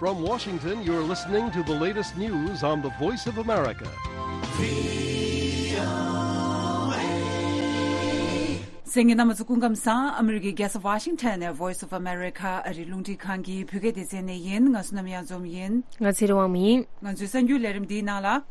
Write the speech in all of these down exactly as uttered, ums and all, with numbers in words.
From Washington, you're listening to the latest news on the Voice of America. གསན་མཁན་རྣམ་པ་ཚོ་སྐུ་ཁམས་བཟང་། ཨ་མི་རི་ཀའི་རྒྱལ་ས་ཝ་ཤིང་ཊོན་ནས་Voice of America ཨ་རིའི་རླུང་འཕྲིན་ཁང་གི་བོད་སྐད་སྡེ་ཚན་ནས་ཡིན། ང་བསོད་ནམས་གཡང་འཛོམས་ཡིན། ང་ཚེ་རིང་དབང་མོ་ཡིན། ང་ཚོའི་གསར་འགྱུར་ལས་རིམ་འདིའི་ནང་ལ།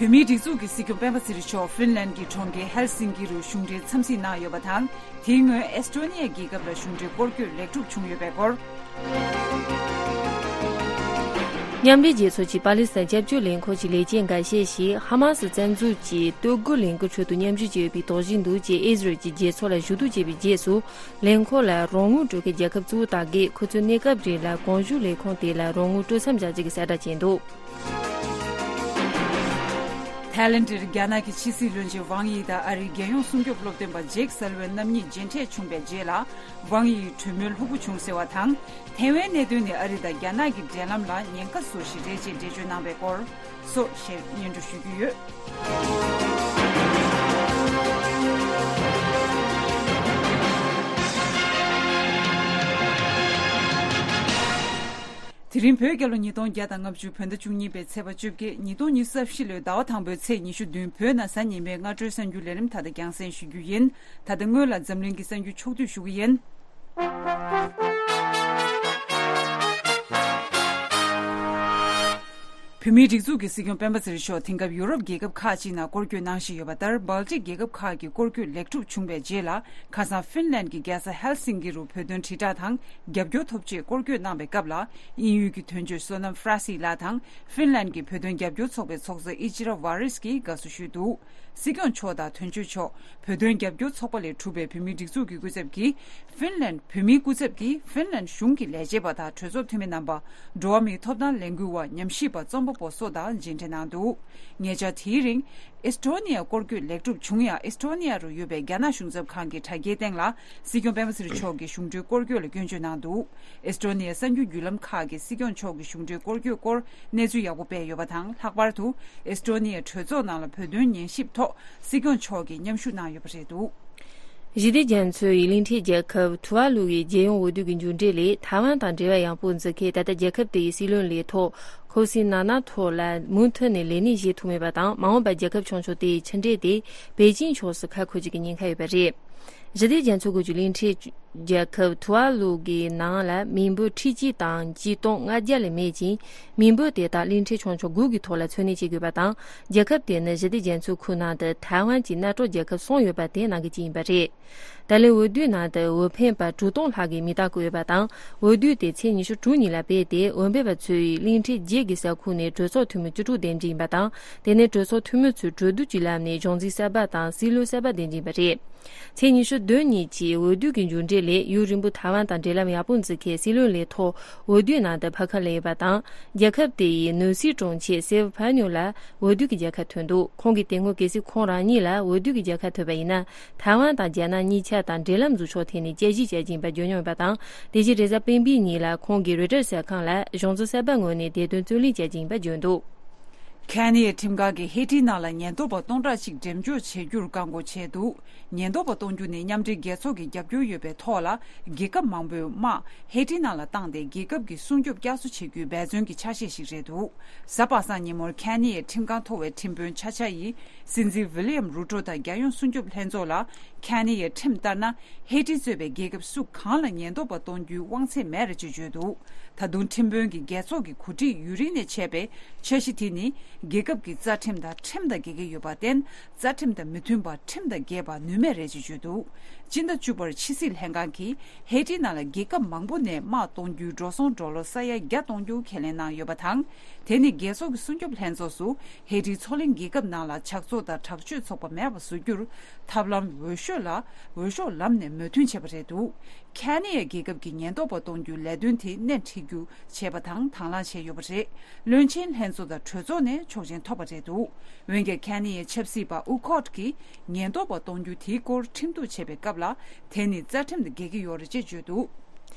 བོད་མིའི་སྒྲིག་འཛུགས་ཀྱི་སྲིད་སྐྱོང་སྤེན་པ་ཚེ་རིང་མཆོག་ཧྥིན་ལན་གྱི་གྲོང་ཁྱེར་ཧེལ་སིང་ཀི་རུ་གཞུང་འབྲེལ་འཚམས་གཟིགས་གནང་ཡོད་པ་དང་། དེའི་སྔོན་ཨེས་ཏྲོ་ནི་ཡ་རྒྱལ་ཁབ་ལ་གཞུང་འབྲེལ་སྐོར་སྐྱོད་ལེགས་གྲུབ་བྱུང་ཡོད་པའི་སྐོར། མཉམ་འབྲེལ་རྒྱལ་ཚོགས་ཀྱི་པ་ལི་སི་ཐན་སྐྱབས་བཅོལ་ལས་འཁོར་གྱི་ལས་བྱེད་འགའ་ཤས་ཤིག་ཧ་མ་སི་བཙན་འཛུལ་གྱི་སྟོད་སྒོ་ལས་འགུལ་ཁྲོད་དུ་མཉམ་ཞུགས་བྱས་ཡོད་པའི་དོགས་གཞི་འདུག་ཅེས་ཨི་ཟི་རལ་གྱི་རྒྱལ་ཚོགས་ལ་ཞུ་གཏུག་བྱས་པའི་རྗེས་སུ། ལས་འཁོར་ལ་རོགས་དངུལ་སྤྲོད་མཁན་རྒྱལ་ཁབ་གཙོ་བོ་དག་གིས་ཁོ་ཚོའི་གནས་སྐབས་རིང་ལ་གོང་ཞུས་ལས་ཁུངས་དེ་ལ་རོགས་དངུལ་སྤྲོད་མཚམས་བཞག་རྒྱུ་གི་གསལ་བསྒྲགས་བྱས་འདུག་ཐའི་ལེན་ཌར་རྒྱ་ནག་གི་ཕྱི་སྲིད་བློན་ཆེན་ཝང་ཡི་དང་ཨ་རིའི་རྒྱལ་ཡོངས་སྲུང་སྐྱོབ་སློབ་སྟོན་པ་ཇེག་སལ་ཝན་རྣམ་གཉིས་མཇལ་འཕྲད་བྱུང་བའི་རྗེས་ལ། ཝང་ཡི་གྲོས་མོལ་ལྷུག་པོ་བྱུང་ཟེར་བ་དང་། ཐའེ་ཝན་གནད་དོན་ནི་ཨ་རི་དང་རྒྱ་ནག་གི་འབྲེལ་ལམ་ལ་ཉེན་ཁ་བཟོ་ཞིག་རེད་ཅེས་འགྲེལ་བརྗོད་གནང་བའི་སྐོར་སོགས་ཞེས་སྙན་སྒྲོན་ཞུ་རྒྱུ་ཡོད། དེ་རིང་བོད་རྒྱལ་ལོ་ཉིས་སྟོང་བརྒྱ་དང་ལྔ་བཅུ་བོད་ཟླ་བཅུ་གཉིས་པའི་ཚེས་པ་བཅོ་བརྒྱད། ཉིས་སྟོང་ཉི་ཤུ་རྩ་བཞི་ལོའི་ཟླ་བ་དང་པོའི་ཚེས་ཉི་ཤུ་བདུན་བོད་ནང་གཟའ་ཉི་མའི་སྔ་དྲོའི་གསར་འགྱུར་ལས་རིམ་ད་ལྟ་རྒྱང་སྲིང་ཞུ་རྒྱུ་ཡིན། ད་ལྟ་སྔོན་ལ་འཛམ་གླིང་གི་གསར་འགྱུར་ཕྱོགས་བསྡུས་ཞུ་གི་ཡིན། བོད་མིའི་སྒྲིག་འཛུགས་ཀྱི་སྲིད་སྐྱོང་སྤེན་པ་ཚེ་རིང་མཆོག་དེང་སྐབས་ཡུ་རོབ་རྒྱལ་ཁབ་ཁག་ཅིག་ནང་སྐོར་སྐྱོད་གནང་བཞིན་ཡོད་པ་ལྟར། སྦལ་ཏིག་རྒྱལ་ཁབ་ཁག་གི་སྐོར་སྐྱོད་ལེགས་གྲུབ་བྱུང་བའི་རྗེས་ལ། ཁ་སང་ཧྥིན་ལན་གྱི་རྒྱལ་ས་ཧེལ་སིང་ཀི་རུ་བོད་དོན་དྲིལ་བསྒྲགས་དང་རྒྱབ་སྐྱོར་ཐོབ་ཆེད་སྐོར་སྐྱོད་གནང་བའི་སྐབས་ལ། དབྱིན་ཡུལ་གྱི་དོན་གཅོད་བསོད་ནམས་ཧྥ་ར་སི་ལགས་དང་ཧྥིན་ལན་གྱི་བོད་དོན་རྒྱབ་སྐྱོར་ཚོགས་པའི་ཚོགས་གཙོ་ཨི་ཅི་ར་ཝ་རིས་ཀྱིས་དགའ་བསུ་ཞུས་འདུག་སྲིད་སྐྱོང་མཆོག་དང་དོན་གཅོད་མཆོག་བོད་དོན་རྒྱབ་སྐྱོར་ཚོགས་པ་ལས་གྲུབ་པའི་བོད་མིའི་སྒྲིག་འཛུགས་ཀྱི་སྐུ་ཚབ་ཀྱིས་ཧྥིན་ལན། བོད་མིའི་སྐུ་ཚབ་ཀྱིས་ཧྥིན་ལན་གཞུང་གི་ལས་བྱེད་པ་དང་གྲོས་ཚོགས་འཐུས་མི་རྣམ་པ། འགྲོ་བ་མིའི་ཐོབ་ཐང་ལས་འགུལ་བ། ཉམས་ཞིབ་པ། རྩོམ་པ་པོ་སོགས་དང་མཇལ་འཕྲད་གནང་འདུག་ཉེ་ཆར་དེའི་རིང་ཨེས་ཏྲོ་ནི་ཡ་སྐོར་སྐྱོད་ལེགས་གྲུབ་བྱུང་ཡང་། ཨེས་ཏྲོ་ནི་ཡ་རུ་ཡོད་པའི་རྒྱ་ནག་གཞུང་ཚབ་ཁང་གི་དྲ་རྒྱའི་སྟེང་ལ་སྲིད་སྐྱོང་སྤེན་པ་ཚེ་རིང་མཆོག་གི་གཞུང་འབྲེལ་སྐོར་སྐྱོད་ལ་སྐྱོན་བརྗོད་གནང་འདུག་ཨེས་ཏྲོ་ནི་ཡ་གསར་འགྱུར་བརྒྱུད་ལམ་ཁག་གིས་སྲིད་སྐྱོང་མཆོག་གི་གཞུང་འབྲེལ་སྐོར་སྐྱོད་སྐོར་གནས་ཚུལ་ཡག་པོ་སྤེལ་ཡོད་པ་དང་། ལྷག་པར་དུ་ཨེས་ཏྲོ་ནི་ཡའི་གྲོས་ཚོགས་ནང་ལ་བོད་དོན་ཉན་ཞིབ་ཐོག་སྲིད་སྐྱོང་མཆོག་གིས་མཉམ་ཞུགས་གནང་ཡོད་པ་རེད་འདུག་ཞི་བདེ་རྒྱ་མཚོའི་གླིང་ཕྲན་རྒྱལ་ཁབ་ཐུ་ཝ་ལུ་ཡི་རྒྱལ་ཡོངས་འོས་བསྡུ་གི་མཇུག་འབྲས་ལས། ཐའེ་ཝན་དང་འབྲེལ་བ་ཡག་པོ་འཛུགས་མཁན་ད་ལྟ་རྒྱལ་ཁབ་དེ་ཡི་སྲིད་བློན་ལས་ཐོག་ཁོ་སི་ན་ན་ཐོ་ལ་མུ་མཐུད་ནས་ལས་གནས་བཞེས་ཐུབ་མེད་པ་དང་། མ་འོངས་པར་རྒྱལ་ཁབ་ཆུང་ཆུང་དེ་ཡི་ཕྱི་འབྲེལ་དེ་པེ་ཅིང་ཕྱོགས་སུ་ཁ་འཁོར་རྒྱུ་གི་ཉེན་ཁ་ཡོད་པ་རེད། ཞི་བདེ་རྒྱ་མཚོ་ཁུལ་གྱི་གླིང་ཕྲན་རྒྱལ་ཁབ་ཐུ་ཝ་ལུ་གི་ནང་ལ་མི་འབོར་ཁྲི་གཅིག་དང་ཆིག་སྟོང་ལྔ་བརྒྱ་ལས་མེད་ཅིང་། མི་འབོར་དེ་དག་གླིང་ཕྲན་ཆུང་ཆུང་དགུ་གི་ཐོག་ལ་འཚོ་གནས་བྱེད་དགོས་པ་དང་། རྒྱལ་ཁབ་དེ་ནི་ཞི་བདེ་རྒྱ་མཚོའི་ཁུལ་ནང་དུ་ཐའེ་ཝན་གྱི་མནའ་གྲོགས་རྒྱལ་ཁབ་གསུམ་ཡོད་པ་དེའི་ནང་གི་གཅིག་ཡིན་པ་རེད། ད་ལན་འོས་བསྡུའི་ནང་དུ་འོས་འཕེན་པ་དྲུག་སྟོང་ལྷག་གིས་མིང་རྟགས་བཀོད་ཡོད་པ་དང་། འོས་བསྡུ་དེ་ཚེས་ཉི་ཤུ་དྲུག་ཉིན་ལ་སྤེལ་ཏེ། འོས་འཕེན་པ་ཚོས་གླིང་ཕྲན་བརྒྱད་ཀྱི་ས་ཁུལ་ནས་གྲོས་ཚོགས་འཐུས་མི་བཅུ་དྲུག་འདེམས་རྒྱུ་ཡིན་པ་དང་། དེ་ནས་གྲོས་ཚོགས་འཐུས་མི་ཚོས་གྲོས་བསྡུར་གྱི་ལམ་ནས་གཞུང་འཛིན་གསར་པ་དང་སྲིད་བློན་གསར་པ་འདེམས་རྒྱུ་ཡིན་པ་རེད། ཚེས་ཉི་ཤུ་བདུན་ཉིན་གྱི་འོས་བསྡུ་གི་མཇུག་འབྲས་ལས། ཡུན་རིང་པོ་ཐའེ་ཝན་དང་འབྲེལ་ལམ་ཡག་པོ་འཛུགས་མཁན་སྲིད་བློན་ལས་ཐོག་འོས་བསྡུའི་ནང་དུ་ཕར་ཁ་ལེན་ཡོད་པ་དང་། རྒྱལ་ཁབ་དེ་ཡི་ནུབ་སྲིད་དྲུང་ཆེ་སེ་ཝ་ཕ་ཉུ་ལ་འོས་བསྡུ་གི་རྒྱལ་ཁ་ཐོབ་འདུག་ཁོང་གིས་དེ་སྔོན་གལ་སྲིད་ཁོང་རང་ཉིད་ལ་འོས་བསྡུ་གི་རྒྱལ་ཁ་ཐོབ་པ་ཡིན་ན། ཐའེ་ཝན་དང་རྒྱ་ནག་གཉིས་ཆ་དང་འབྲེལ་ལམ་འཛུགས་ཕྱོགས་ཐད་ནས་དཔྱད་ཞིབ་བྱ་རྒྱུ་ཡིན་པ་བརྗོད་མྱོང་ཡོད་པ་དང་། དེ་བཞིན་རེས་གཟའ་སྤེན་པའི་ཉིན་ལ་ཁོང་གིས་རོའི་ཊར་གསར་ཁང་ལ་གཞུང་འཛིན་གསར་པ་ངོས་ནས་བདེ་དོན་རྩོད་ལེན་བྱ་རྒྱུ་ཡིན་པ་བརྗོད་འདུག་ཁེ་ནི་ཡའི་ཁྲིམས་ཁང་གིས་ཧེ་ཏི་ནང་ལ་ཉེན་རྟོག་པ་སྟོང་ཕྲག་གཅིག་འགྲེམས་འཇོག་བྱེད་རྒྱུར་བཀག་འགོག་བྱས་འདུག་ཉེན་རྟོག་པ་གཏོང་རྒྱུ་ནི་མཉམ་འབྲེལ་རྒྱལ་ཚོགས་ཀྱི་རྒྱབ་སྐྱོར་ཡོད་པའི་ཐོག་ལ། རྒྱལ་ཁབ་མང་པོས་དམག་ཧེ་ཏི་ནང་ལ་བཏང་སྟེ། རྒྱལ་ཁབ་ཀྱི་སྲུང་སྐྱོབ་བསྐྱར་གསོ་བྱེད་རྒྱུའི་འབད་བརྩོན་གྱི་ཆ་ཤས་ཤིག་རེད་འདུག་གཟའ་པ་སངས་ཉིན་མོར་ཁེ་ནི་ཡའི་ཁྲིམས་ཁང་མཐོ་བའི་ཁྲིམས་དཔོན་ཆ་ཆ་ཡིས། སྲིད་འཛིན་ཝི་ལི་ཡམ་རུ་ཏོ་དང་རྒྱལ་ཡོངས་སྲུང་སྐྱོབ་ལྷན་ཚོགས་ལ། ཁེ་ནི་ཡའི་ཁྲིམས་ལྟར་ན། ཧེ་ཏི་གཙོས་པའི་རྒྱལ་ཁབ་སུ་གང་ལ་ཉེན་རྟོག་པ་གཏོང་རྒྱུའི་དབང་ཚད་མེད་རེད་ཅེས་བརྗོད་འདུག་ད་དུང་ཁྲིམས་དཔོན་གྱིས་རྒྱལ་ཚོགས་ཀྱི་གོ་སྒྲིག་ཡུན་རིང་ནས་བྱས་པའི་འཆར་གཞི་དེ་ནི། རྒྱལ་ཁབ་ཀྱི་རྩ་ཁྲིམས་དང་ཁྲིམས་དང་འགལ་གྱི་ཡོད་པར་བརྟེན། རྩ་ཁྲིམས་དང་མི་མཐུན་པར་ཁྲིམས་དང་འགལ་བ་ནུས་མེད་རེད་ཅེས་བརྗོད་འདུག་སྤྱི་ཟླ་བཅུ་པར་ཕྱི་སྲིད་ལྷན་ཁང་གིས་ཧེ་ཏི་ནང་ལ་རྒྱལ་ཁབ་མང་པོ་ནས་དམག་གཏོང་རྒྱུའི་འགྲོ་སོང་ཌོ་ལར་ས་ཡ་བརྒྱ་གཏོང་རྒྱུ་ཁས་ལེན་གནང་ཡོད་པ་དང་། དེ་ནི་རྒྱལ་ཚོགས་ཀྱི་སྲུང་སྐྱོབ་ལྷན་ཚོགས་སུ་ཧེ་ཏིའི་མཚོ་གླིང་རྒྱལ་ཁབ་ནང་ལ་ཇག་ཚོགས་དང་དྲག་སྤྱོད་ཚོགས་པ་མེད་པ་བཟོ་རྒྱུར་ཐབས་ལམ་འོས་ཤོག་ལ་འོས་ཤོག་ལམ་ནས་མོས་མཐུན་བྱས་པ་རེད་འདུག་ཁེ་ནི་ཡ་རྒྱལ་ཁབ་ཀྱི་ཉེན་རྟོག་པ་གཏོང་རྒྱུའི་ལས་དོན་དེ་སྣེ་ཁྲིད་རྒྱུ་བྱས་པ་དང་དང་བླངས་བྱས་ཡོད་པ་རེད། བློན་ཆེན་ལྷན་ཚོགས་དང་གྲོས་ཚོགས་ནས་ཆོག་མཆན་ཐོབ་པ་རེད་འདུག་འོན་ཀྱང་ཁེ་ནི་ཡའི་ཆབ་སྲིད་པ་ཨུ་ཁོད་ཀྱིས་ཉེན་རྟོག་པ་གཏོང་རྒྱུ་དེའི་སྐོར་ཁྲིམས་གཏུག་བྱས་པའི་སྐབས་ལ། དེ་ནི་རྩ་ཁྲིམས་དང་འགལ་གྱི་ཡོད་རེད་ཅེས་བརྗོད་འདུག་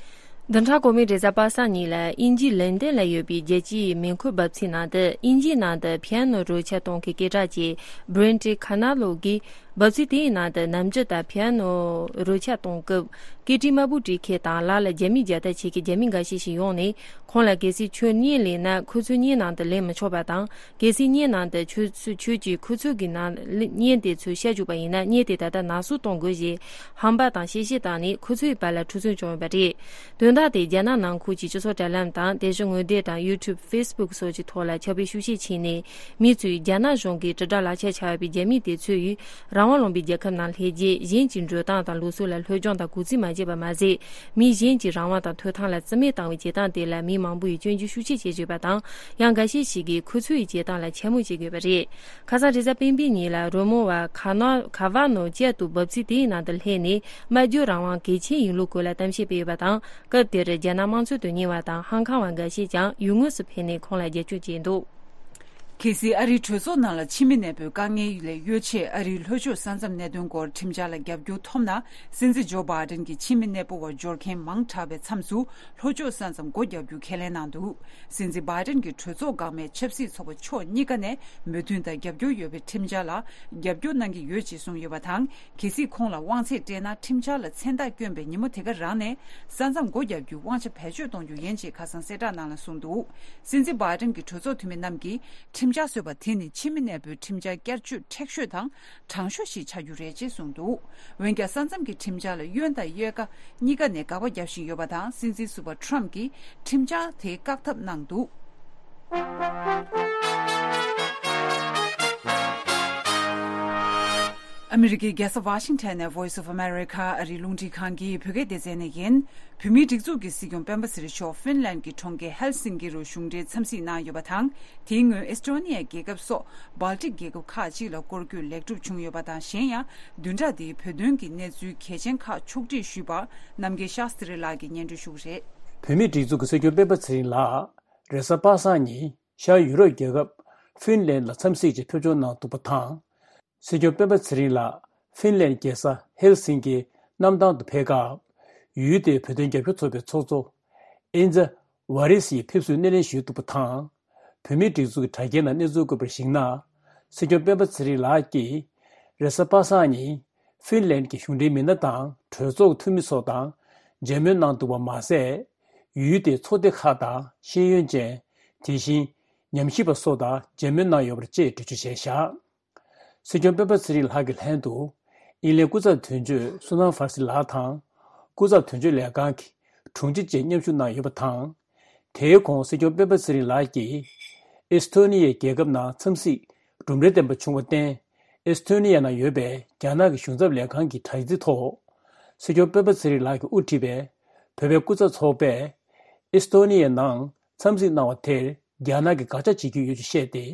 བདུན་ཕྲག་གོང་མའི་རེས་གཟའ་པ་སངས་ཉིན་ལ་དབྱིན་ཇིའི་ལན་ཏན་ལ་ཡོད་པའི་རྒྱལ་སྤྱིའི་མེ་འཁོར་འབབ་ཚིགས་ནང་དུ། དབྱིན་ཇིའི་ནང་དུ་པི་ཡ་ནོ་རོལ་ཆ་གཏོང་མཁན་སྐད་གྲགས་ཅན་Brent Kavanaugh གིས། འབབ་ཚིགས་དེའི་ནང་དུ་ནམ་རྒྱུན་དང་པི་ཡ་ནོ་རོལ་ཆ་གཏོང་སྐབས་སྐད་འཕྲིན་དམར་པོ་བྲིས་མཁན་དང་ལག་ལ་རྒྱ་མིའི་རྒྱལ་དར་འཁྱེར་མཁན་རྒྱ་མི་འགའ་ཤས་ཤིག་ཡོང་ནས། ཁོང་ལ་གལ་སྲིད་ཁྱོད་བརྙན་ལེན་ན་ཁོ་ཚོའི་བརྙན་ནང་དུ་ལེན་མི་ཆོག་པ་དང་། གལ་སྲིད་བརྙན་ནང་དུ་ཁྱོད་ཚོས་ཁྱོད་ཀྱིས་ཁོ་ཚོའི་ནང་བརྙན་དེ་ཚོ་བཤད་བཅུག་པ་ཡིན་ན། བརྙན་དེ་ད་ལྟ་ནང་སྲུང་གཏོང་དགོས་ཞེས་ཧམ་པ་དང་གཤེ་གཤེ་བཏང་ནས། ཁོ་ཚོའི་བར་ལ་འཁྲུག་རྩོད་བྱུང་ཡོད་པ་རེད། དོན་དག་དེ་རྒྱ་ནག་ནང་ཁུལ་གྱི་སྤྱི་ཚོགས་དྲ་ལམ་དང་། དེ་བཞིན་ངོ་དེབ་དང་YouTube, Facebook སོགས་ཀྱི་ཐོག་ལ་ཁྱབ་སྤེལ་ཤུགས་ཆེ་ཕྱིན་ནས། མི་ཚོས་རྒྱ་ནག་གཞུང་གིས་དྲིལ་བསྒྲགས་ལག་ཁྱེར་ཆགས་ཡོད་པའི་རྒྱ་མི་དེ་ཚོས་ཡུལ་རང་དབང་ལུང་པའི་རྒྱལ་ཁབ་ནང་སླེབས་རྗེས། གཞན་གྱི་འགྲོ་སྟངས་དང་ལུགས་སྲོལ་ལ་སློབ་སྦྱོང་དང་གུས་བརྩི་མ་བྱས་པ་མ་ཟད། མི་གཞན་གྱི་རང་དབང་དང་ཐོབ་ཐང་ལ་བརྩི་མེད་བཏང་བའི་བྱེད་སྟངས་དེ་ལ། མི་མང་པོ་ཡིས་སྐྱོན་བརྗོད་ཤུགས་ཆེ་བྱེད་བཞིན་པ་དང་། ཡང་འགའ་ཤས་ཤིག་གིས་ཁོ་ཚོའི་བྱེད་སྟངས་ལ་འཕྱ་སྨོད་བྱེད་དགོས་པ་རེད། ཁ་སང་རེས་གཟའ་སྤེན་པའི་ཉིན་ལ། རོལ་མོ་བ་ཁ་ནོ་ཁ་ཝ་ནོ་བསྐྱར་དུ་འབབ་ཚིགས་དེའི་ནང་དུ་སླེབས་ནས། སྨྲ་བརྗོད་རང་དབང་གལ་ཆེན་ཡིན་ལུགས་སྐོར་ལ་གཏམ་བཤད་སྤེལ་ཡོད་པ་དང་། སྐབས་དེར་རྒྱ་ནག་དམངས་གཙོའི་དོན་གཉེར་བ་དང་ཧང་ཁང་བ་འགའ་ཤས་ཀྱང་ཡུལ་དངོས་སུ་ཕེབས་ནས་ཁོང་ལ་རྒྱབ་སྐྱོར་བྱས་འདུག། གལ་སྲིད་ཨ་རིའི་གྲོས་ཚོགས་ནང་ལ་ཕྱི་མི་གནས་སྤོས་དཀའ་ངལ་ལས་གཡོལ་ཆེད། ཨ་རིའི་ལྷོ་ཕྱོགས་ས་མཚམས་གནད་དོན་སྐོར་ཁྲིམས་འཆར་ལ་རྒྱབ་སྐྱོར་ཐོབ་ན། སྲིད་འཛིན་ཇོ་བྷའི་ཏན་གྱི་ཕྱི་མི་གནས་སྤོ་བར་འབྱོར་མཁན་མང་དྲགས་པའི་མཚམས་སུ། ལྷོ་ཕྱོགས་ས་མཚམས་སྒོ་རྒྱག་རྒྱུ་ཁས་ལེན་གནང་འདུག། སྲིད་འཛིན་བྷའི་ཏན་གྱི་གྲོས་ཚོགས་འགག་མེད་ཆབ་སྲིད་ཚོགས་པ་ཕྱོགས་གཉིས་ཀ་ནས་མོས་མཐུན་དང་རྒྱབ་སྐྱོར་ཡོད་པའི་ཁྲིམས་འཆར་ལ་རྒྱབ་སྐྱོར་གནང་གི་ཡོད་ཅེས་གསུངས་ཡོད་པ་དང་། གལ་སྲིད་ཁོང་ལ་དབང་ཚད་སྤྲད་ན། ཁྲིམས་འཆར་ལ་མཚན་རྟགས་བསྐྱོན་པའི་ཉིན་མོ་དེ་ག་རང་ནས་ས་མཚམས་སྒོ་རྒྱག་རྒྱུའི་དབང་ཆ་བེད་སྤྱོད་གཏོང་རྒྱུ་ཡིན་ཅེས་ཁ་སང་གསལ་བསྒྲགས་ནང་ལ་གསུངས་འདུག། སྲིད་འཛིན་བྷའི་ཏན་གྱི་གྲོས་ཚོགས་འཐུས་མི་རྣམས་ཀྱིས་ཁྲིམས་འཆར་བཟོས་པ་དེ་ནི་ཕྱི་མི་གནས་སྤོའི་ཁྲིམས་འཆར་བསྐྱར་བཅོས་མཁྲེགས་ཤོས་དང་དྲང་ཤོས་ཤིག་ཆགས་རྒྱུ་རེད་ཅེས་གསུངས་འདུག། འོན་ཀྱང་། ས་མཚམས་ཀྱི་ཁྲིམས་འཆར་ལ་གཡོན་དང་གཡས་ཀ་གཉིས་ཀ་ནས་དགག་པ་རྒྱག་བཞིན་ཡོད་པ་དང་། སྲིད་འཛིན་ཟུར་པ་ཁྲམ་གྱིས་ཁྲིམས་འཆར་དེ་བཀག་ཐབས་གནང་འདུག། ཨ་མི་རི་ཀའི་རྒྱལ་ས་ཝ་ཤིང་ཊོན་ནས་Voice of America ཨ་རིའི་རླུང་འཕྲིན་ཁང་གི་བོད་སྐད་སྡེ་ཚན་ནས་ཡིན། བོད་མིའི་སྒྲིག་འཛུགས་ཀྱི་སྲིད་སྐྱོང་སྤེན་པ་ཚེ་རིང་མཆོག་ཧྥིན་ལན་གྱི་གྲོང་ཁྱེར་ཧེལ་སིན་ཀི་རུ་གཞུང་འབྲེལ་འཚམས་གཟིགས་གནང་ཡོད་པ་དང་། དེའི་སྔོན་ཨེས་ཏོ་ནི་ཡ་རྒྱལ་ཁབ་སོགས་སྦལ་ཏིག་རྒྱལ་ཁབ་ཁག་ཅིག་ལ་སྐོར་སྐྱོད་ལེགས་གྲུབ་བྱུང་ཡོད་པ་དང་། གཞན་ཡང་བདུན་ཕྲག་འདིའི་བོད་དོན་གྱི་གནས་ཚུལ་གལ་ཆེན་ཁག་ཕྱོགས་སྒྲིག་ཞུས་པ་རྣམ་རྒྱལ་ཤཱ་སྟྲི་ལགས་ཀྱིས་སྙན་སྒྲོན་ཞུ་གི་རེད། བོད་མིའི་སྒྲིག་འཛུགས་ཀྱི་སྲིད་སྐྱོང་སྤེན་པ་ཚེ་རིང་ལགས་རེས་གཟའ་པ་སངས་ཉིན་ཤར་ཡུ་རོབ་རྒྱལ་ཁབ་ཧྥིན་ལན་ལ་འཚམས་གཟིགས་ཀྱིས་ཕེབས་འབྱོར་གནང་འདུག་པ་དང་། སྲིད་སྐྱོང་སྤེན་པ་ཚེ་རིང་ལགས་ཧྥིན་ལན་རྒྱལ་ས་ཧེལ་སིན་ཀི་གནམ་ཐང་དུ་ཕེབས་སྐབས། ཡུལ་དེའི་བོད་དོན་རྒྱབ་སྐྱོར་ཚོགས་པའི་ཚོགས་གཙོ་ཨིན་ཛ་ཝ་རི་སི་ཡིས་ཕེབས་བསུའི་སྣེ་ལེན་ཞུས་འདུག་པ་དང་། བོད་མིའི་སྒྲིག་འཛུགས་ཀྱི་དྲ་རྒྱའི་ནང་གནས་ཚུལ་བཀོད་པར་གཞིགས་ན། སྲིད་སྐྱོང་སྤེན་པ་ཚེ་རིང་ལགས་ཀྱིས་རེས་གཟའ་པ་སངས་ཉིན་ཧྥིན་ལན་གྱི་གཞུང་འབྲེལ་མི་སྣ་དང་གྲོས་ཚོགས་འཐུས་མི་སོགས་དང་མཇལ་མོལ་གནང་འདུག་པ་མ་ཟད། ཡུལ་དེའི་ཚོགས་སྡེ་ཁག་དང་ཤེས་ཡོན་ཅན། དེ་བཞིན་ཉམས་ཞིབ་པ་སོགས་དང་མཇལ་མོལ་གནང་ཡོད་པ་བཅས་འགྲེལ་བརྗོད་བྱས་བཞག། སྲིད་སྐྱོང་སྤེན་པ་ཚེ་རིང་ལགས་ཀྱི་ལྷན་དུ། ཨིན་ལན་སྐུ་ཚབ་དོན་གཅོད་སུ་ནན་ཧྥར་སི་ལགས་དང་། སྐུ་ཚབ་དོན་གཅོད་ལས་ཁང་གི་དྲུང་ཆེ་བཅས་མཉམ་ཞུགས་གནང་ཡོད་པ་དང་། དེའི་གོང་སྲིད་སྐྱོང་སྤེན་པ་ཚེ་རིང་ལགས་ཀྱིས། ཨེས་ཐོ་ནི་ཡའི་རྒྱལ་ཁབ་ནང་འཚམས་གཟིགས་གྲུབ་འབྲས་ལྡན་པ་བྱུང་བར་བརྟེན། ཨེས་ཐོ་ནི་ཡ་ནང་ཡོད་པའི་རྒྱ་ནག་གི་གཞུང་ཚབ་ལས་ཁང་གི་དྲ་ཚིགས་ཐོག་སྲིད་སྐྱོང་སྤེན་པ་ཚེ་རིང་ལགས་ཀྱིས་དབུ་ཁྲིད་པའི་བོད་པའི་སྐུ་ཚབ་ཚོགས་པས། ཨེས་ཐོ་ནི་ཡའི་ནང་འཚམས་གཟིགས་གནང་བ་དེར། རྒྱ་ནག་གིས་དགག་བྱ་བྱེད་ཀྱི་ཡོད་ཅེས་བཤད་དེ།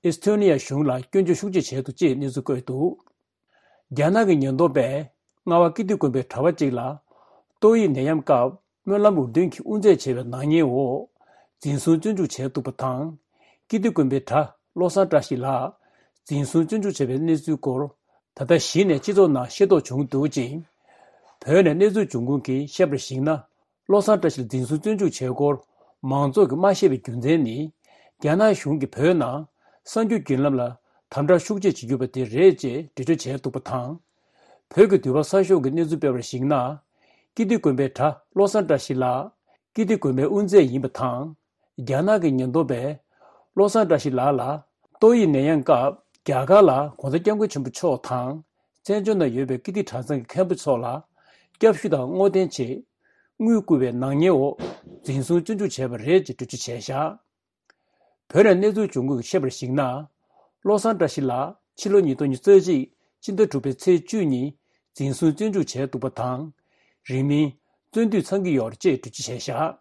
ཨེས་ཐོ་ནི་ཡ་གཞུང་ལ་སྐྱོན་བརྗོད་ཤུགས་ཆེ་བྱས་འདུག་ཅེས་གནས་ཚུལ་བཀོད་འདུག། རྒྱ་ནག་གི་ཉེན་རྟོག་པས་རྔ་བ་ཀིརྟི་དགོན་པའི་གྲྭ་པ་གཅིག་ལ་ཏོག་དབྱིབས་ནད་ཡམས་སྐབས་སྨོན་ལམ་འུར་འདོན་གྱི་དབུ་མཛད་བྱས་པའི་ནག་ཉེས་འོག་འཛིན་བཟུང་བཙོན་འཇུག་བྱས་འདུག་པ་དང་། ཀིརྟི་དགོན་པའི་གྲྭ་བློ་བཟང་བཀྲ་ཤིས་ལགས་འཛིན་བཟུང་བཙོན་འཇུག་བྱས་པའི་གནས་ཚུལ་སྐོར་ད་ལྟ་གཞི་ནས་སྤྱི་ཚོགས་ནང་ཤེས་རྟོགས་བྱུང་འདུག་ཅིང་། བོད་ནས་གནས་ཚུལ་འབྱུང་ཁུངས་ཀྱིས་བཤད་པར་གཞིགས་ན། བློ་བཟང་བཀྲ་ཤིས་ལ་འཛིན་བཟུང་བཙོན་འཇུག་བྱས་སྐོར་མང་ཚོགས་ཀྱིས་མ་ཤེས་པའི་རྒྱུ་མཚན་ནི། རྒྱ་ནག་གཞུང་གིས་བོད་ནང་གསར་འགྱུར་བརྒྱུད་ལམ་ལ་དམ་དྲག་ཤུགས་ཆེ་བྱེད་ཀྱི་ཡོད་པ་དེ་རེད་ཅེས་འགྲེལ་བརྗོད་བྱས་འདུག་པ་དང་། བོད་ཀྱི་འདུས་པ་གསར་ཤོག་གིས་གནས་ཚུལ་སྤེལ་བར་གཞིགས་ན། ཀིརྟི་དགོན་པའི་གྲྭ་བློ་བཟང་བཀྲ་ཤིས་ལགས་ཀིརྟི་དགོན་པའི་དབུ་མཛད་ཡིན་པ་དང་། རྒྱ་ནག་གི་ཉེན་རྟོག་པས་བློ་བཟང་བཀྲ་ཤིས་ལགས་ལ་ཏོག་དབྱིབས་ནད་ཡམས་སྐབས་རྒྱ་གར་ལ་༸གོང་ས་༸སྐྱབས་མགོན་ཆེན་པོ་མཆོག་དང་བཙན་བྱོལ་ནང་ཡོད་པའི་ཀིརྟི་གྲྭ་ཚང་གི་མཁན་པོ་ཚོ་ལ་སྐྱབས་ཞུ་དང་བསྔོ་རྟེན་ཆེད་དངུལ་བསྐུར་བའི་ནག་ཉེས་འོག་འཛིན་བཟུང་བཙོན་འཇུག་བྱས་པ་རེད་ཅེས་འགྲེལ་བརྗོད་བྱས་བཞག། བོད་ནས་གནས་ཚུལ་བྱུང་ཁུངས་ཀྱིས་བཤད་པར་གཞིགས་ན། བློ་བཟང་བཀྲ་ཤིས་ལགས་ཕྱི་ལོ་ཉིས་སྟོང་ཉི་ཤུ་རྩ་གཅིག་སྤྱི་ཟླ་དྲུག་པའི་ཚེས་བཅུ་ཉིན་འཛིན་བཟུང་བཙོན་འཇུག་བྱས་འདུག་པ་དང་། རིང་མིན་བཙོན་དུས་ཚང་གི་ཡོད་རེད་ཅེས་འགྲེལ་བརྗོད་བྱས་བཞག།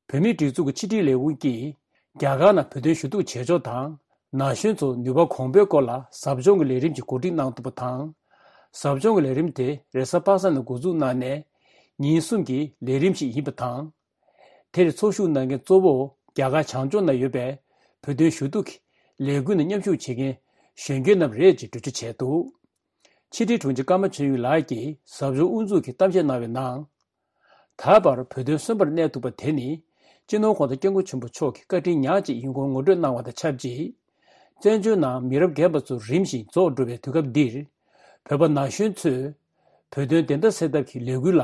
བོད་མིའི་སྒྲིག་འཛུགས་ཀྱི་ཕྱི་དྲིལ་ལས་ཁུངས་ཀྱིས་རྒྱ་གར་ནང་བོད་དོན་ཞུ་གཏུག་བྱེད་ཕྱོགས་དང་ན་གཞོན་ཚོར་ནུས་པ་གོང་འཕེལ་སྐོར་ལ་ཟབ་སྦྱོང་གི་ལས་རིམ་ཞིག་གོ་སྒྲིག་གནང་འདུག་པ་དང་། ཟབ་སྦྱོང་གི་ལས་རིམ་དེ་རེས་གཟའ་པ་སངས་ནས་འགོ་འཛུགས་གནང་ནས་ཉིན་གསུམ་གྱི་ལས་རིམ་ཞིག་ཡིན་པ་དང་། དེར་ཚོགས་ཞུགས་གནང་མཁན་གཙོ་བོ་རྒྱ་གར་བྱང་ཕྱོགས་ན་ཡོད་པའི་བོད་དོན་ཞུ་གཏུག་གི་ལས་འགུལ་ནང་མཉམ་ཞུགས་བྱེད་མཁན་གཞོན་སྐྱེས་རྣམས་རེད་ཅེས་འགྲེལ་བརྗོད་བྱས་འདུག། ཕྱི་དྲིལ་དྲུང་ཆེ་ཀརྨ་ཆོས་དབྱིངས་ལགས་ཀྱིས་ཟབ་སྦྱོང་དབུ་འཛུགས་ཀྱི་གཏམ་བཤད་གནང་བའི་ནང་། ད་ ད་བར་བོད་དོན་གསོན་པོར་གནས་ཐུབ་པ་དེ་ནི། སྤྱི་ནོར་༧གོང་ས་༧སྐྱབས་མགོན་ཆེན་པོ་མཆོག་གི་བཀའ་དྲིན་ཉག་གཅིག་ཡིན་སྐོར་ངོ་སྤྲོད་གནང་བ་དང་ཆབས་ཅིག་བཙན་བྱོལ་ནང་མི་རབས་རྒན་པ་ཚོ་རིམ་བཞིན་རྫོགས་འགྲོ་བའི་དུས་སྐབས་འདིར། བོད་པ་ན་གཞོན་ཚོས་བོད་དོན་བདེན་མཐའ་གསལ་ཐབས་ཀྱི་ལས་འགུལ་ལ་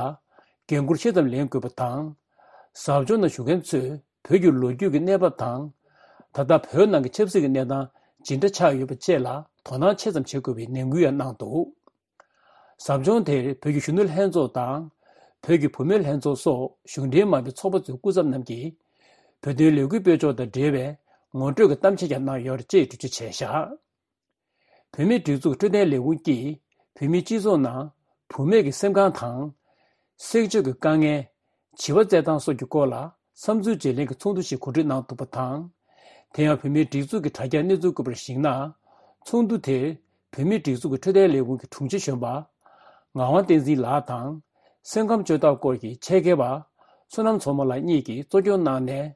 འགན་འཁུར་ཆེ་ཙམ་ལེན་དགོས་པ་དང་། ཟབ་སྦྱོང་ནང་ཞུགས་མཁན་ཚོས་བོད་ཀྱི་ལོ་རྒྱུས་ཀྱི་གནས་བབ་དང་། ད་ལྟ་བོད་ནང་གི་ཆབ་སྲིད་ཀྱི་གནས་སྟངས་ཇི་འདྲ་ཆགས་ཡོད་པ་བཅས་ལ་དོ་སྣང་ཆེ་ཙམ་བྱེད་དགོས་པའི་ནན་སྐུལ་ཡང་གནང་འདུག་ཟབ་སྦྱོང་དེར་བོད་ཀྱི་གཞོན་ནུ་ལྷན་ཚོགས་དང་། བོད་ཀྱི་བུད་མེད་ལྷན་ཚོགས་སོགས་གཞུང་འབྲེལ་མ་ཡིན་པའི་ཚོགས་པ་ཚོའི་སྐུ་ཚབ་རྣམས་ཀྱིས། བོད་དོན་ལས་འགུལ་སྤེལ་ཕྱོགས་དང་འབྲེལ་བའི་ངོ་སྤྲོད་ཀྱི་གཏམ་བཤད་ཀྱང་གནང་ཡོད་ཅེས་འགྲེལ་བརྗོད་བྱས་བཞག་བོད་མིའི་སྒྲིག་འཛུགས་འཕྲོད་བསྟེན་ལས་ཁུངས་ཀྱིས་བོད་མིའི་སྤྱི་ཚོགས་ནང་བུད་མེད་ཀྱི་སེམས་ཁམས་དང་། སེམས་ཤུགས་ཀྱི་དཀའ་ངལ། བྱིས་པ་བཙས་སྟངས་སོགས་ཀྱི་སྐོར་ལ་བསམ་ཚུལ་བརྗེ་ལེན་གྱི་ཚོགས་འདུ་ཞིག་གོ་སྒྲིག་གནང་འདུག་པ་དང་། དེ་ཡང་བོད་མིའི་སྒྲིག་འཛུགས་ཀྱི་དྲ་རྒྱའི་གནས་ཚུལ་བཀོད་པར་གཞིགས་ན། ཚོགས་འདུ་དེར་བོད་མིའི་སྒྲིག་འཛུགས་ཀྱི་འཕྲོད་བསྟེན་ལས་ཁུངས་ཀྱི་དྲུང་ཆེ་གཞོན་པ་ངག་དབང་བསྟན་འཛིན་ལགས་དང་། སེམས་ཁམས་བཅོས་ཐབས་སྐོར་གྱི་ཆེད་མཁས་པ་བསོད་ནམས་མཚོ་མོ་ལགས་གཉིས་ཀྱིས་གཙོ་སྐྱོང་གནང་ནས།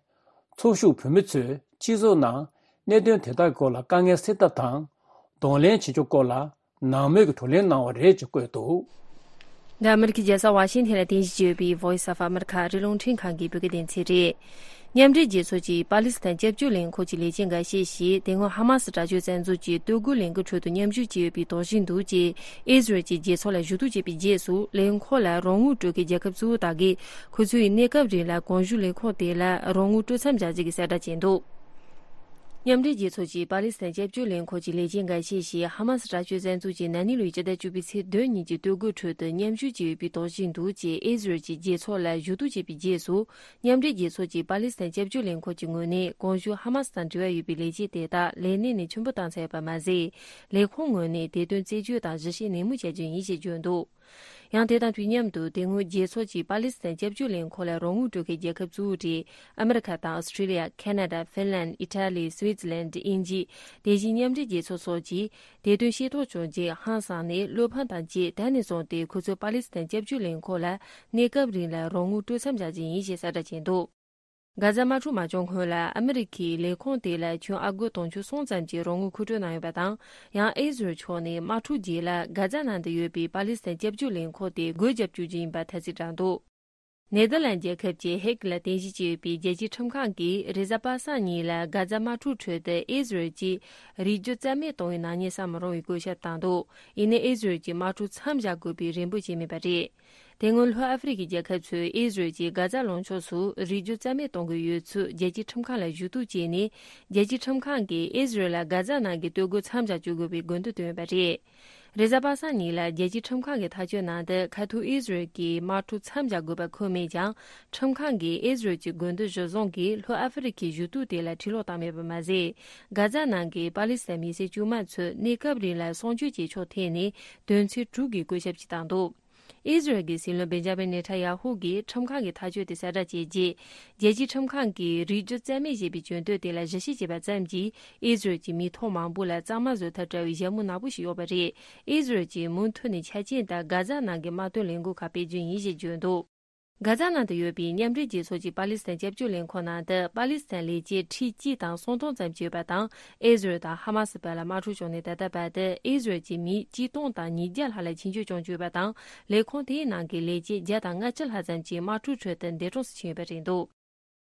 ཚོགས་ཞུགས་བོད་མི་ཚོས་སྤྱི་ཚོགས་ནང་གནད་དོན་དེ་དག་སྐོར་ལ་དཀའ་ངལ་སེལ་ཐབས་དང་། གདོང་ལེན་བྱེད་ཕྱོགས་སྐོར་ལ་ནང་མོལ་གྱི་བགྲོ་གླེང་གནང་བ་རེད་ཅེས་བཀོད་འདུག་འདི་ཨ་མེ་རི་ཁའི་རྒྱལ་ས་ཝ་ཤིང་ཐན་ལ་རྟེན་གཞི་བྱས་ཡོད་པའི་Voice of America ཨ་རིའི་རླུང་འཕྲིན་ཁང་གི་བོད་སྐད་སྡེ་ཚན་རེད། མཉམ་འབྲེལ་རྒྱལ་ཚོགས་ཀྱི་པ་ལི་སི་ཐན་སྐྱབས་བཅོལ་ལས་འཁོར་གྱི་ལས་བྱེད་འགའ་ཤས་ཤིག་དེ་སྔོན་ཧ་མ་སི་དྲག་སྤྱོད་བཙན་འཛུལ་གྱི་གཏོར་རྒོལ་ལས་འགུལ་ཁྲོད་དུ་མཉམ་ཞུགས་བྱས་ཡོད་པའི་དོགས་གཞི་འདུག་ཅེས་ཨི་ཟི་རལ་གྱི་རྒྱལ་ཚོགས་ལ་ཞུ་གཏུག་བྱས་པའི་རྗེས་སུ། ལས་ཁུངས་ལ་རོགས་དངུལ་སྤྲོད་མཁན་རྒྱལ་ཁབ་གཙོ་བོ་དག་གིས་ཁོ་ཚོའི་གནས་སྐབས་རིང་ལ་གོང་ཞུས་ལས་ཁུངས་དེ་ལ་རོགས་དངུལ་སྤྲོད་མཚམས་བཞག་རྒྱུ་གི་གསལ་བསྒྲགས་བྱས་འདུག་མཉམ་འབྲེལ་རྒྱལ་ཚོགས་ཀྱི་པ་ལི་སི་ཐན་སྐྱབས་བཅོལ་ལས་འཁོར་གྱི་ལས་བྱེད་འགའ་ཤས་ཤིག་ཧ་མ་སི་དྲག་སྤྱོད་བཙན་འཛུལ་གྱི་ན་ནིང་ལོའི་སྤྱི་ཟླ་བཅུ་པའི་ཚེས་བདུན་ཉིན་གྱི་གཏོར་རྒོལ་ཁྲོད་དུ་མཉམ་ཞུགས་བྱས་ཡོད་པའི་དོགས་གཞི་འདུག་ཅེས་ཨི་ཟི་རལ་གྱི་རྒྱལ་ཚོགས་ལ་ཞུ་གཏུག་བྱས་པའི་རྗེས་སུ། མཉམ་འབྲེལ་རྒྱལ་ཚོགས་ཀྱི་པ་ལི་སི་ཐན་སྐྱབས་བཅོལ་ལས་འཁོར་གྱི་ངོས་ནས་གོང་ཞུས་ཧ་མ་སི་དང་འབྲེལ་བ་ཡོད་པའི་ལས་བྱེད་དེ་དག་ལས་གནས་ནས་ཕྱིར་འབུད་བཏང་ཚར་ཡོད་པ་མ་ཟད། ལས་ཁུངས་ངོས་ནས་དེ་དོན་རྩད་གཅོད་དང་ཞིབ་བཤེར་ནན་མོ་བྱ་རྒྱུ་ཡིན་ཞེས་བརྗོད་འདུག་ཡང་དེ་དང་དུས་མཉམ་དུ་དེ་སྔོན་རྒྱལ་ཚོགས་ཀྱི་པ་ལི་སི་ཐན་སྐྱབས་བཅོལ་ལས་འཁོར་ལ་རོགས་དངུལ་སྤྲོད་མཁན་རྒྱལ་ཁབ་གཙོ་བོ་གྲས་ཨ་མེ་རི་ཁ་དང་ཨོ་སི་ཁྲི་ལི་ཡ། ཁེ་ན་ཌ། ཧྥིན་ལན། ཨི་ཊ་ལི། སུའི་ཙི་ལན། དབྱིན་ཇི། དེ་བཞིན་མཉམ་འབྲེལ་རྒྱལ་ཚོགས་སོགས་ཀྱིས་དེ་དོན་ཤེས་རྟོགས་བྱུང་རྗེས་ཧང་སངས་ནས་བློ་ཕམ་དང་བཅས། ད་ནས་བཟུང་སྟེ་ཁོ་ཚོས་པ་ལི་སི་ཐན་སྐྱབས་བཅོལ་ལས་འཁོར་ལ་གནས་སྐབས་རིང་ལ་རོགས་དངུལ་སྤྲོད་མཚམས་བཞག་རྒྱུ་ཡིན་ཞེས་གསལ་བསྒྲགས་བྱས་འདུག་གྷ་ཛ་དམག་འཁྲུག་མ་བྱུང་སྔོན་ལ་ཨ་མི་རི་ཁའི་ལས་ཁུངས་དེ་ལ་ཁྱོན་ཨ་སྒོར་དུང་ཕྱུར་གསུམ་ཙམ་གྱི་རོགས་དངུལ་མཁོ་སྤྲོད་གནང་ཡོད་པ་དང་། ཡང་ཨི་ཟི་རལ་ཕྱོགས་ནས་དམག་འཁྲུག་རྗེས་ལ་གྷ་ཛ་ནང་དུ་ཡོད་པའི་པ་ལི་སི་ཐན་སྐྱབས་བཅོལ་ལས་འཁོར་དེ་སྒོ་བརྒྱབ་བཅུག་རྒྱུ་ཡིན་པ་ཐ་ཚིག་བསྒྲགས་འདུག་ནེ་དར་ལན་རྒྱལ་ཁབ་ཀྱི་ཧེག་ལ་རྟེན་གཞི་བྱས་ཡོད་པའི་རྒྱལ་སྤྱིའི་ཁྲིམས་ཁང་གིས་རེས་གཟའ་པ་སངས་ཉིན་ལ་གྷ་ཛ་དམག་འཁྲུག་ཁྲོད་དུ་ཨི་ཟི་རལ་གྱིས་རིགས་རྒྱུད་རྩ་མེད་གཏོང་བའི་ནག་ཉེས་བསམ་མི་རུང་བའི་བཀོད་ཁྱབ་བཏང་འདུག་ཡིན་ནའི་ཨི་ཟི་རལ་གྱིས་དམག་འཁྲུག་མཚམས་བཞག་དགོས་པའི་རེ་འབོད་བྱས་མེད་པ་རེད། དེ་སྔོན་ལྷོ་ཨ་ཧྥེ་རི་ཁའི་རྒྱལ་ཁབ་ཚོས་ཨི་ཟི་རལ་གྱིས་གྷ་ཛ་ལུང་ཕྱོགས་སུ་རིགས་རྒྱུད་རྩ་མེད་གཏོང་གི་ཡོད་ཚུལ་རྒྱལ་སྤྱིའི་ཁྲིམས་ཁང་ལ་ཞུ་གཏུག་བྱས་ནས། རྒྱལ་སྤྱིའི་ཁྲིམས་ཁང་གིས་ཨི་ཟི་རལ་ལ་གྷ་ཛ་ནང་གི་གཏོར་རྒོལ་མཚམས་བཞག་བཅུག་དགོས་པའི་དགོས་འདུན་བཏོན་ཡོད་པ་རེད། རེས་གཟའ་པ་སངས་ཉིན་ལ་རྒྱལ་སྤྱིའི་ཁྲིམས་ཁང་གི་ཐག་གཅོད་ནང་དུ། ཁ་ཐུག་ཨི་ཟི་རལ་གྱིས་དམག་འཁྲུག་མཚམས་བཞག་དགོས་པ་འཁོད་མེད་ཀྱང་། ཁྲིམས་ཁང་གིས་ཨི་ཟི་རལ་གྱི་དགོས་འདུན་གཞིར་བཟུང་གིས་ལྷོ་ཨ་ཧྥེ་རི་ཁའི་ཞུ་གཏུག་དེ་ལ་འཕྲི་སློག་བཏང་མེད་པ་མ་ཟད། གྷ་ཛ་ནང་གི་པ་ལི་སི་ཐན་མི་སེར་དཀྱུས་མ་ཚོས་གནས་སྐབས་རིང་ལ་གསོ་སྐྱོང་བྱེད་ཕྱོགས་ཐད་ནས་དོན་ཚན་དྲུག་གི་བཀོད་ཁྱབ་ཅིག་བཏང་འདུག་ཨི་ཟི་རལ་གྱི་སྲིད་བློན་བེན་ཇ་མིན་ནེ་ཐན་ཡ་ཧུ་གིས་ཁྲིམས་ཁང་གི་ཐག་གཅོད་དེ་གསལ་བསྒྲགས་བྱས་རྗེས། རྒྱལ་སྤྱིའི་ཁྲིམས་ཁང་གིས་རིགས་རྒྱུད་རྩ་མེད་ཞེས་པའི་བརྗོད་དོན་དེ་ལ་ཞིབ་བཤེར་བྱས་པ་ཙམ་གྱིས་ཨི་ཟི་རལ་གྱི་མི་ཐོག་མང་པོ་ལ་གཙང་མ་བཟོ་ཐབས་བྲལ་བའི་ཞྭ་མོ་ནག་པོ་ཞིག་གཡོགས་པ་རེད། ཨི་ཟི་རལ་གྱིས་མུ་མཐུད་ནས་ཆ་རྐྱེན་ལྟར་གྷ་ཛ་ནང་གི་དམག་དོན་ལས་འགུལ་ཁག་སྤེལ་རྒྱུ་ཡིན་ཞེས་བརྗོད་འདུག་གྷ་ཛ་ནང་དུ་ཡོད་པའི་མཉམ་འབྲེལ་རྒྱལ་ཚོགས་ཀྱི་པ་ལི་སི་ཐན་སྐྱབས་བཅོལ་ལས་ཁུངས་ནང་དུ་པ་ལི་སི་ཐན་ལས་བྱེད་ཁྲི་གཅིག་དང་སུམ་སྟོང་ཙམ་ཅིག་ཡོད་པ་དང་། ཨི་ཟི་རལ་དང་ཧ་མ་སི་བར་ལ་དམག་འཁྲུག་བྱུང་ནས་ད་ལྟ་བར་དུ་ཨི་ཟི་རལ་གྱི་མི་གཅིག་སྟོང་དང་ཉིས་བརྒྱ་ལྷག་ལ་ཆིངས་ཆད་བཅངས་བཅུག་ཡོད་པ་དང་། ལས་ཁུངས་དེའི་ནང་གི་ལས་བྱེད་བརྒྱ་དང་ལྔ་བཅུ་ལྷག་ཙམ་གྱིས་དམག་འཁྲུག་ཁྲོད་དུ་འདས་གྲོངས་སུ་ཕྱིན་ཡོད་པ་རེད་འདུག་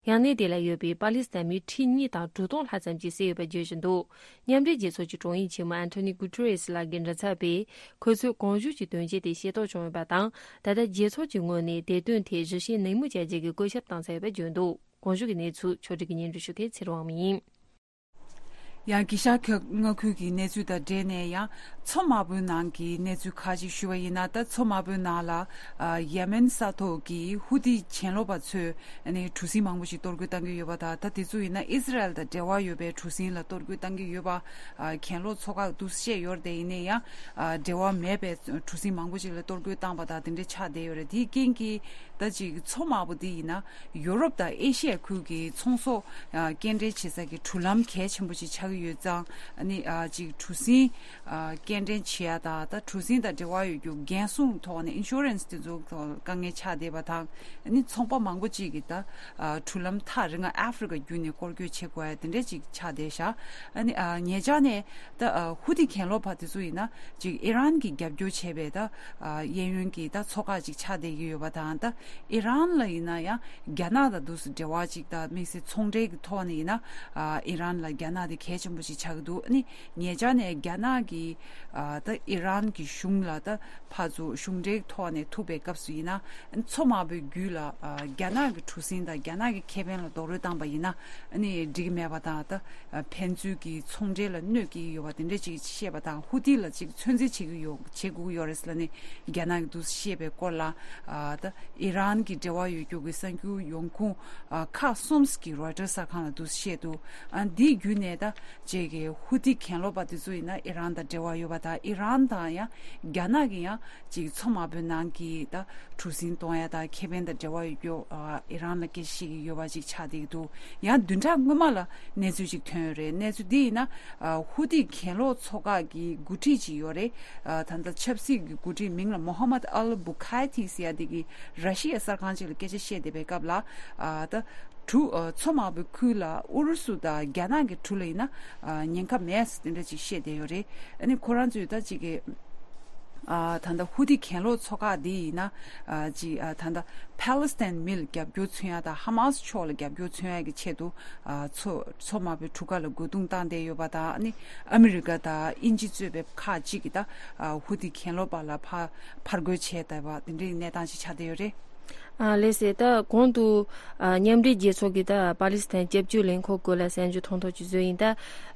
ཡང་གནས་དེ་ལ་ཡོད་པའི་པ་ལི་སི་ཐན་མི་ཁྲི་གཉིས་དང་དྲུག་སྟོང་ལྷག་ཙམ་གྱིས་བསད་ཡོད་པ་བརྗོད་བཞིན་འདུག་མཉམ་འབྲེལ་རྒྱལ་ཚོགས་ཀྱི་དྲུང་ཡིག་ཆེན་མོ་ཨན་ཐོ་ནི་གུ་ཏུ་རེ་སི་ལགས་ཀྱི་མགྲིན་ཚབ་པས། ཁོ་ཚོས་གོང་ཞུས་ཀྱི་དོན་རྐྱེན་དེ་ཤེས་རྟོགས་བྱུང་ཡོད་པ་དང་། ད་ལྟ་རྒྱལ་ཚོགས་ཀྱི་ངོས་ནས་དེ་དོན་ཐད་ཞིབ་བཤེར་ནན་མོ་བྱ་རྒྱུ་གི་བཀོད་ཁྱབ་བཏང་ཚར་ཡོད་པ་བརྗོད་འདུག་གོང་ཞུས་ཀྱི་གནས་ཚུལ་ཕྱོགས་སྒྲིག་གིས་སྙན་སྒྲོན་ཞུ་མཁན་ཚེ་རིང་དབང་མོ་ཡིན། ཡང་དགེ་ཤར་མངའ་ཁུལ་གྱི་གནས་ཚུལ་དང་འབྲེལ་ནས་ཡང་། མཚོ་དམར་པོའི་ནང་གི་གནས་ཚུལ་ཁག་ཅིག་ཞུ་བ་ཡིན་ན། ད་མཚོ་དམར་པོའི་ནང་ལ་ཡེ་མེན་ས་ཐོག་གི་ཧུ་ཏི་གྱེན་ལོག་པ་ཚོས་ནི་གྲུ་གཟིངས་མང་པོ་ཞིག་གཏོར་རྒོལ་བཏང་གི་ཡོད་པ་དང་། ད་དེ་ཚོ་ཡིན་ན་ཨི་སི་རལ་དང་འབྲེལ་བ་ཡོད་པའི་གྲུ་གཟིངས་ལ་གཏོར་རྒོལ་བཏང་གི་ཡོད་པ། གྱེན་ལོག་ཚོ་ཁག་འདུག་བཤད་ཡོད་རེད་དེ། ཡིན་ན་ཡང་འབྲེལ་བ་མེད་པའི་གྲུ་གཟིངས་མང་པོ་ཞིག་ལ་གཏོར་རྒོལ་བཏང་པ་དང་དེ་འདྲ་ཆགས་བསྡད་ཡོད་རེད། དེའི་རྐྱེན་གྱིས་ད་ཅིག་མཚོ་དམར་པོ་འདི་ཡིན་ན་ཡོ་རོབ་དང་ཨེ་ཤི་ཡ་ཁུལ་གྱི་ཚོང་ཟོག་སྐྱེལ་འདྲེན་བྱེད་ས་ཀྱི་གྲུ་ལམ་གལ་ཆེན་པོ་ཞིག་ཆགས། ཡོད་ཙང་ཨ་ནི་ཨ་ཅིག་གྲུ་གཟིངས་ཨ་སྐྱེལ་འདྲེན་བྱེད་ཡ་དང་ད་གྲུ་གཟིངས་དང་འབྲེལ་བ་ཡོད་རྒྱུ་འགན་སྲུང་ཐོག་ནས་ཨིན་ཤུ་རན་སི་དེ་ཚོ་ཐོག་དཀའ་ངལ་ཆགས་བསྡད་པ་དང་ཨ་ནི་ཚོང་པ་མང་པོ་ཅིག་གིས་ད་ཨ་གྲུ་ལམ་ཐག་རིང་ང་ཨ་ཧྥེ་རི་ཁ་བརྒྱུད་ནས་སྐོར་སྐྱོད་བྱེད་དགོས་ཡ་དེ་འདྲས་ཅིག་ཆགས་བསྡད་ཤག་ཨ་ནི་ཨ་ཉེ་ཆར་ནས་ད་ཨ་ཧུ་ཐི་གྱེན་ལོག་པ་དེ་ཚོ་ཡིན་ན་ཅིག་ཨི་རན་གྱིས་རྒྱབ་སྐྱོར་བྱས་པའི་ད་ཨ་གཡས་གཡོན་གྱི་ད་ཚོ་ཁག་ཅིག་ཆགས་བསྡད་ཀྱི་ཡོད་པ་དང་ད་ཨི་རན་ལ་ཡིན་ན་ཡང་རྒྱ་ནག་དང་འདུག་སེ་འབྲེལ་བ་ཅིག་ད་དམིགས་བསལ་ཚོང་འབྲེལ་གྱི་ཐོག་ནས་ཡིན་ན་ཨ་ཨི་རན་ལ་རྒྱ་ནག་དེ་གལ་ཆེན་པོ་ཞིག་ཆགས་ཀྱི་འདུག་ཨ་ནི་ཉེ་ཆར་ནས་རྒྱ་ནག་གིས་ཨ་ད་ཨི་རན་གྱི་གཞུང་ལ་ད་ཕར་ཚུར་གཞུང་འབྲེལ་ཐོག་ནས་ཐུག་པའི་སྐབས་སུ་ཡིན་ན་ཨ་ནི་མཚོ་དམར་པོའི་རྒྱུད་ལ་ཨ་རྒྱ་ནག་གི་གྲུ་གཟིངས་དང་རྒྱ་ནག་གི་ཁེ་ཕན་ལ་རྡོག་རོལ་བཏང་པ་ཡིན་ན་ཨ་ནི་འགྲིག་གི་མེད་པ་དང་ད་ཕན་ཚུན་གྱི་ཚོང་འབྲེལ་ལ་གནོད་སྐྱེལ་གྱི་ཡོད་པ་དེ་འདྲ་ཅིག་བཤད་པ་དང་ཧུ་ཐི་ལ་ཅིག་ཚོད་འཛིན་བྱེད་ཀྱི་ཡོད་བྱེད་དགོས་ཀྱི་ཡོད་རེད་ཟེར་ལ་ནི་རྒྱ་ནག་གིས་འདུག་སེ་བཤད་པའི་སྐོར་ལ་ཨ་ད་ཨི་རན་གྱི་འབྲེལ་བ་ཡོད་རྒྱུ་གི་གསར་འགྱུར་ཡོང་ཁུངས་ཨ་ཁག་གསུམ་གྱིས་རོའི་ཊར་གསར་ཁང་ལ་འདུག་སེ་བཤད་འདུག་ཨ་འདིའི་བརྒྱུད་ནས་ད་ཅིག་གི་ཧུ་ཐི་གྱེན་ལོག་པ་དེ་ཚོ་ཡིན་ན་ཨི་རན་དང་འབྲེལ་བ་ཡོད་པ་དང་ཨི་རན་དང་ཡང་རྒྱ་ནག་གི་ཡང་ཅིག་མཚོ་དམར་པོའི་ནང་གི་ད་གྲུ་གཟིངས་གཏོང་ཡ་དང་ཁེ་ཕན་དང་འབྲེལ་བ་ཡོད་རྒྱུ་ཨ་ཨི་རན་ལ་སྐད་ཆ་བཤད་ཀྱི་ཡོད་པ་ཅིག་ཆགས་བསྡད་ཀྱི་འདུག་ཡང་བདུན་ཕྲག་སྔོན་མ་ལ་གནས་ཚུལ་ཅིག་ཐོན་ཡོད་རེད། གནས་ཚུལ་འདི་ཡིན་ན་ཨ་ཧུ་ཐི་གྱེན་ལོག་ཚོ་ཁག་གི་འགོ་ཁྲིད་ཅིག་ཡོད་རེད། ཨ་ད་ལྟ་ཆབ་སྲིད་ཀྱི་འགོ་ཁྲིད་མིང་ལ་མོ་ཧ་མད་ཨལ་བུ་ཁའི་ཐི་ཟེར་ཡ་དེ་གིས་ར་ཤི་ཡའི་གསར་ཁང་ཅིག་ལ་སྐད་ཆ་བཤད་བསྡད་པའི་སྐབས་ལ་ཨ་ད་གྲུ་ཨ་མཚོ་དམར་པོའི་ཁུལ་ལ་ཨུ་རུ་སུ་དང་རྒྱ་ནག་གི་གྲུ་ལ་ཡིན་ན་ཨ་ཉེན་ཁ་མེད་ཟེར་དེ་འདྲ་ཅིག་བཤད་བསྡད་ཡོད་རེད། ཨ་ནི་ཁོ་རང་ཚོས་ད་ཅིག་གི་ཨ་ད་ལྟ་ཧུ་ཐི་གྱེན་ལོག་ཚོ་ཁག་འདི་ཡིན་ན་ཨ་ཅིག་ཨ་ད་ལྟ་ཕཱ་ལི་སི་ཐན་མི་ལ་རྒྱབ་སྐྱོར་མཚོན་ཡ་དང་ཧ་མ་སི་ཕྱོགས་ལ་རྒྱབ་སྐྱོར་མཚོན་ཡ་གི་ཆེད་དུ་ཨ་མཚོ་མཚོ་དམར་པོའི་གྲུ་ཁ་ལ་རྒོལ་རྡུང་བཏང་བསྡད་ཡོད་པ་དང་ཨ་ནི་ཨ་མི་རི་ཀ་དང་དབྱིན་ཇི་གཙོས་པའི་ཁག་ཅིག་གིས་ད་ཨ་ཧུ་ཐི་གྱེན་ལོག་པ་ལ་ཕར་ཕར་རྒོལ་བྱས་བསྡད་པ་དེ་འདྲའི་གནས་སྟངས་ཤིག་ཆགས་བསྡད་ཡོད་རེད། ཨ་ལགས་སེ། ད་གོང་དུ་ཨ་མཉམ་འབྲེལ་རྒྱལ་ཚོགས་ཀྱི་ད་པ་ལི་སི་ཐན་སྐྱབས་བཅོལ་ལས་ཁུངས་སྐོར་ལ་གསར་འགྱུར་ཐུང་ཐུང་ཅིག་བཟོས་ཡིན། ད་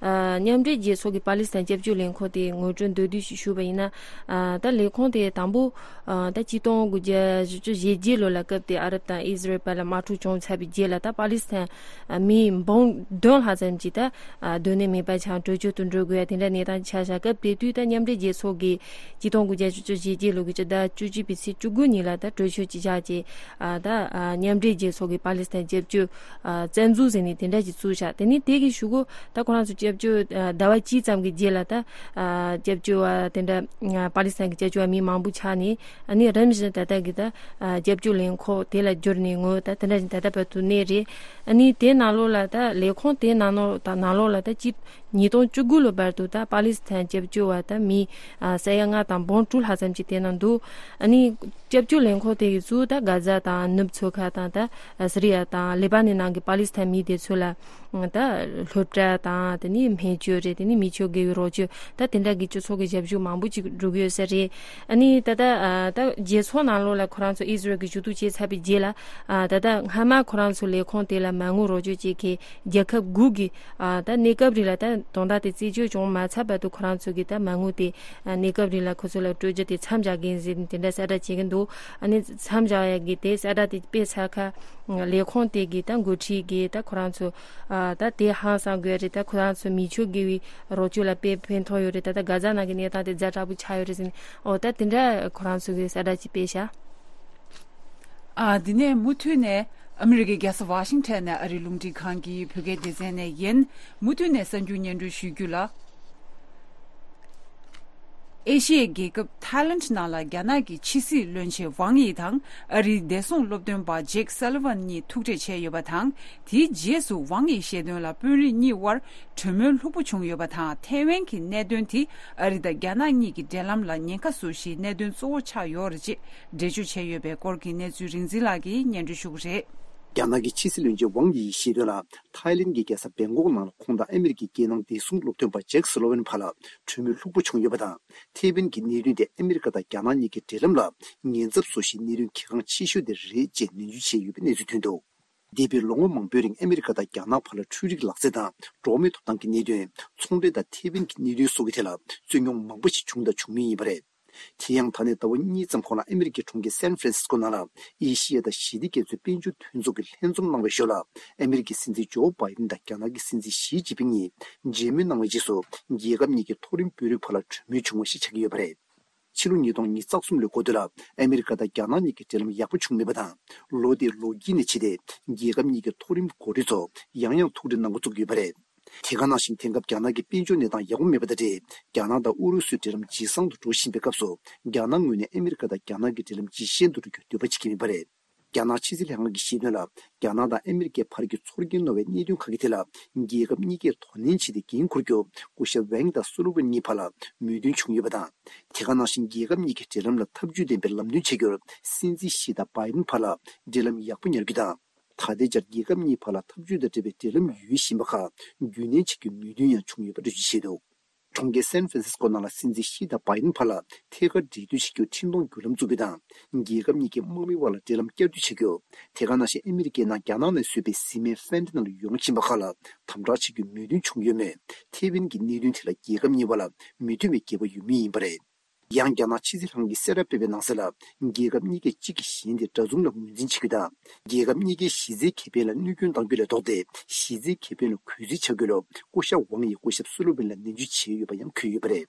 ཨ་མཉམ་འབྲེལ་རྒྱལ་ཚོགས་ཀྱི་པ་ལི་སི་ཐན་སྐྱབས་བཅོལ་ལས་ཁུངས་དེ་ངོ་སྤྲོད་མདོར་བསྡུས་ཤིག་ཞུས་པ་ཡིན་ན། ཨ་ད་ལས་ཁུངས་དེ་དང་པོ་ཨ་ད་ཆིག་སྟོང་དགུ་བརྒྱ་བཞི་བཅུ་ཞེ་བརྒྱད་ལོ་ལ་སྐབས་དེ་ཨ་རབ་དང་ཨི་ཟི་རལ་བར་ལ་དམག་འཁྲུག་བྱུང་ཚར་བའི་རྗེས་ལ་ད་པ་ལི་སི་ཐན་ཨ་མི་འབུམ་བདུན་ལྷག་ཙམ་ཅིག་ད་ཨ་སྡོད་གནས་མེད་པ་ཆགས་བྲོས་བྱོལ་དུ་འགྲོ་དགོས་ཡ་དེ་འདྲ་གནས་སྟངས་ཆགས་ཤག་སྐབས་དེ་དུས་ད་མཉམ་འབྲེལ་རྒྱལ་ཚོགས་ཀྱི་ཆིག་སྟོང་དགུ་བརྒྱ་བཞི་བཅུ་ཞེ་བརྒྱད་ལོ་གི་སྤྱི་ཟླ་བཅུ་གཅིག་པའི་ཚེས་བཅུ་དགུ་ཉིན་ལ་ད་གྲོས་ཆོད་ཅིག་བཞག་རྗེས་ཨ་ད་ཨ་མཉམ་འབྲེལ་རྒྱལ་ཚོགས་ཀྱི་པ་ལི་སི་ཐན་སྐྱབས་བཅོལ་ཨ་བཙན་འཛུལ་ཟེར་ནས་དེ་འདྲ་ཞིག་བཙུགས་ཤག་དེ་ནས་དེ་གི་གཞུག་གུ་ད་ཁོ་རང་ཚོ་སྐྱབས་བཅོལ་ཨ་ཟླ་བ་གཅིག་ཙམ་གྱི་རྗེས་ལ་ད་ཨ་སྐྱབས་བཅོལ་བ་དེ་འདྲ་ཨ་པ་ལི་སི་ཐན་གྱི་སྐྱབས་བཅོལ་བ་མི་མང་པོ་ཆགས་ནས་ཨ་ནི་རིམ་བཞིན་ད་ལྟ་གི་ད་ཨ་སྐྱབས་བཅོལ་ལས་ཁུངས་དེ་ལ་བསྒྱུར་ནས་ངོ་ད་དེ་འདྲ་ཞིག་ད་ལྟ་བར་དུ་གནས་རེད། ཨ་ནི་དེ་ནང་ལོགས་ལ་ད་ལས་ཁུངས་དེ་ནང་ལོགས་ད་ནང་ལོགས་ལ་ད་ཅི་ཉིས་སྟོང་བཅུ་དགུ་ལོ་བར་དུ་ད་པ་ལི་སི་ཐན་སྐྱབས་བཅོལ་བ་ད་མི་ཨ་ས་ཡ་ལྔ་དང་འབུམ་དྲུག་ལྷག་ཙམ་ཅིག་དེ་ན་འདུག་ཨ་ནི་སྐྱབས་བཅོལ་ལས་ཁུངས་དེ་གི་ཚུར་ད་གྷ་ཛ་དང་ནུབ་མཚོ་ཁ་དང་ད་སི་རི་ཡ་དང་ལེ་པ་ནན་ནང་གི་པ་ལི་སི་ཐན་མི་དེ་ཚོ་ལ་ད་སློབ་གྲྭ་དང་དེ་ནི་སྨན་བཅོས་རེད། དེ་ནི་མི་ཆོས་དགེ་བའི་རོགས་སྐྱོར་ད་དེ་འདྲ་གི་སྤྱི་ཚོགས་ཀྱི་ཞབས་ཞུ་མང་པོ་ཅིག་འགྲོ་གི་ཡོད་ས་རེད། ཨ་ནི་ད་ལྟ་ཨ་ད་རྒྱལ་ཚོགས་ནང་ལོགས་ལ་ཁོ་རང་ཚོ་ཨི་ཟི་རལ་གྱི་ཞུ་གཏུག་བྱས་ཚར་བའི་རྗེས་ལ་ཨ་ད་ལྟ་སྔ་མ་ཁོ་རང་ཚོ་ལས་ཁུངས་དེ་ལ་མ་དངུལ་རོགས་སྐྱོར་བྱེད་མཁན་རྒྱལ་ཁབ་དགུ་གིས་ཨ་ད་གནས་སྐབས་རིང་ལ་ད་དོན་དག་དེ་རྩད་གཅོད་བྱུང་མ་ཚར་བར་དུ་ཁོ་རང་ཚོ་གིས་ད་མ་དངུལ་དེ་ཨ་གནས་སྐབས་རིང་ལ་ཁོ་ཚོ་ལ་སྤྲོད་རྒྱུ་དེ་མཚམས་བཞག་གིན་ཟེར་དེ་འདྲ་གསལ་བསྒྲགས་བྱེད་ཀྱིན་འདུག་ཨ་ནི་མཚམས་བཞག་ཡ་གི་དེ་གསལ་བསྒྲགས་དེ་སྤེལ་ཚར་ཁ་ལས་ཁུངས་དེ་གིས་ད་འགོ་ཁྲིད་ཀྱིས་ད་ཁོ་རང་ཚོ་ཨ་ད་དེ་ཧང་སང་དགོས་རེད། ད་ཁོ་རང་ཚོ་མི་ཆོས་དགེ་བའི་རོགས་སྐྱོར་ལ་དཔེ་ཕན་ཐོགས་ཡོད་རེད། ད་ད་གྷ་ཛ་ནང་གི་གནས་སྟངས་དེ་ཛ་དྲག་པོ་ཆགས་ཡོད་རེད་ཟེར་ནས་ཨོ་ད་དེ་འདྲ་ཁོ་རང་ཚོ་གིས་གསལ་བསྒྲགས་ཅིག་སྤེལ་ཤག་ཨ་འདི་ནས་མུ་མཐུད་ནས་ཨ་མི་རི་ཀའི་རྒྱལ་ས་ཝ་ཤིང་ཊོན་ནས་ཨ་རིའི་རླུང་འཕྲིན་ཁང་གི་བོད་སྐད་སྡེ་ཚན་ནས་ཡིན། མུ་མཐུད་ནས་གསར་འགྱུར་སྙན་སྒྲོན་ཞུ་རྒྱུ་ལ། ཨེ་ཤི་ཡའི་རྒྱལ་ཁབ་ཐའི་ལེན་ནང་ལ་རྒྱ་ནག་གི་ཕྱི་སྲིད་བློན་ཆེན་ཝང་ཡི་དང་ཨ་རིའི་བདེ་སྲུང་སློབ་སྟོན་པ་ཇེག་སཱ་ལི་ཝན་གཉིས་ཐུག་འཕྲད་བྱས་ཡོད་པ་དང་། དེའི་རྗེས་སུ་ཝང་ཡིས་བཤད་དོན་ལ་དཔོན་རིགས་གཉིས་དབར་གྲོས་མོལ་ལྷུག་པོ་བྱུང་ཡོད་པ་དང་། ཐའེ་ཝན་གྱི་གནད་དོན་དེ་ཨ་རི་དང་རྒྱ་ནག་གཉིས་ཀྱི་འབྲེལ་ལམ་ལ་ཉེན་ཁ་བཟོ་གཞིའི་གནད་དོན་གཙོ་བོ་ཆགས་ཡོད་རེད་ཅེས་འགྲེལ་བརྗོད་བྱས་ཡོད་པའི་སྐོར་གྱི་གནས་ཚུལ་རིག་འཛིན་ལགས་ཀྱིས་སྙན་སྒྲོན་ཞུ་གི་རེད། རྒྱ་ནག་གི་ཕྱི་སྲིད་བློན་ཆེན་ཝང་ཡིས་བཤད་དོན་ལ། ཐའི་ལེན་གྱི་རྒྱལ་ས་བེང་ཀོག་ནང་ལ་ཁོང་དང་ཨ་མི་རི་ཀའི་རྒྱལ་ནང་བདེ་སྲུང་སློབ་སྟོན་པ་ཇེག་སུ་ལོ་ཝན་བར་ལ་གྲོས་མོལ་ལྷུག་པོ་བྱུང་ཡོད་པ་དང་། ཐེ་ཝན་གྱི་གནད་དོན་དེ་ཨ་མི་རི་ཀ་དང་རྒྱ་ནག་གཉིས་ཀྱི་འབྲེལ་ལམ་ལ་ཉེན་ཚབས་བཟོ་གཞིའི་གནད་དོན་གལ་འགངས་ཆེ་ཤོས་དེ་རེད་ཅེས་ནན་བརྗོད་བྱས་ཡོད་པའི་གནས་ཚུལ་ཐོན་འདུག་འདས་པའི་ལོ་ངོ་མང་པོའི་རིང་ཨ་མི་རི་ཀ་དང་རྒྱ་ནག་བར་ལ་འཕྲུལ་རིག་ལག་རྩལ་དང་འགྲོ་བ་མིའི་ཐོབ་ཐང་གི་གནད་དོན། ཚོང་འབྲེལ་དང་ཐེ་ཝན་གྱི་གནད་དོན་སོགས་ཀྱི་ཐད་ལ་རྩོད་རྙོག་མང་པོ་ཞིག་བྱུང་དང་འབྱུང་མུས་ཡིན་པ་རེད། དེ་ཡང་ད་ནས་ཟླ་བ་གཉིས་ཙམ་གོང་ལ་ཨ་མི་རི་ཀའི་གྲོང་ཁྱེར་སན་ཧྥ་རན་སིས་ཀོ་ནང་ལ་ཨེ་ཤི་ཡ་དང་ཞི་བདེ་རྒྱ་མཚོའི་དཔལ་འབྱོར་མཐུན་ཚོགས་ཀྱི་ལྷན་འཛོམས་གནང་བའི་ཞོར་ལ། ཨ་མི་རི་ཀའི་སྲིད་འཛིན་ཇོ་བྷའི་ཏིན་དང་རྒྱ་ནག་གི་སྲིད་འཛིན་ཞི་ཅིན་ཕིང་གཉིས་མཇལ་མོལ་གནང་བའི་རྗེས་སུ། རྒྱལ་ཁབ་གཉིས་ཀྱི་མཐོ་རིམ་དཔོན་རིགས་བར་ལ་གྲོས་མོལ་བྱུང་བ་ཞིག་ཆགས་ཀྱི་ཡོད་པ་རེད། ཕྱི་ལོ་ཉིས་སྟོང་ཉི་ཤུ་རྩ་གསུམ་ལོའི་འགོ་སྟོད་ལ་ཨ་མི་རི་ཀ་དང་རྒྱ་ནག་གཉིས་ཀྱི་འབྲེལ་ལམ་ཡག་པོ་བྱུང་མེད་པ་དང་། ལོ་དེའི་ལོ་དཀྱིལ་ནས་བྱས་ཏེ། རྒྱལ་ཁབ་གཉིས་ཀྱི་མཐོ་རིམ་འགོ་ཁྲིད་ཚོ་ཡང་ཡང་ཐུག་འཕྲད་གནང་འགོ་བཙུགས་ཀྱི་ཡོད་པ་རེད། དེ་ག་ནང་བཞིན་དེང་སྐབས་རྒྱ་ནག་གི་དཔལ་འབྱོར་གནས་སྟངས་ཡག་པོ་མེད་པ་དང་འབྲེལ། རྒྱ་ནག་དང་ཨུ་རུ་སུའི་འབྲེལ་ལམ་ཇེ་བཟང་དུ་འགྲོ་བཞིན་པའི་སྐབས་སུ། རྒྱ་ནག་ངོས་ནས་ཨ་མི་རི་ཀ་དང་རྒྱ་ནག་གི་འབྲེལ་ལམ་ཇེ་ཞན་དུ་འགྲོ་རྒྱུར་འདོད་པ་བྱེད་ཀྱི་མེད་པ་རེད། རྒྱ་ནག་ཕྱི་སྲིད་ལྷན་ཁང་གིས་བཤད་དོན་ལ། རྒྱ་ནག་དང་ཨ་མི་རི་ཀའི་བར་གྱི་ཚོར་སྐྱེན་རྣོ་བའི་གནད་དོན་ཁག་གི་ཐད་ལ། རྒྱལ་ཁབ་གཉིས་ཀས་དོ་ནན་བྱས་ཏེ་འགན་འཁུར་རྒྱུར། སྐུ་ཞབས་ཝེང་དང་སུ་ལོ་ཝེན་གཉིས་བར་ལ་མོས་མཐུན་བྱུང་ཡོད་པ་དང་། དེ་ག་ནང་བཞིན་རྒྱལ་ཁབ་གཉིས་ཀྱི་འབྲེལ་ལམ་ལ་འཐབ་ཇུས་ལྡན་པའི་ལམ་སྟོན་བྱེད་རྒྱུར། སྲིད་འཛིན་ཞི་དང་བྷའི་ཌེན་བར་ལ་འབྲེལ་ལམ་ཡག་པོ་ཉར་རྒྱུ་དང་། ད་ལྟའི་ཆར་རྒྱལ་ཁབ་གཉིས་བར་ལ་འཐབ་ཇུས་དང་འབྲེལ་བའི་འབྲེལ་ལམ་ཡོད་བཞིན་པ་ཁག་རྒྱུན་གནས་བྱེད་རྒྱུའི་མོས་མཐུན་ཡང་བྱུང་ཡོད་པ་འགྲེལ་བརྗོད་བྱས་འདུག། གྲོང་ཁྱེར་སན་ཧྥ་རན་སིས་ཀོ་ནང་ལ་སྲིད་འཛིན་ཞི་དང་བྷའི་ཌེན་བར་ལ་ཐད་ཀར་འབྲེལ་མཐུད་བྱེད་རྒྱུར་འཕྲིན་གཏོང་བརྒྱུད་ལམ་བཙུགས་རྒྱུ་དང་། རྒྱལ་ཁབ་གཉིས་ཀའི་དམག་མི་དབར་ལ་འབྲེལ་ལམ་བསྐྱར་མཐུད་བྱེད་རྒྱུ། དེ་ག་ནང་བཞིན་ཨ་མི་རི་ཀས་ནང་རྒྱ་ནག་ནས་བཟོས་པའི་བཟི་སྨན་ཧྥེན་ཏ་ནལ་ཡོང་བཞིན་པ་ཁག་ལ་དམ་དྲག་བྱེད་རྒྱུའི་མོས་མཐུན་བྱུང་ཡོད་མོད། ཐེ་ཝན་གྱི་གནད་དོན་དེ་ལ་རྒྱལ་ཁབ་གཉིས་བར་ལ་མོས་མཐུན་བའི་འགལ་བ་ཡོད་མུས་ཡིན་པ་རེད། ཡང་རྒྱ་ནག་ཕྱི་སྲིད་ལྷན་ཁང་གིས་གསལ་བསྒྲགས་སྤེལ་བའི་ནང་གསལ་ལ། རྒྱལ་ཁབ་གཉིས་ཀས་གཅིག་གིས་གཞན་དེ་འདྲ་མཚུངས་ལ་ངོས་འཛིན་བྱེད་རྒྱུ་དང་། རྒྱལ་ཁབ་གཉིས་ཀའི་གཞི་རྩའི་ཁེ་ཕན་ལ་གནོད་སྐྱོན་གཏང་རྒྱུ་ལས་ལྡོག་སྟེ། གཞི་རྩའི་ཁེ་ཕན་ལ་གུས་བརྩི་བྱ་དགོས་ལུགས་སྐུ་ཞབས་ཝང་ཡིས་སྐུ་ཞབས་སུ་ལོ་ཝེན་ལ་ནན་བརྗོད་བྱས་ཡོད་པ་ཡང་འཁོད་ཡོད་པ་རེད།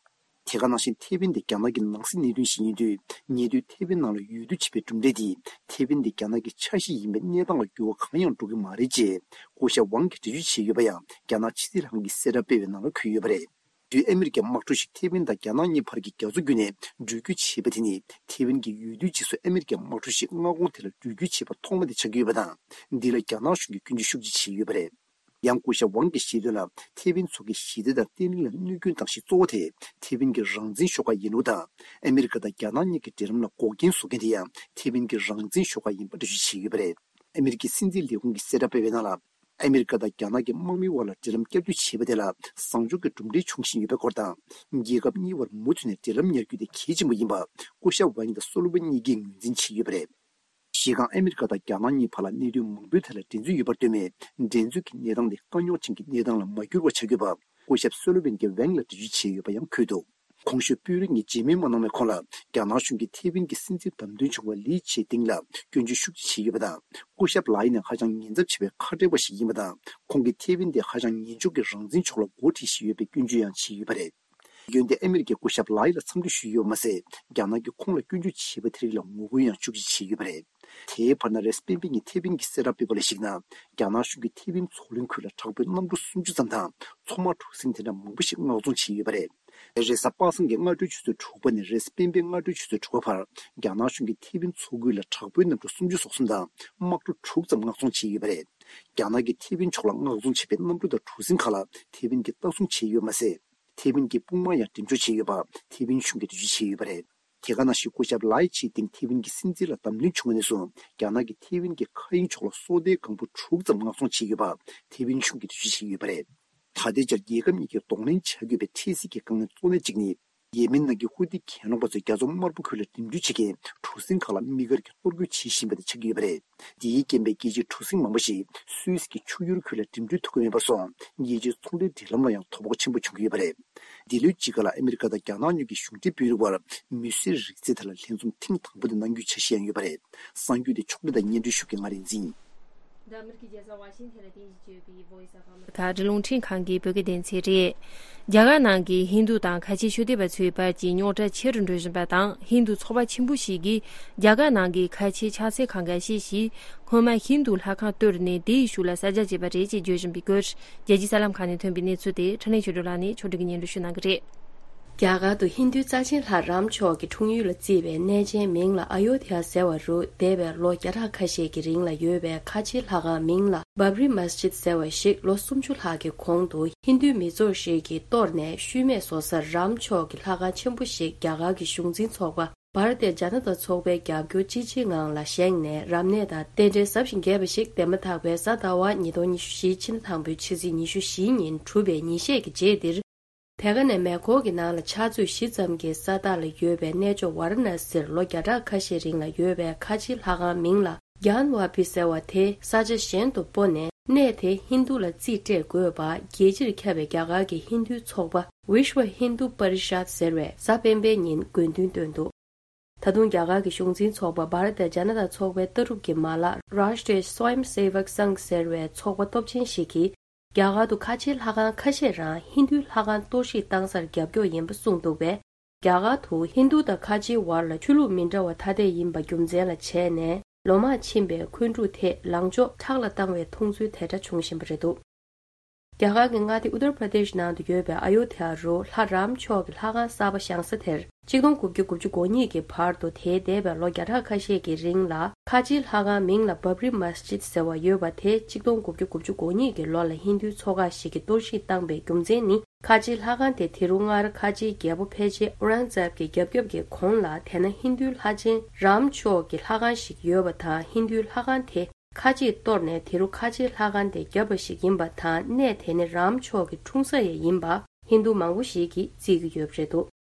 དེ་ག་ནང་བཞིན་ཐེ་ཝན་དེ་རྒྱ་ནག་གི་ནང་སྲིད་གནད་དོན་ཞིག་ཡིན་དུས། ཉེ་དུས་ཐེ་ཝན་ནང་ལ་ཡུལ་དུས་བྱེད་པའི་གྲུབ་འབྲས་དེས་ཐེ་ཝན་དེ་རྒྱ་ནག་གི་ཆ་ཤས་ཡིན་པའི་གནས་སྟངས་ལ་འགྱུར་བ་གང་ཡང་འགྲོ་གི་མ་རེད་ཅེས་སྐུ་ཞབས་ཝང་གིས་འགྲེལ་བརྗོད་བྱས་ཡོད་པ་ཡང་རྒྱ་ནག་ཕྱི་སྲིད་ལྷན་ཁང་གིས་གསལ་བསྒྲགས་སྤེལ་བའི་ནང་ལ་འཁོད་ཡོད་པ་རེད། དུས་ཨ་མི་རི་ཀའི་དམག་འཁྲུག་ཞིག་ཐེ་ཝན་དང་རྒྱ་ནག་གཉིས་བར་གྱི་རྒྱ་མཚོ་བརྒྱུད་ནས་འགྲུལ་སྐྱོད་བྱས་པ་དེ་ནི་ཐེ་ཝན་གྱི་ཡུལ་དུས་རྗེས་སུ་ཨ་མི་རི་ཀའི་དམག་འཁྲུག་ཞིག་མངའ་ཁོངས་དེ་ལ་འགྲུལ་སྐྱོད་བྱས་པ་ཐོག་མ་དེ་ཆགས་ཀྱི་ཡོད་པ་དང་། འདི་ལ་རྒྱ་ནག་གཞུང་གིས་སྐྱོན་བརྗོད་ཤུགས་ཆེ་བྱས་ཡོད་པ་རེད། ཡང་སྐུ་ཞབས་ཝང་གིས་བཤད་དོན་ལ། ཐེ་ཝན་མཚོ་ཁའི་ཞི་བདེ་དང་བརྟན་ལྷིང་ལ་གནོད་སྐྱོན་བཏང་གཞི་གཙོ་བོ་དེ་ཐེ་ཝན་གྱི་རང་བཙན་ཤོག་ཁག་ཡིན་ལུགས་དང་། ཨ་མི་རི་ཀ་དང་རྒྱ་ནག་གཉིས་ཀྱི་འབྲེལ་ལམ་ལ་འགོག་རྐྱེན་བཟོ་མཁན་དེ་ཡང་ཐེ་ཝན་གྱི་རང་བཙན་ཤོག་ཁག་ཡིན་པ་འགྲེལ་བརྗོད་བྱས་ཡོད་པ་རེད། ཨ་མི་རི་ཀའི་སྲིད་འཛིན་ལས་ཁུངས་ཀྱིས་གསལ་བསྒྲགས་སྤེལ་བའི་ནང་ལ། ཨ་མི་རི་ཀ་དང་རྒྱ་ནག་གི་དམག་མིའི་དབར་ལ་འབྲེལ་ལམ་བསྐྱར་མཐུད་བྱས་པ་དེ་ལ་བཟང་ཕྱོགས་ཀྱི་གྲུབ་འབྲས་བྱུང་བཞིན་ཡོད་པའི་སྐོར་དང་། རྒྱལ་ཁབ་གཉིས་བར་མུ་མཐུད་ནས་འབྲེལ་ལམ་ཉར་རྒྱུ་དེ་གལ་ཆེན་པོ་ཡིན་པ་སྐུ་ཞབས་ཝང་དང་སུ་ལོ་ཝེན་གཉིས་ཀས་ངོས་འཛིན་བྱས་ཡོད་པ་རེད། གཞི་རྐང་ཨ་མི་རི་ཀ་དང་རྒྱ་ནག་གཉིས་བར་ལ་གནད་དོན་མང་པོའི་ཐད་ལ་འགྲན་རྩོད་ཡོད་པར་ལྟོས་མེད། འགྲན་རྩོད་ཀྱི་གནས་སྟངས་དེ་དཀའ་རྙོག་ཅན་གྱི་གནས་སྟངས་ལ་མ་བསྒྱུར་བ་བྱ་དགོས་པ་སྐུ་ཞབས་སུ་ལོ་ཝེན་གྱིས་ཝང་ལ་འགྲེལ་བརྗོད་བྱས་ཡོད་པ་ཡང་འཁོད་འདུག། གོང་ཞུས་དཔོན་རིགས་གཉིས་མཇལ་མོལ་མ་གནང་བའི་གོང་ལ། རྒྱ་ནག་གཞུང་གིས་ཐེ་ཝན་གྱི་སྲིད་འཛིན་བདམས་ཐོན་བྱུང་བ་ལི་ཆེ་ཏིང་ལ་སྐྱོན་བརྗོད་ཤུགས་ཆེ་བྱས་ཡོད་པ་དང་། སྐུ་ཞབས་ལའི་ནི་ཧ་ཅང་ཉེན་ཚབས་ཆེ་བའི་ཁ་བྲལ་བ་ཞིག་ཡིན་པ་དང་། ཁོང་གིས་ཐེ་ཝན་དེ་ཧ་ཅང་ཉེན་འགྱོག་གི་རང་བཙན་ཕྱོགས་ལ་འགོ་ཁྲིད་བཞིན་ཡོད་པའི་སྐྱོན་བརྗོད་ཡང་བྱས་ཡོད་པ་རེད། ཡོན་ཏན་ཨ་མི་རི་ཀའི་སྐུ་ཞབས་ལའི་ལ་འཚམས་འདྲི་ཞུས་ཡོད་པ་མ་ཟད། རྒྱ་ནག་གིས་ཁོང་ལ་སྐྱོན་བརྗོད་བྱས་པ་དེ་རིགས་ལ་ངོ་རྒོལ་ཡང་ཤུགས་ཆེ་བྱས་ཡོད་པ་རེད། དེའི་བར་ན་རེས་སྤེན་པའི་ཉིན་ཐེ་ཝན་གྱིས་གསལ་བསྒྲགས་སྤེལ་བ་ལ་གཞིགས་ན། རྒྱ་ནག་གཞུང་གིས་ཐེ་ཝན་མཚོ་གླིང་ཁུལ་ལ་དྲག་པོའི་གནམ་གྲུ་སུམ་ཅུ་ཙམ་དང་། མཚོ་དམག་གྲུ་གཟིངས་དེ་འདྲ་མང་པོ་ཞིག་མངགས་གཏོང་བྱས་ཡོད་པ་རེད། རེས་གཟའ་པ་སངས་ཀྱི་སྔ་དྲོའི་ཆུ་ཚོད་དྲུག་པ་ནས་རེས་སྤེན་པའི་སྔ་དྲོའི་ཆུ་ཚོད་དྲུག་པ་བར། རྒྱ་ནག་གཞུང་གིས་ཐེ་ཝན་མཚོ་ཁུལ་ལ་དྲག་པོའི་གནམ་གྲུ་སུམ་ཅུ་སོ་གསུམ་དང་། དམག་གྲུ་དྲུག་ཙམ་མངགས་གཏོང་བྱས་ཡོད་པ་རེད། རྒྱ་ནག་གིས་ཐེ་ཝན་ཕྱོགས་ལ་མངགས་གཏོང་བྱས་པའི་གནམ་གྲུ་དང་གྲུ་གཟིངས་ཁག་ལ་ཐེ་ཝན་གྱིས་ལྟ་སྲུང་བྱས་ཡོད་མ་ཟད། ཐེ་ཝན་གྱི་དཔུང་དམག་ཡང་འགྲེམས་འཇོག་བྱས་ཡོད་པ་ཐེ་ཝན་གཞུང་གིས་འགྲེལ་བརྗོད་བྱས་ཡོད་པ་རེད། དེ་ག་ནང་བཞིན་སྐུ་ཞབས་ལའི་ཆི་ཏིང་ཐེ་ཝན་གྱི་སྲིད་འཛིན་ལ་བདམས་ཐོན་བྱུང་བ་ནས་བཟུང་རྒྱ་ནག་གིས་ཐེ་ཝན་གྱི་མཁའ་དབྱིངས་ཕྱོགས་ལ་སོ་ལྟའི་སྒང་བུ་དྲུག་ཙམ་མངགས་གཏོང་བྱས་ཡོད་པ་ཐེ་ཝན་གཞུང་གིས་འགྲེལ་བརྗོད་བྱས་ཡོད་པ་རེད། ད་ལྟའི་ཆར་རྒྱལ་ཁབ་གཉིས་ཀས་གདོང་ལེན་བྱ་དགོས་པའི་འཕྲལ་སེལ་གྱི་དཀའ་ངལ་གཙོ་གནད་གཅིག་ནི། ཡེ་མེན་ནང་གི་ཧུ་ཏི་གྱེན་ལོག་པ་ཚོས་རྒྱ་མཚོ་དམར་པོ་ཁུལ་ལ་འགྲིམ་འགྲུལ་བྱེད་མཁན་གྲུ་གཟིངས་ཁག་ལ་དམིགས་བཀར་གྱིས་གཏོར་རྒོལ་བྱེད་བཞིན་པ་དེ་ཆགས་ཀྱི་ཡོད་པ་རེད། འདིའི་རྐྱེན་པས་རྒྱལ་སྤྱིའི་གྲུ་གཟིངས་མང་པོ་ཞིག་སུད་སི་གི་ཆུ་ཡུར་ཁུལ་ལ་འགྲིམ་འགྲུལ་ཐུབ་ཀྱི་མེད་པར་སོང་། རྒྱལ་སྤྱིའི་ཚོང་འབྲེལ་འབྲེལ་ལམ་ལ་ཡང་དོ་ཕོག་ཆེན་པོ་བྱུང་གི་ཡོད་པ་རེད། འདི་ལོའི་དཔྱིད་ཀ་ལ་ཨ་མི་རི་ཀ་དང་རྒྱ་ནག་གཉིས་ཀྱི་གཞུང་འབྲེལ་དཔོན་རིགས་དབར་མི་གསོད་རིགས་རྫས་ཐད་ལ་ལྷན་འཛོམས་ཐེངས་དང་པོ་དེ་གནང་རྒྱུའི་འཆར་གཞི་ཡང་ཡོད་པ་རེད། གསར་འགྱུར་དེ་ཕྱོགས་སྒྲིག་དང་སྙན་སྒྲོན་ཞུ་མཁན་ང་རིག་འཛིན། འདི་ཨ་མི་རི་ཀའི་རྒྱལ་ས་ཝ་ཤིང་ཐན་ལ་རྟེན་གཞི་བྱས་པའི་Voice of America། ད་རི་ཀླུང་ཕྲན་ཁང་གི་བོད་སྐད་སྡེ་ཚན་རེད། རྒྱ་གར་ནང་གི་ཧིན་རྡུ་དང་ཁ་ཆེ་ཆོས་དད་པ་ཚོའི་བར་གྱི་རྙོག་དྲ་ཆེ་རུ་འགྲོ་བཞིན་པ་དང་། ཧིན་རྡུ་ཚོགས་པ་ཆེན་པོ་ཞིག་གིས་རྒྱ་གར་ནང་གི་ཁ་ཆེ་ཕྱག་འཚལ་ཁང་ཁ་ཤས་ཤིག་སྔོན་མ་ཧིན་རྡུ་ལྷ་ཁང་གཏོར་ནས་དེའི་གཞུག་ལ་གསར་རྒྱག་བྱས་པ་རེད་ཅེས་བརྗོད་བཞིན་པའི་སྐོར། རྒྱལ་སྤྱིའི་གསར་ལམ་ཁག་ནས་ཐོན་པའི་གནས་ཚུལ་དེ་འཕྲིན་ལས་ཆོས་སྒྲོན་ལགས་ནས་ཕྱོགས་སྒྲིག་གིས་སྙན་སྒྲོན་ཞུ་གནང་གི་རེད། རྒྱ་གར་དུ་ཧིན་རྡུའི་རྩ་ཆེན་ལྷ་རམ་མཆོག་གི་འཁྲུངས་ཡུལ་ལ་བརྩིས་པའི་གནས་ཆེན་མིང་ལ་ཨ་ཡོ་དྷྱ་ཟེར་བ་རུ་འདས་པའི་ལོ་བརྒྱ་ཕྲག་ཁ་ཤས་ཀྱི་རིང་ལ་ཡོད་པའི་ཁ་ཆེའི་ལྷ་ཁང་མིང་ལ་བབ་རི་མཱ་སི་ཇིད་ཟེར་བ་ཞིག་ལོ་སུམ་ཅུ་ལྷག་གི་གོང་དུ་ཧིན་རྡུའི་མི་ཚོགས་ཤིག་གིས་གཏོར་ནས་ཤུལ་མེད་བཟོ་སར་རམ་མཆོག་གི་ལྷ་ཁང་ཆེན་པོ་ཞིག་རྒྱ་གར་གྱི་གཞུང་འཛིན་ཚོགས་པ་བྷ་ར་ཏི་ཇ་ན་ཏ་ཚོགས་པའི་རྒྱབ་སྐྱོར་ཅི་ཆེའི་ངང་ལ་བཞེངས་ནས་རབ་གནས་དང་རྟེན་འབྲེལ་ཟབ་ཞིང་རྒྱས་པ་ཞིག་འདན་མ་ཐག་པའི་གཟའ་ཟླ་བ་ཉིས་སྟོང་ཉི་ཤུ་བཞི་ཕྱི་ཟླ་དང་པོའི་ཕྱི་ཚེས་ཉི་ཤུ་བཞི་ཉིན་གྲུབ་པའི་ཉིན་ཤས་ཀྱི་རྗེས་འདིར། དེ་ག་ནས་མེ་འཁོར་གྱི་ནང་ལ་ཕྱག་ཚོད་བཞི་ཙམ་གྱི་ས་ཐག་ལ་ཡོད་པའི་གནས་མཆོག་ཝཱ་ར་ཎ་སིར་ལོ་བརྒྱ་ཕྲག་ཁ་ཤས་རིང་ལ་ཡོད་པའི་ཁ་ཆེའི་ལྷ་ཁང་མིང་ལ་གྱཱན་ཝཱ་པི་ཟེར་བ་དེ་ས་ཆ་གཞན་དུ་སྤོ་ནས། གནས་དེ་ཧིན་རྡུ་ལ་རྩིས་སྤྲད་དགོས་པ་རྒྱལ་སྤྱིར་ཁྱབ་པའི་རྒྱ་གར་གྱི་ཧིན་རྡུའི་ཚོགས་པ་Vishwa Hindu Parishad ཟེར་བས་གཟའ་སྤེན་པའི་ཉིན་དགོས་འདུན་བཏོན་འདུག། ད་དུང་རྒྱ་གར་གྱི་གཞུང་འཛིན་ཚོགས་པ་བྷ་ར་ཏི་ཇ་ན་ཏ་ཚོགས་པའི་ལྟ་གྲུབ་ཀྱི་མ་ལག་Rashtriya Swayamsevak Sangh ཟེར་བའི་ཚོགས་པ་སྟོབས་ཆེན་ཞིག་གིས། རྒྱ་གར་དུ་ཁ་ཆེའི་ལྷ་ཁང་ཁ་ཤས་རང་ཧིན་རྡུའི་ལྷ་ཁང་གཏོར་བཤིག་བཏང་སར་རྒྱབ་སྐྱོར་ཡིན་པ་གསུངས་འདུག་པས། རྒྱ་གར་དུ་ཧིན་རྡུ་དང་ཁ་ཆེའི་བར་ལ་ཆོས་ལུགས་མི་འདྲ་བ་ཐ་དད་ཡིན་པ་རྒྱུ་མཚན་ལ་བྱས་ནས། ལོ་མང་ཕྱིན་པའི་འཁོན་འཁྲུག་དེ་ལངས་ཕྱོགས་ཁྲག་ལ་བཏང་བའི་མཐོང་ཚུལ་དེ་འདྲ་བྱུང་བཞིན་པ་རེད་འདུག། རྒྱ་གར་གྱི་མངའ་སྡེ་ཨུ་ཏར་པྲ་དེཤ་ནང་དུ་ཡོད་པའི་ཨ་ཡོ་དྷ་ཡ་རུ་ལྷ་རམ་མཆོག་གི་ལྷ་ཁང་གསར་པ་བཞེངས་ས་དེར། ཆིག་སྟོང་དགུ་བརྒྱ་དགུ་བཅུ་གོ་གཉིས་ཀྱི་བར་དུ་དེའི་འདས་པའི་ལོ་བརྒྱ་ཕྲག་ཁ་ཤས་ཀྱི་རིང་ལ་ཁ་ཆེའི་ལྷ་ཁང་མིང་ལ་བྷབ་རི་མ་སི་ཇིད་ཟེར་བ་ཡོད་པ་དེ་ཆིག་སྟོང་དགུ་བརྒྱ་དགུ་བཅུ་གོ་གཉིས་ཀྱི་ལོ་ལ་ཧིན་རྡུའི་ཚོགས་ཁག་ཞིག་གིས་གཏོར་བཤིག་བཏང་པའི་རྒྱུ་མཚན་ནི། ཁ་ཆེའི་ལྷ་ཁང་དེ་དེ་རུ་སྔར་ཁ་ཆེའི་རྒྱལ་པོ་ཕལ་ཆེར་ཨུ་རང་ཛེབ་ཀྱི་རྒྱབ་སྐྱོབ་ཀྱི་གོང་ལ་དེ་ན་ཧིན་རྡུའི་ལྷ་ཆེན་རམ་མཆོག་གི་ལྷ་ཁང་ཞིག་ཡོད་པ་དང་། ཧིན་རྡུའི་ལྷ་ཁང་དེ་ཁ་ཆེས་གཏོར་ནས་དེ་རུ་ཁ་ཆེའི་ལྷ་ཁང་དེ་བརྒྱབ་པ་ཞིག་ཡིན་པ་དང་། གནས་དེ་ནི་རམ་མཆོག་གི་འཁྲུངས་ས་ཡང་ཡིན་པ་ཧིན་རྡུ་མང་པོ་ཞིག་གིས་བརྩི་གི་ཡོད་པ་རེད་འདུག་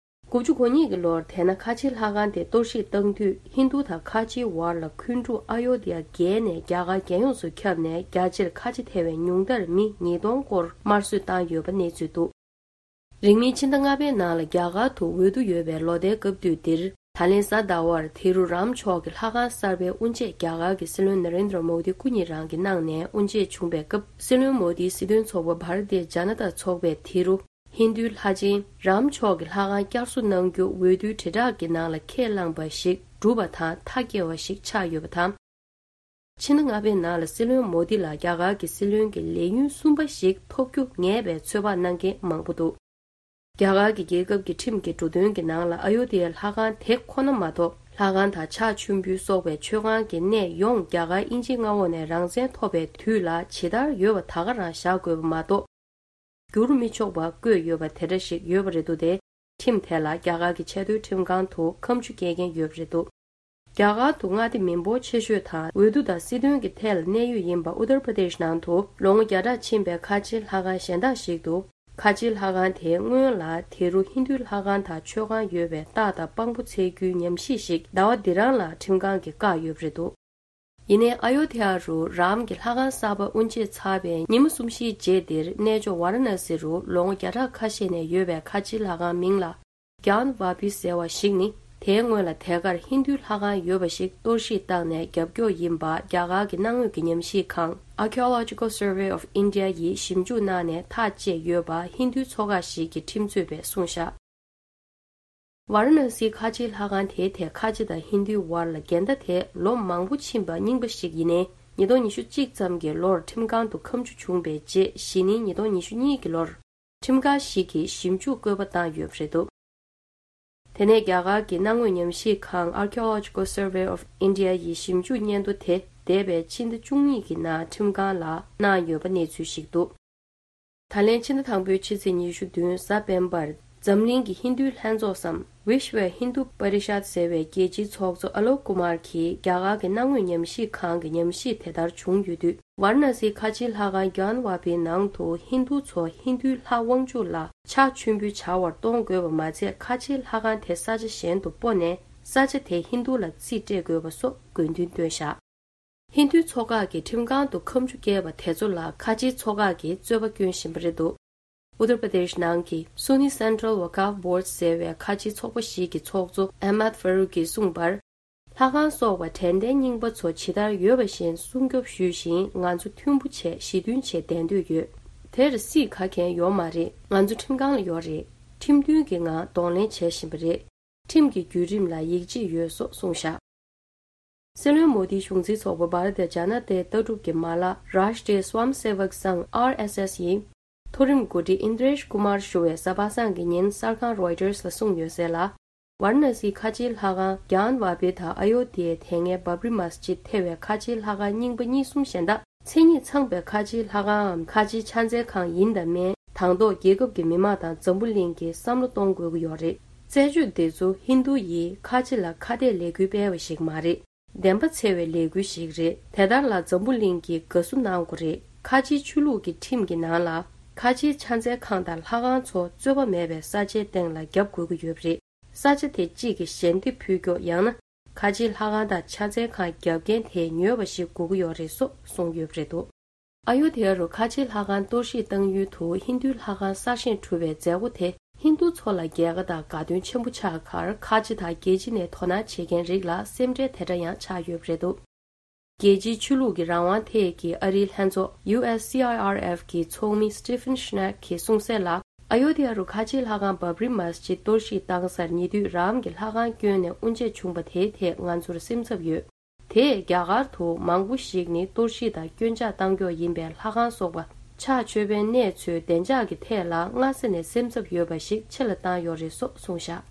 དགུ་བཅུ་གོ་གཉིས་ཀྱི་ལོར་དེ་ན་ཁ་ཆེའི་ལྷ་ཁང་དེ་གཏོར་བཤིག་བཏང་དུས། ཧིན་རྡུ་དང་ཁ་ཆེའི་བར་ལ་འཁོན་འཁྲུག་ཨ་ཡོ་དྷ་ཡ་བརྒལ་ནས་རྒྱ་གར་རྒྱལ་ཡོངས་སུ་ཁྱབ་ནས། རྒྱ་ཆེར་ཁ་ཆེ་ཐེ་བའི་ཉུང་མཐར་མི་ཉིས་སྟོང་སྐོར་དམར་གསོད་བཏང་ཡོད་པ་གནས་ཚུལ་འདུག་རིང་མིན་ཕྱི་ཟླ་ལྔ་པའི་ནང་ལ་རྒྱ་གར་དུ་འོས་བསྡུ་ཡོད་པའི་ལོ་ཟླའི་སྐབས་དུས་འདིར། ད་ལན་གཟའ་ཟླ་བར་དེ་རུ་རམ་མཆོག་གི་ལྷ་ཁང་གསར་པའི་དབུ་འབྱེད་རྒྱ་གར་གྱི་སྲིད་བློན་ན་རེན་དྲ་མོ་དི་སྐུ་ཉིད་རང་གིས་གནང་ནས། དབུ་འབྱེད་བྱུང་པའི་སྐབས། སྲིད་བློན་མོ་དིའི་སྲིད་དོན་ཚོགས་པ་བྷ་ར་ཏི་ཡ་ཇ་ན་ཏ་ཚོགས་པས་དེ་རུ་ཧིན་རྡུའི་ལྷ་ཆེན་རམ་མཆོག་གི་ལྷ་ཁང་བསྐྱར་གསོ་གནང་རྒྱུ་འོས་བསྡུའི་དྲིལ་བསྒྲགས་ཀྱི་ནང་ལ་ཁས་བླངས་པ་ཞིག་གྲུབ་པ་དང་མཐའ་སྐྱེལ་བ་ཞིག་ཆགས་ཡོད་པ་དང་། ཕྱི་ཟླ་ལྔ་པའི་ནང་ལ་སྲིད་བློན་མོ་དི་ལ་རྒྱ་གར་གྱི་སྲིད་བློན་གྱི་ལས་ཡུན་གསུམ་པ་ཞིག་ཐོབ་རྒྱུ་ངེས་པའི་ཚོད་དཔག་གནང་མཁན་མང་པོ་འདུག་རྒྱ་གར་གྱི་རྒྱལ་ཁབ་ཀྱི་ཁྲིམས་ཀྱི་འབྲུ་དོན་གྱི་ནང་ལ་ཨ་ཡོ་དྷ་ཡའི་ལྷ་ཁང་དེ་ཁོ་ན་མ་གཏོགས། ལྷ་ཁང་དང་ཕྱག་མཆོད་འབུལ་སོགས་པའི་མཆོད་ཁང་གི་གནས་ཡོངས་རྒྱ་གར་དབྱིན་ཇིའི་མངའ་འོག་ནས་རང་བཙན་ཐོབ་པའི་དུས་ལ་ཇི་ལྟར་ཡོད་པ་ད་ག་རང་བཞག་དགོས་པ་མ་གཏོགས། བསྒྱུར་མི་ཆོག་པ་བཀོད་ཡོད་པ་དེ་འདྲ་ཞིག་ཡོད་པ་རེད་འདུག་དེ་ཁྲིམས་དེ་ལ་རྒྱ་གར་གྱི་ཆེས་མཐོའི་ཁྲིམས་ཁང་དུ་ཁ་མཆུ་སྐྱེལ་མཁན་ཡོད་པ་རེད་འདུག་རྒྱ་གར་དུ་མངའ་སྡེ་མི་འབོར་ཆེ་ཤོས་དང་། འོས་བསྡུ་དང་སྲིད་དོན་གྱི་ཐད་ལ་གནད་ཡོད་ཡིན་པ་ཨུ་ཏར་པྲ་དེཤ་ནང་དུ་ལོ་ངོ་བརྒྱ་ཕྲག་ཕྱིན་པའི་ཁ་ཆེའི་ལྷ་ཁང་གཞན་དག་ཞིག་ཏུ། ཁ་ཆེའི་ལྷ་ཁང་དེ་སྔོན་ལ་དེ་རུ་ཧིན་རྡུའི་ལྷ་ཁང་དང་མཆོད་ཁང་ཡོད་པའི་རྟགས་དང་དཔང་པོ་འཚོལ་རྒྱུའི་ཉམས་ཞིབ་ཞིག་ཟླ་བ་འདི་རང་ལ་ཁྲིམས་ཁང་གིས་བཀག་ཡོད་པ་རེད་འདུག་ཡིན་ནའི། ཨ་ཡོ་དྷ་ཡ་རུ་རམ་གྱི་ལྷ་ཁང་གསར་པ་དབུ་འབྱེད་ཚར་བའི་ཉིན་མོ་གསུམ་བཞིའི་རྗེས་འདིར། གནས་མཆོག་ཝཱ་ར་ཎ་སི་རུ་ལོ་ངོ་བརྒྱ་ཕྲག་ཁ་ཤས་ནས་ཡོད་པའི་ཁ་ཆེའི་ལྷ་ཁང་མིང་ལ་གྱཱན་ཝཱ་པི་ཟེར་བ་ཞིག་ནི། དེའི་སྔོན་ལ་དེ་གར་ཧིན་རྡུའི་ལྷ་ཁང་ཡོད་པ་ཞིག་གཏོར་བཤིག་བཏང་ནས་རྒྱབ་སྐྱོར་ཡིན་པ་རྒྱ་གར་གྱི་གནའ་དངོས་ཀྱི་ཉམས་ཞིབ་ཁང་། Archaeological Survey of India ཡིས་ཞིབ་འཇུག་གནང་ནས་ཐག་བཅད་ཡོད་པ་ཧིན་རྡུའི་ཚོགས་ཁག་ཞིག་གི་ཁྲིམས་རྩོད་པས་གསུངས་བཞག་ཝཱ་ར་ཎ་སིའི་ཁ་ཆེའི་ལྷ་ཁང་དེའི་ཐད་ཁ་ཆེ་དང་ཧིན་རྡུའི་བར་ལ་འགལ་ཟླ་དེ་ལོ་མང་པོ་ཕྱིན་པ་རྙིང་པ་ཞིག་ཡིན་ནའི། ཉིས་སྟོང་ཉི་ཤུ་གཅིག་ཙམ་གྱི་ལོར་ཁྲིམས་ཁང་དུ་ཁ་མཆུ་བྱུང་བའི་རྗེས། གཞེས་ནིང་ཉིས་སྟོང་ཉི་ཤུ་གཉིས་ཀྱི་ལོར། ཁྲིམས་ཁང་ཞིག་གིས་ཞིབ་འཇུག་བཀོད་པ་བཏང་ཡོད་པ་རེད་འདུག་དེ་ནས་རྒྱ་གར་གྱི་གནའ་དངོས་ཉམས་ཞིབ་ཁང་། Archaeological Survey of India ཡིས་ཞིབ་འཇུག་སྙན་ཐོ་དེ་འདས་པའི་ཕྱི་ཟླ་བཅུ་གཉིས་ཀྱི་ནང་ཁྲིམས་ཁང་ལ་གནང་ཡོད་པ་གནས་ཚུལ་ཞིག་འདུག་ད་ལན་ཕྱི་ཟླ་དང་པོའི་ཕྱི་ཚེས་ཉི་ཤུ་བདུན་གཟའ་སྤེན་པར། འཛམ་གླིང་གི་ཧིན་རྡུའི་ལྷན་ཚོགས་སམ། Vishwa Hindu Parishad ཟེར་བའི་རྒྱལ་སྤྱིའི་ཚོགས་གཙོ་ཨ་ལོག་ཀུ་མར་གྱིས་རྒྱ་གར་གྱི་གནའ་དངོས་ཉམས་ཞིབ་ཁང་གི་ཉམས་ཞིབ་དེ་ལྟར་བྱུང་ཡོད་དུས། ཝཱ་ར་ཎ་སིའི་ཁ་ཆེའི་ལྷ་ཁང་གྱཱན་ཝཱ་པིའི་ནང་དུ་ཧིན་རྡུ་ཚོ་ཧིན་རྡུའི་ལྷ་དབང་ཕྱུག་ལ་ཕྱག་མཆོད་འབུལ་བྱ་བར་གཏོང་དགོས་པ་མ་ཚད། ཁ་ཆེའི་ལྷ་ཁང་དེ་ས་ཆ་གཞན་དུ་སྤོ་ནས། ས་ཆ་དེ་ཧིན་རྡུ་ལ་རྩིས་སྤྲད་དགོས་པ་སོགས་དགོས་འདུན་བཏོན་བཞག་ཧིན་རྡུའི་ཚོགས་ཁག་གིས་ཁྲིམས་ཁང་དུ་ཁ་མཆུ་བཀལ་བ་དེ་ཚོ་ལ་ཁ་ཆེའི་ཚོགས་ཁག་གིས་རྩོད་པ་སྐྱོན་བཞིན་པ་རེད་འདུག་ཨུ་ཏར་པྲ་དེཤ་ནང་གི་Sunni Central Waqf Board ཟེར་བའི་ཁ་ཆེའི་ཚོགས་པ་ཞིག་གི་ཚོགས་གཙོ་Ahmad Farouk གིས་གསུངས་པར། ལྷ་ཁང་སོགས་པ་དྲན་རྟེན་རྙིང་པ་ཚོ་ཇི་ལྟར་ཡོད་པ་བཞིན་སྲུང་སྐྱོབ་ཞུས་ཤིང་། ང་ཚོ་མཐུན་པོ་བྱས་ཞི་མཐུན་བྱས་བསྡད་འདོད་ཡོད། དེར་སྲིད་ག་གན་ཡོད་མ་རེད། ང་ཚོ་ཁྲིམས་ཁང་ལ་ཡོད་རེད། ཁྲིམས་མཐུན་གྱི་ངང་གདོང་ལེན་བྱེད་བཞིན་པ་རེད། ཁྲིམས་ཀྱི་བརྒྱུད་རིམ་ལ་ཡིད་ཆེས་ཡོད་སོགས་གསུངས་བཞག་སྲིད་བློན་མོ་དིའི་གཞུང་འཛིན་ཚོགས་པ་Bharatiya Janata ལྟ་གྲུབ་ཀྱི་མ་ལག་Rashtriya Swayamsevak Sangh R S S ཡིས། མཐོ་རིམ་འགོ་ཁྲིད་ཨིན་དྲེཤ་ཀུ་མར་ཞུ་བས་གཟའ་པ་སངས་ཀྱི་ཉིན་གསར་ཁང་Reuters ལ་གསུངས་ཡོད་གསལ་ལ། ཝཱ་ར་ཎ་སིའི་ཁ་ཆེའི་ལྷ་ཁང་གྱཱན་ཝཱ་པི་དང་ཨ་ཡོ་དྷ་ཡའི་དེ་སྔའི་བྷབ་རི་མ་སི་ཇིད་ཐེ་བའི་ཁ་ཆེའི་ལྷ་ཁང་རྙིང་པ་གཉིས་གསུམ་གཞན་དག་མཚན་ཉིད་ཚང་བའི་ཁ་ཆེའི་ལྷ་ཁང་ངམ་ཁ་ཆེའི་ཕྱག་འཚལ་ཁང་ཡིན་དང་མིན། དང་ཐོག་རྒྱལ་ཁབ་ཀྱི་མི་མང་དང་འཛམ་བུ་གླིང་གིས་བསམ་བློ་གཏོང་དགོས་ཀྱི་ཡོད་རེད། རྩད་གཅོད་འདི་ཚོ་ཧིན་རྡུ་ཡིས་ཁ་ཆེ་ལ་ཁ་གཏད་ལས་འགུལ་སྤེལ་བ་ཞིག་མ་རེད། བདེན་པ་འཚོལ་བའི་ལས་འགུལ་ཞིག་རེད། དེ་ལྟར་ལ་འཛམ་བུ་གླིང་གིས་དགའ་བསུ་གནང་དགོས་རེད། ཁ་ཆེའི་ཆོས་ལུགས་ཀྱི་ཁྲིམས་ཀྱི་ནང་ལ། ཁ་ཆེའི་ཕྱག་འཚལ་ཁང་དང་ལྷ་ཁང་ཚོ་རྩོད་པ་མེད་པའི་ས་ཆའི་སྟེང་ལ་བརྒྱབ་དགོས་ཀྱི་ཡོད་པ་རེད། ས་ཆ་དེ་གཅིག་གི་ཞལ་འདེབས་ཕུལ་ཀྱོག་ཡང་ན། ཁ་ཆེའི་ལྷ་ཁང་དང་ཕྱག་འཚལ་ཁང་བརྒྱབ་མཁན་དེ་ཉོས་པ་ཞིག་དགོས་ཀྱི་ཡོད་རེད་སོགས་གསུངས་ཡོད་པ་རེད་འདུག་ཨ་ཡོ་དྷ་ཡ་རུ་ཁ་ཆེའི་ལྷ་ཁང་གཏོར་བཤིག་བཏང་ཡུལ་དུ་ཧིན་རྡུའི་ལྷ་ཁང་གསར་བཞེངས་གྲུབ་པའི་མཛད་སྒོ་དེ་ཧིན་རྡུ་ཚོ་ལ་རྒྱལ་ཁ་དང་དགའ་སྟོན་ཆེན་པོ་ཆགས་ཁར། ཁ་ཆེ་དང་རྒྱལ་སྤྱི་ནས་དོ་སྣང་བྱེད་མཁན་རིགས་ལ་སེམས་ཁྲལ་དེ་འདྲ་ཡང་ཆགས་ཡོད་པ་རེད་འདུག་རྒྱལ་སྤྱིའི་ཆོས་ལུགས་ཀྱི་རང་དབང་ཐད་ཀྱི་ཨ་རིའི་ལྷན་ཚོགས་U S C I R F གི་ཚོགས་མི་Stephen Schneck གིས་གསུངས་གསལ་ལ། ཨ་ཡོ་དྷ་ཡ་རུ་ཁ་ཆེའི་ལྷ་ཁང་བྷབ་རི་མ་སི་ཇིད་གཏོར་བཤིག་བཏང་སར་ཉེ་དུས་རང་གི་ལྷ་ཁང་བསྐྱོན་ནས་དབུ་འབྱེད་བྱུང་པ་དེའི་ཐད་ང་ཚོར་སེམས་འཚབ་ཡོད། དེས་རྒྱ་གར་དུ་མང་པོ་ཞིག་ནི་གཏོར་བཤིག་དང་སྐྱོན་ཆག་བཏང་ཀྱོག་ཡིན་པའི་ལྷ་ཁང་སོགས་པ་ ཕྱག་མཆོད་པའི་གནས་ཚུལ་བདེ་འཇགས་ཀྱི་ཐད་ལ་སྔ་ས་ནས་སེམས་འཚབ་ཡོད་པ་ཞིག་ཆེ་ལ་བཏང་ཡོད་རེད་སོགས་གསུངས་བཞག།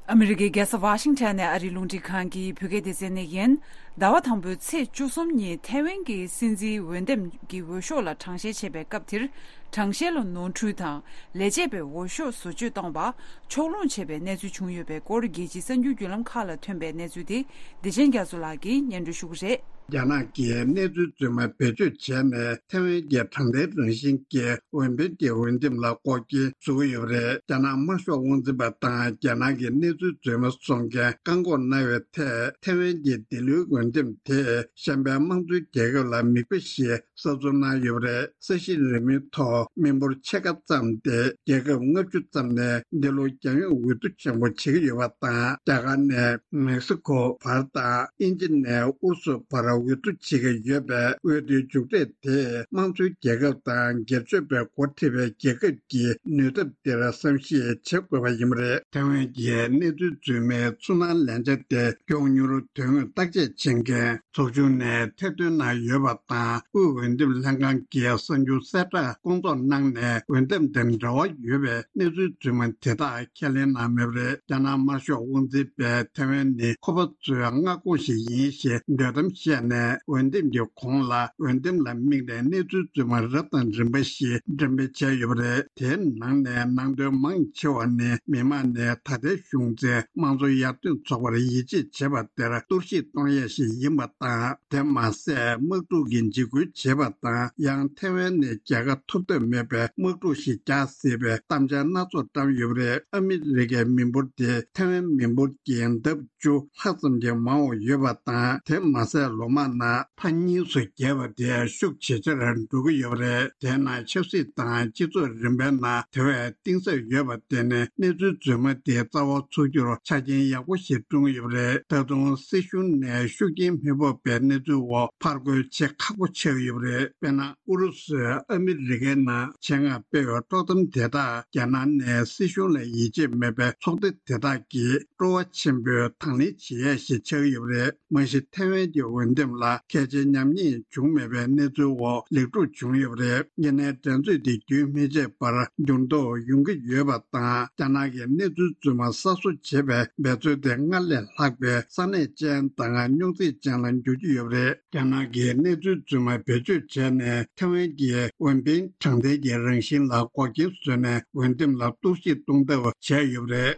ཨ་མི་རི་ཀའི་རྒྱལ་ས་ཝ་ཤིང་ཊོན་ནས་ཨ་རིའི་རླུང་འཕྲིན་ཁང་གི་བོད་སྐད་སྡེ་ཚན་ནས་ཡིན། ཟླ་བ་དང་པོའི་ཚེས་བཅུ་གསུམ་ཉིན་ཐེ་ཝན་གྱི་སྲིད་འཛིན་འོས་འདེམས་ཀྱི་འོས་ཤོག་ལ་གྲངས་བཤེར་བྱེད་པའི་སྐབས་དེར། གྲངས་བཤེར་ལ་ནོར་འཁྲུལ་དང་ལས་བྱེད་པས་འོས་ཤོག་བཟོ་བཅོས་བཏང་བ། ཕྱོགས་ལྷུང་བྱས་པའི་གནས་ཚུལ་བྱུང་ཡོད་པའི་སྐོར། རྒྱལ་སྤྱིའི་གསར་འགྱུར་བརྒྱུད་ལམ་ཁག་ལ་ཐོན་པའི་གནས་ཚུལ་དེ་བདེ་ཆེན་རྒྱ་མཚོ་ལགས་ཀྱིས་སྙན་སྒྲོན་ཞུ་གི་རེད། རྒྱ་ནག་གིས་གནས་ཚུལ་རྫུན་མ་བེད་སྤྱོད་བྱས་ནས་ཐེ་ཝན་གྱི་དྲང་བདེན་རང་བཞིན་གྱི་འོས་འཕེན་གྱི་འོས་འདེམས་ལ་འགོག་རྐྱེན་བཟོ་གི་ཡོད་པ་རེད། རྒྱ་ནག་དམར་ཤོག་དབང་འཛིན་པ་དང་རྒྱ་ནག་གི་གནས་ཚུལ་རྫུན་མ་བཟོ་མཁན་བཀག་འགོག་གནང་བའི་ཐད་ཐེ་ཝན་གྱི་འདི་ལོའི་འོས་འདེམས་དེས་གཞན་པའི་དམངས་གཙོའི་རྒྱལ་ཁབ་ལ་མིག་དཔེ་ཞིག་གསར་འཛུགས་གནང་ཡོད་པ་རེད། ས་གཞི་རིལ་མོའི་ཐོག་མི་འབོར་ཕྱེད་ཀ་ཙམ་སྟེ་རྒྱལ་ཁབ་ལྔ་བཅུ་ཙམ་ནས་འདི་ལོ་རྒྱལ་ཡོངས་འོས་བསྡུ་ཆེན་པོ་བྱེད་ཀྱི་ཡོད་པ་དང་། རྒྱ་གར་ནས་མེག་སི་ཁོ་བར་དང་དབྱིན་ཇི་ནས་ཨུ་རུ་སུ་བར་འོས་བསྡུ་བྱེད་ཀྱི་ཡོད་པས། འོས་བསྡུའི་མཇུག་འབྲས་དེས་དམངས་གཙོའི་རྒྱལ་ཁབ་དང་སྒེར་གཅོད་པས་འགོ་ཁྲིད་པའི་རྒྱལ་ཁབ་ཀྱི་ནུས་སྟོབས་དེར་བསམ་ཤེས་བྱེད་དགོས་པ་ཡིན་པ་རེད། ཐེ་ཝན་གྱི་གནས་ཚུལ་རྫུན་མའི་ཚུར་སྣང་ལན་ཆ་དེ་མགྱོགས་མྱུར་དོན་དངོས་བརྟག་དཔྱད་བྱེད་མཁན་ཚོགས་ཆུང་ནས་ཐེར་འདོན་གནང་ཡོད་པ་དང་། དབུས་འོས་འདེམས་ལྷན་ཁང་གིས་གསར་འགྱུར་གསལ་བསྒྲགས་སྐོང་ཚོགས་གནང་ནས། འོས་འདེམས་དང་འབྲེལ་བ་ཡོད་པའི་གནས་ཚུལ་རྫུན་མ་དེ་དག་ཁས་ལེན་གནང་མེད་པ་རེད། རྒྱ་ནག་དམར་ཤོག་དབང་འཛིན་པས་ཐེ་ཝན་ནི་ཁོ་པ་ཚོའི་མངའ་ཁོངས་ཤིག་ཡིན་ཞེས་འདོད་གཏམ་བཤད་ནས། འོས་འདེམས་ཀྱི་གོང་ལ་འོས་འདེམས་ལ་དམིགས་ནས་གནས་ཚུལ་རྫུན་མ་རབ་དང་རིམ་པ་ཞིག་འགྲེམས་སྤེལ་བྱས་ཡོད་པ་རེད། དེའི་ནང་ནས་ནང་དོན་མང་ཆེ་བ་ནི། མི་མང་ནས་ད་ལྟའི་གཞུང་འཛིན་དམངས་གཙོ་ཡར་ཐོན་ཚོགས་པར་ཡིད་ཆེས་བྱེད་པ་དེར་གཏོར་བཤིག་གཏོང་ཡས་ཤིག་ཡིན་པ་དང་། དེ་མ་ཟད། དམག་འཁྲུག་གི་འཇིགས་སྐུལ་བྱེད་པ་དང་། ཡང་ཐེ་ཝན་ནས་རྒྱལ་ཁ་ཐོབ་ཐབས་མེད་པའི་དམག་འཁྲུག་ཞིག་རྒྱག་སྲིད་པའི་གཏམ་འཆལ་སྣ་ཚོགས་བཀྲམ་ཡོད་པ་རེད། ཨ་མི་རི་ཀའི་མི་འབོར་དེ་ཐེ་ཝན་མི་འབོར་གྱི་ལྡབ་བཅུ་ལྷག་ཙམ་གྱིས་མང་བ་ཡོད་པ་དང་། དེ་མ་ཟད། ལོ་མང་ནང་ཕར་གཉིས་སུ་བརྒྱབ་པ་དེ་ཤུགས་ཇེ་ཆེར་འགྲོ་གི་ཡོད་པ་རེད། དེས་ན་ཆབ་སྲིད་དང་སྤྱི་ཚོགས་རིམ་པའི་ནང་དེ་བས་གཏིང་ཟབ་ཡོད་པ་དེ་ནི། གནས་ཚུལ་རྫུན་མ་དེ་རྩ་བ་ཚུགས་རྒྱུར་ཆ་རྐྱེན་ཡག་པོ་ཞིག་བསྐྲུན་ཡོད་པ་རེད། ད་དུང་སྲིད་གཞུང་ནས་ཤུགས་རྐྱེན་མི་ཐེབས་པའི་གནས་ཚུལ་འོག་ཕར་རྒོལ་བྱེད་ཁག་པོ་ཆགས་ཀྱི་ཡོད་པ་རེད། དཔེར་ན། ཨུ་རུ་སུས་ཨ་མི་རི་ཀའི་ནང་ཆེད་མངགས་སྤེལ་བའི་དཀྲོག་གཏམ་དེ་དག་རྒྱ་ནག་ནས་སྲིད་གཞུང་ལ་ཡིད་ཆེས་མེད་པའི་ཚོགས་སྡེ་དེ་དག་གིས་སྤྲོ་བ་ཆེན་པོས་དང་ལེན་བྱེད་ཡས་ཤིག་ཆགས་ཀྱི་ཡོད་པ་རེད། མ་གཞི་ཐེ་ཝན་གྱི་འོས་འདེམས་ལ་གལ་ཆེའི་ཉམས་ཉེས་བྱུང་མེད་པའི་གནས་ཚུལ་འོག་ལེགས་གྲུབ་བྱུང་ཡོད་པ་རེད། ཡིན་ནའི་འགྲན་རྩོད་དེ་རྒྱུན་མི་ཆད་པར་འགྱུར་ལྡོག་ཡོང་གི་ཡོད་པ་དང་། རྒྱ་ནག་གིས་གནས་ཚུལ་རྫུན་མ་གསར་བཟོ་བྱེད་པའི་འབད་རྩོལ་དེ་སྔར་ལས་ལྷག་པའི་ས་གནས་ཅན་དང་རྙོག་འཛིང་ཅན་ལ་འགྱུར་གྱི་ཡོད་པ་རེད། རྒྱ་ནག་གིས་གནས་ཚུལ་རྫུན་མ་བེད་སྤྱོད་བྱས་ནས། ཐེ་ཝན་གྱི་འོས་འཕེན་དྲང་བདེན་གྱི་རང་བཞིན་ལ་འགོག་རྐྱེན་བཟོས་ནས། འོས་འདེམས་ལ་གཏོར་བཤིག་གཏོང་ཐབས་བྱས་ཡོད་པ་རེད།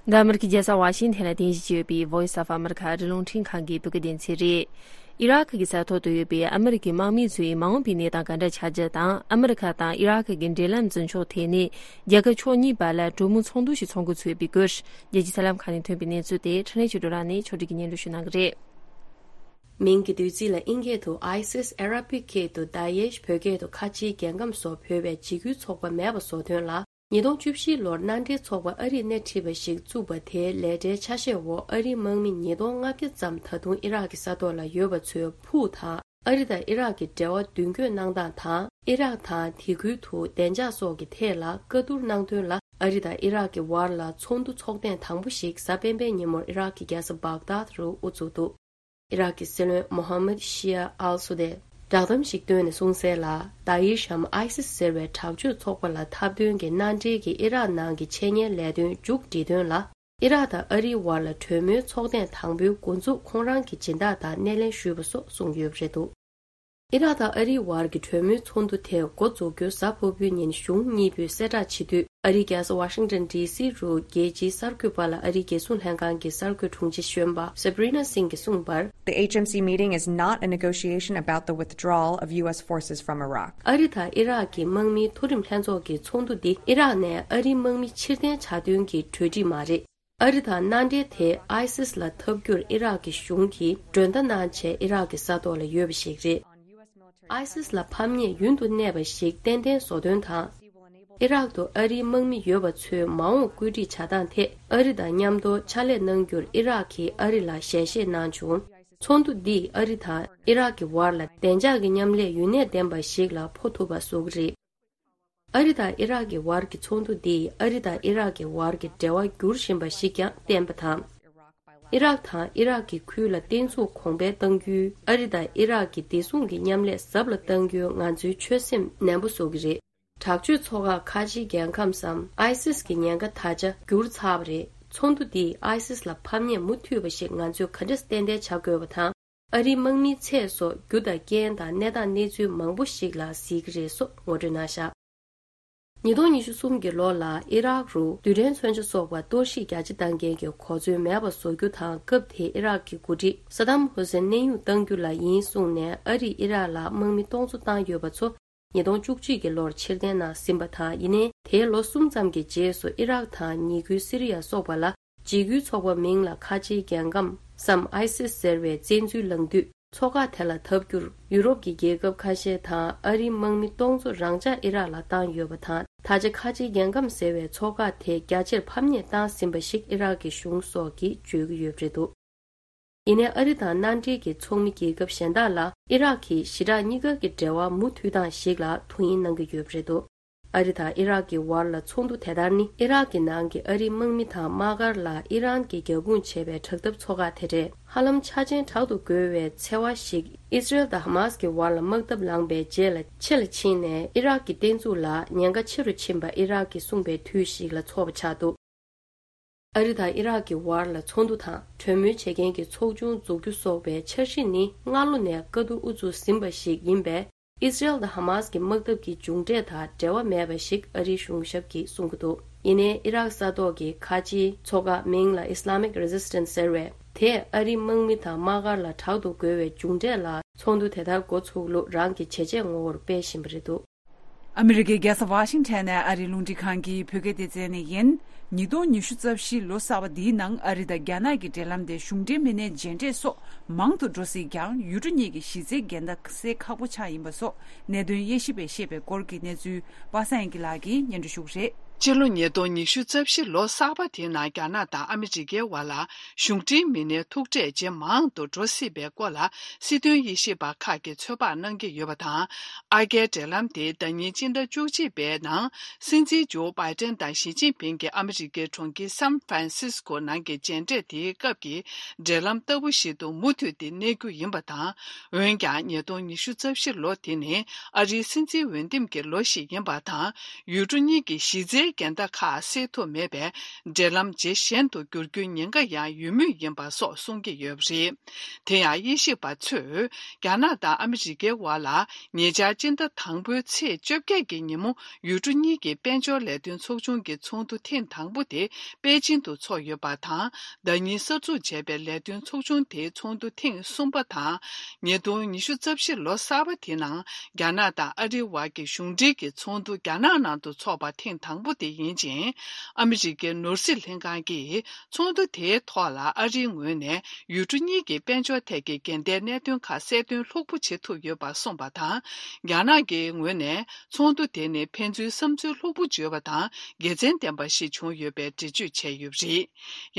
འདི་ཨ་མི་རི་ཀའི་རྒྱལ་ས་ཝ་ཤིང་ཐན་ལ་རྟེན་གཞི་བྱས་ཡོད་པའི་Voice of America ཨ་རིའི་རླུང་འཕྲིན་ཁང་གི་བོད་སྐད་སྡེ་ཚན་རེད། ཨི་རག་གི་ས་ཐོག་ཏུ་ཡོད་པའི་ཨ་མི་རི་ཀའི་དམག་མི་ཚོའི་མ་འོངས་པའི་གནས་སྟངས་ག་འདྲ་ཆགས་རྒྱུ་དང་། ཨ་མི་རི་ཀ་དང་ཨི་རག་གི་འབྲེལ་ལམ་འཛིན་ཕྱོགས་ཐད་ནས་རྒྱལ་ཁབ་ཕྱོགས་གཉིས་བར་ལ་གྲོས་མོལ་ཚོགས་འདུ་ཞིག་ཚོགས་འགོ་ཚུགས་ཡོད་པའི་སྐོར། རྒྱལ་སྤྱིའི་གསར་ལམ་ཁག་ནས་ཐོན་པའི་གནས་ཚུལ་དེ་འཕྲིན་ལས་ཆོས་སྒྲོན་རང་ནས་ཕྱོགས་སྒྲིག་གིས་སྙན་སྒྲོན་ཞུ་གནང་གི་རེད། མིང་གི་བསྡུས་ཚིག་ལ་དབྱིན་སྐད་དུ་ISIS། ཨ་ར་བིག་སྐད་དུ་དཱ་ཡེཤ། བོད་སྐད་དུ་ཁ་ཆེའི་རྒྱལ་ཁམས་སོགས་འབོད་པའི་འཇིགས་སྐུལ་ཚོགས་པ་མེད་པ་བཟོ་དོན་ལ། ཉིས་སྟོང་བཅུ་བཞི་ལོར་མནའ་འབྲེལ་ཚོགས་པ་ཨ་རིས་སྣེ་ཁྲིད་པ་ཞིག་བཙུགས་པ་དེའི་ལས་གྲྭའི་ཆ་ཤས་འོག་ཨ་རིའི་དམག་མི་ཉིས་སྟོང་ལྔ་བརྒྱ་ཙམ་ད་དུང་ཨི་རག་གི་ས་ཐོག་ལ་ཡོད་པ་ཚོའི་ཕུགས་དང་། ཨ་རི་དང་ཨི་རག་གི་འབྲེལ་བ་མདུན་སྐྱོད་གནང་སྟངས་དང་། ཨི་རག་དང་དེ་ཁུལ་དུ་བདེ་འཇགས་སོགས་ཀྱི་ཐད་ལ་བཀའ་བསྡུར་གནང་དོན་ལ། ཨ་རི་དང་ཨི་རག་གི་བར་ལ་ཚོགས་འདུ་ཚོགས་ཐེངས་དང་པོ་ཞིག་གཟའ་སྤེན་པའི་ཉིན་མོར་ཨི་རག་གི་རྒྱལ་ས་བག་དཱད་རུ་དབུ་ཚུགས་འདུག་ཨི་རག་གི་སྲིད་བློན་མོ་ཧམ་མད་ཤི་ཡ་ཨལ་སུ་དེས་བསྒྲགས་གཏམ་ཞིག་བཏོན་ནས་གསུངས་གསལ་ལ། དཱ་ཡེཤ་འམ་ཨའི་སིས་ཟེར་བའི་དྲག་སྤྱོད་ཚོགས་པ་ལ་ཐབས་འདོན་གྱི་མནའ་འབྲེལ་གྱི་ཨི་རག་ནང་གི་འཆད་ཉན་ལས་དོན་མཇུག་སྒྲིལ་དོན་ལ། ཨི་རག་དང་ཨ་རིའི་བར་ལ་གྲོས་མོལ་ཚོགས་ཐེངས་དང་པོའི་འགོ་འཛུགས་ཁོང་རང་གི་སྦྱིན་བདག་དང་སྣེ་ལེན་ཞུས་པ་སོགས་གསུངས་ཡོད་པ་རེད་འདུག་ཨི་རག་དང་ཨ་རིའི་བར་གྱི་གྲོས་མོལ་ཚོགས་འདུ་དེ་འགོ་འཛུགས་རྒྱུ་གཟའ་ཕུར་བུའི་ཉིན་གཞུང་གཉིས་པོའི་གསལ་བསྒྲགས་བྱེད་དུས། ཨ་རིའི་རྒྱལ་ས་ཝ་ཤིང་ཏོན་ཌི་སི་རུ་རྒྱལ་སྤྱིའི་གསར་འགོད་པ་ལ་ཨ་རིའི་རྒྱལ་སྲུང་ལྷན་ཁང་གི་གསར་འགོད་དྲུང་ཆེ་གཞོན་པ་Sabrina Singh གིས་གསུངས་པར། The H M C meeting is not a negotiation about the withdrawal of U S forces from Iraq. ཨ་རི་དང་ཨི་རག་གི་དམག་མིའི་མཐོ་རིམ་ལྷན་ཚོགས་ཀྱི་ཚོགས་འདུ་འདི་ཨི་རག་ནས་ཨ་རིའི་དམག་མི་ཕྱིར་འཐེན་བྱ་དོན་གྱི་གྲོས་འགྲིག་མ་རེད། ཨ་རི་དང་མནའ་འབྲེལ་དེ་ཨའི་སིས་ལ་འཐབ་རྒྱུར་ཨི་རག་གི་གཞུང་གིས་མགྲོན་བརྡ་གནང་བྱས་ཨི་རག་གི་ས་ཐོག་ལ་ཡོད་པ་ཞིག་རེད། ཨའི་སིས་ལ་ཕམ་ཉེས་ཡུན་དུ་གནས་པ་ཞིག་ཏན་ཏན་བཟོ་དོན་དང་། ཨི་རག་ཏུ་ཨ་རིའི་དམག་མི་ཡོད་པ་ཚོའི་མ་འོངས་བཀོད་སྒྲིག་བྱ་སྟངས་ཐད་ཨ་རི་དང་མཉམ་དུ་ཕྱག་ལས་གནང་རྒྱུར་ཨི་རག་གིས་ཨ་རི་ལ་ཞལ་བཞེས་གནང་བྱུང་། ཚོགས་འདུ་འདིས་ཨ་རི་དང་ཨི་རག་གི་བར་ལ་བདེ་འཇགས་ཀྱི་མཉམ་ལས་ཡུན་གནས་ལྡན་པ་ཞིག་ལ་སྤོ་ཐུབ་པ་བཟོ་གི་རེད། ཨ་རི་དང་ཨི་རག་གི་བར་གྱི་ཚོགས་འདུ་འདིས་ཨ་རི་དང་ཨི་རག་གི་བར་གྱི་འབྲེལ་བ་འགྱུར་བཞིན་པ་ཞིག་ཀྱང་བསྟན་པ་དང་། ཨི་རག་དང་ཨི་རག་གི་ཁུལ་ལ་བརྟན་ཚུགས་གོང་འཕེལ་གཏང་རྒྱུའི་ཨ་རི་དང་ཨི་རག་གི་བདེ་སྲུང་གི་མཉམ་ལས་ཟབ་ལ་གཏང་རྒྱུའི་ང་ཚོའི་ཆོད་སེམས་ནན་པོ་བཟོ་གི་རེད། དྲག་སྤྱོད་ཚོགས་ཁག་ཁ་ཆེའི་རྒྱལ་ཁམས་སམ་ཨའི་སིས་ཀྱི་ཉེན་ཁ་ད་ཆ་འགྱུར་ཚར་བ་རེད། ཚོགས་འདུ་འདིས་ཨའི་སིས་ལ་ཕམ་ཉེས་མུ་མཐུད་པ་ཞིག་ང་ཚོས་ག་འདྲས་ཏན་ཏན་བྱ་དགོས་པ་དང་། ཨ་རིའི་དམག་མིའི་ཚད་སོགས་རྒྱུ་དང་རྐྱེན་དང་གནས་སྟངས་གནས་ཚུལ་མང་པོ་ཞིག་ལ་གཟིགས་ཀྱི་རེད་སོགས་ངོ་སྤྲོད་གནང་བཞག་ཉིས་སྟོང་ཉི་ཤུ་གསུམ་གྱི་ལོ་ལ་ཨི་རག་རུ་རྡུལ་ཕྲན་མཚོན་ཆ་སོགས་པ་གཏོར་བཤིག་རྒྱ་ཆེ་བཏང་མཁན་གྱི་གོ་མཚོན་མེད་པ་བཟོ་རྒྱུ་དང་། སྐབས་དེའི་ཨི་རག་གི་འགོ་ཁྲིད་ས་དམ་ཧུ་སེན་གནས་དབྱུང་གཏང་རྒྱུ་ལ་ཡིན་གསུངས་ནས། ཨ་རིས་ཨི་རག་ལ་དམག་མི་སྟོང་ཚོ་བཏང་ཡོད་པ་ཚོ་ཉིས་སྟོང་བཅུ་གཅིག་གི་ལོར་ཕྱིར་འཐེན་གནང་ཟིན་པ་དང་། ཡིན་ནའི་དེའི་ལོ་གསུམ་ཙམ་གྱི་རྗེས་སུ་ཨི་རག་དང་ཉེ་ཁུལ་སི་རི་ཡ་སོགས་པ་ལ། འཇིགས་སྐུལ་ཚོགས་པ་མིང་ལ་ཁ་ཆེའི་རྒྱལ་ཁམས་སམ་ཨའི་སིས་ཟེར་བའི་བཙན་འཛུལ་ལངས་དུས། ཚོགས་ཁག་དེ་ལ་ཐབས་བསྒྱུར་ཡུ་རོབ་ཀྱི་རྒྱལ་ཁབ་ཁ་ཤས་དང་ཨ་རིའི་དམག་མི་སྟོང་ཚོ་རང་འཇགས་ཨི་རག་ལ་བཏང་ཡོད་པ་དང་། ད་ཆ་ཁ་ཆེའི་རྒྱལ་ཁམས་ཟེར་བའི་ཚོགས་ཁག་དེ་རྒྱ་ཆེར་ཕམ་ཉེས་བཏང་ཟིན་པ་ཞིག་ཨི་རག་གི་གཞུང་སོགས་ཀྱིས་བརྗོད་ཀྱི་ཡོད་པ་རེད་འདུག་ཡིན་ནའི་ཨ་རི་དང་མནའ་འབྲེལ་གྱི་ཚོགས་མི་རྒྱལ་ཁབ་གཞན་དག་ལ་ཨི་རག་གིས་ཞི་དྲག་གཉིས་ཀ་གི་འབྲེལ་བ་མུ་མཐུད་སྟངས་ཤིག་ལ་ཐུགས་ཡིད་གནང་གི་ཡོད་པ་རེད་འདུག་ཨ་རི་དང་ཨི་རག་གི་བར་ལ་ཚོགས་འདུ་དེ་ལྟར་ནི། ཨི་རག་གི་ནང་གི་ཨ་རིའི་དམག་མི་དང་དམག་སྒར་ལ་ཨི་རན་གྱིས་རྒྱབ་དཔུང་བྱེད་པའི་དྲག་འཐབ་ཚོགས་ཁག་དེ་གྲས་ཧ་ལམ་ཆ་རྐྱེན་དྲག་ཏུ་རྒོལ་བའི་འཚེ་བ་ཞིག་ཨི་སི་རེལ་དང་ཧ་མཱ་སི་ཀྱི་བར་ལ་དམག་འཐབ་ལངས་པའི་རྗེས་ལ་ཕྱི་ལ་ཕྱིན་ནས། ཨི་རག་གི་བརྟན་ཚུགས་ལ་ཉེན་ཁ་ཆེ་རུ་ཕྱིན་པ་ཨི་རག་གིས་གསུངས་པའི་དུས་ཤིག་ལ་ཚོགས་པ་ཆགས་འདུག་ཨ་རི་དང་ཨི་རག་གི་བར་ལ་ཚོགས་འདུ་དང་གྲོས་མོལ་བྱེད་མཁན་གྱི་ཚོགས་ཆུང་འཛུགས་རྒྱུ་སོགས་པའི་འཆར་གཞི་ནི་སྔ་ལོ་ནས་བཀའ་བསྡུར་དབུ་ཚུགས་ཟིན་པ་ཞིག་ཡིན་པས། ཨི་སི་རེལ་དང་ཧ་མཱ་སི་ཀྱི་དམག་འཐབ་ཀྱི་མཇུག་འབྲས་དང་འབྲེལ་བ་མེད་པ་ཞིག་ཨ་རིའི་གཞུང་ཞབས་ཀྱིས་གསུང་གི་འདུག་ཡིན་ནའི་ཨི་རག་ས་ཐོག་གི་ཁ་ཆེའི་ཚོགས་ཁག་མིང་ལ་Islamic Resistance ཟེར་བས། དེས་ཨ་རིའི་དམག་མི་དང་དམག་སྒར་ལ་དྲག་ཏུ་རྒོལ་བའི་མཇུག་འབྲས་ལ་ཚོགས་འདུ་དེ་ལྟར་འགོ་ཚུགས་ལུགས་རང་གི་བྱས་རྗེས་ངོ་བོར་སྤེལ་བཞིན་པ་རེད་འདུག་ཨ་མི་རི་ཀའི་རྒྱལ་ས་ཝ་ཤིང་ཊོན་ནས་ཨ་རིའི་རླུང་འཕྲིན་ཁང་གི་བོད་སྐད་སྡེ་ཚན་ནས་ཡིན། ཉིས་སྟོང་ཉི་ཤུ་རྩ་བཞི་ལོ་གསར་པ་འདིའི་ནང་ཨ་རི་དང་རྒྱ་ནག་གི་འབྲེལ་ལམ་དེ་གཞུང་འབྲེལ་མི་སྣའི་མཇལ་འཕྲད་སོགས་མང་དུ་འགྲོ་སྲིད་ཀྱང་། ཡུལ་གྲུ་གཉིས་ཀྱི་གཞི་རྩའི་འགལ་ཟླ་སེལ་ཁག་པོ་ཆགས་ཡིན་པ་སོགས་གནད་དོན་དབྱེ་ཞིབ་པས་བཤད་པའི་སྐོར་གྱི་གནས་ཚུལ་པ་སངས་དབྱངས་སྐྱིད་ལགས་ཀྱིས་སྙན་སྒྲོན་ཞུ་གི་རེད། སྤྱི་ལོ་ཉིས་སྟོང་ཉི་ཤུ་རྩ་བཞི་ལོ་གསར་པ་དེའི་ནང་རྒྱ་ནག་དང་ཨ་མི་རི་ཀའི་བར་ལ་གཞུང་འབྲེལ་མི་སྣའི་ཐུག་འཕྲད་ཇེ་མང་དུ་འགྲོ་སྲིད་པའི་སྐོར་ལ་སྲིད་དོན་དབྱེ་ཞིབ་པ་ཁག་གིས་ཚོད་དཔག་གནང་གི་ཡོད་པ་དང་། ཨ་རྒྱའི་འབྲེལ་ལམ་དེ་ཟླ་ཉིན་སྤྱི་ཟླ་བཅུ་གཅིག་པའི་ནང་སྲིད་འཛིན་ཇོ་བྷའི་ཏན་དང་ཞི་ཅིན་ཕིང་གིས་ཨ་མི་རི་ཀའི་གྲོང་ཁྱེར་སན་ཧྥ་རན་སིས་ཀོ་ནང་གི་མཇལ་འཕྲད་དེའི་སྐབས་ཀྱི་འབྲེལ་ལམ་ལྟ་བུ་ཞིག་ཏུ་མུ་མཐུད་དེ་གནས་རྒྱུ་ཡིན་པ་དང་། འོན་ཀྱང་ཉིས་སྟོང་ཉི་ཤུ་རྩ་བཞི་ལོ་དེ་ནི་ཨ་རིའི་སྲིད་འཛིན་འོས་འདེམས་ཀྱི་ལོ་ཞིག་ཡིན་པ་དང་། ཡུལ་གྲུ་གཉིས་ཀྱི་གཞི་རྩའི་འགལ་ཟླ་ཁག་སེལ་ཐུབ་མེད་པས། འབྲེལ་ལམ་ཇེ་ཞན་དུ་འགྱུར་རྒྱུའི་ཉེན་ཁ་ཡང་ཡོད་མུས་ཡིན་པ་སོགས་གསུང་གི་ཡོད་པ་རེད། དེ་ཡང་དབྱེ་ཞིབ་པ་ཚོས་རྒྱ་ནག་དང་ཨ་མི་རི་ཀའི་བར་ལ་ཉེ་ཆར་སྤྱི་ཟླ་དང་པོའི་ཚེས་བཅོ་བརྒྱད་ཀྱི་ཉིན་མོ་ཡུལ་གྲུ་གཉིས་ཀྱི་དཔལ་འབྱོར་ལས་དོན་ཚོགས་ཆུང་གི་ཚོགས་འདུ་ཐེངས་དང་པོ་དེ་པེ་ཅིན་དུ་འཚོགས་ཡོད་པ་དང་། ཟླ་ཉིན་གསར་འཛུགས་བྱས་པའི་ལས་དོན་ཚོགས་ཆུང་དེའི་ཚོགས་འདུ་ཐེངས་གསུམ་པ་དང་། ཉིས་སྟོང་ཉི་ཤུ་རྩ་བཞི་ལོ་གསར་པ་དེའི་ནང་རྒྱ་ནག་དང་ཨ་རིའི་བར་གྱི་གཞུང་འབྲེལ་གྱི་ཚོགས་འདུ་རྒྱ་ནག་ནང་དུ་འཚོགས་པ་ཐེངས་དང་པོ་དེ་ཡིན་ཅིང་། ཨ་མི་རི་ཀའི་ནོར་སྲིད་ལྷན་ཁང་གིས་ཚོགས་འདུ་དེའི་ཐོག་ལ་ཨ་རིའི་ངོས་ནས་ཡུལ་གྲུ་གཉིས་ཀྱི་དཔལ་འབྱོར་ཐད་ཀྱི་འགལ་ཟླའི་གནད་དོན་ཁག་གསལ་སྟོན་ལྷུག་པོ་བྱེད་ཐུབ་ཡོད་པ་གསུངས་པ་དང་། རྒྱ་ནག་གི་ངོས་ནས་ཚོགས་འདུ་དེ་ནི་ཕན་ཚུན་བསམ་ཚུལ་ལྷུག་པོ་བརྗོད་པ་དང་དགེ་མཚན་ལྡན་པ་ཞིག་བྱུང་ཡོད་པའི་འགྲེལ་བརྗོད་བྱས་ཡོད་པ་རེད།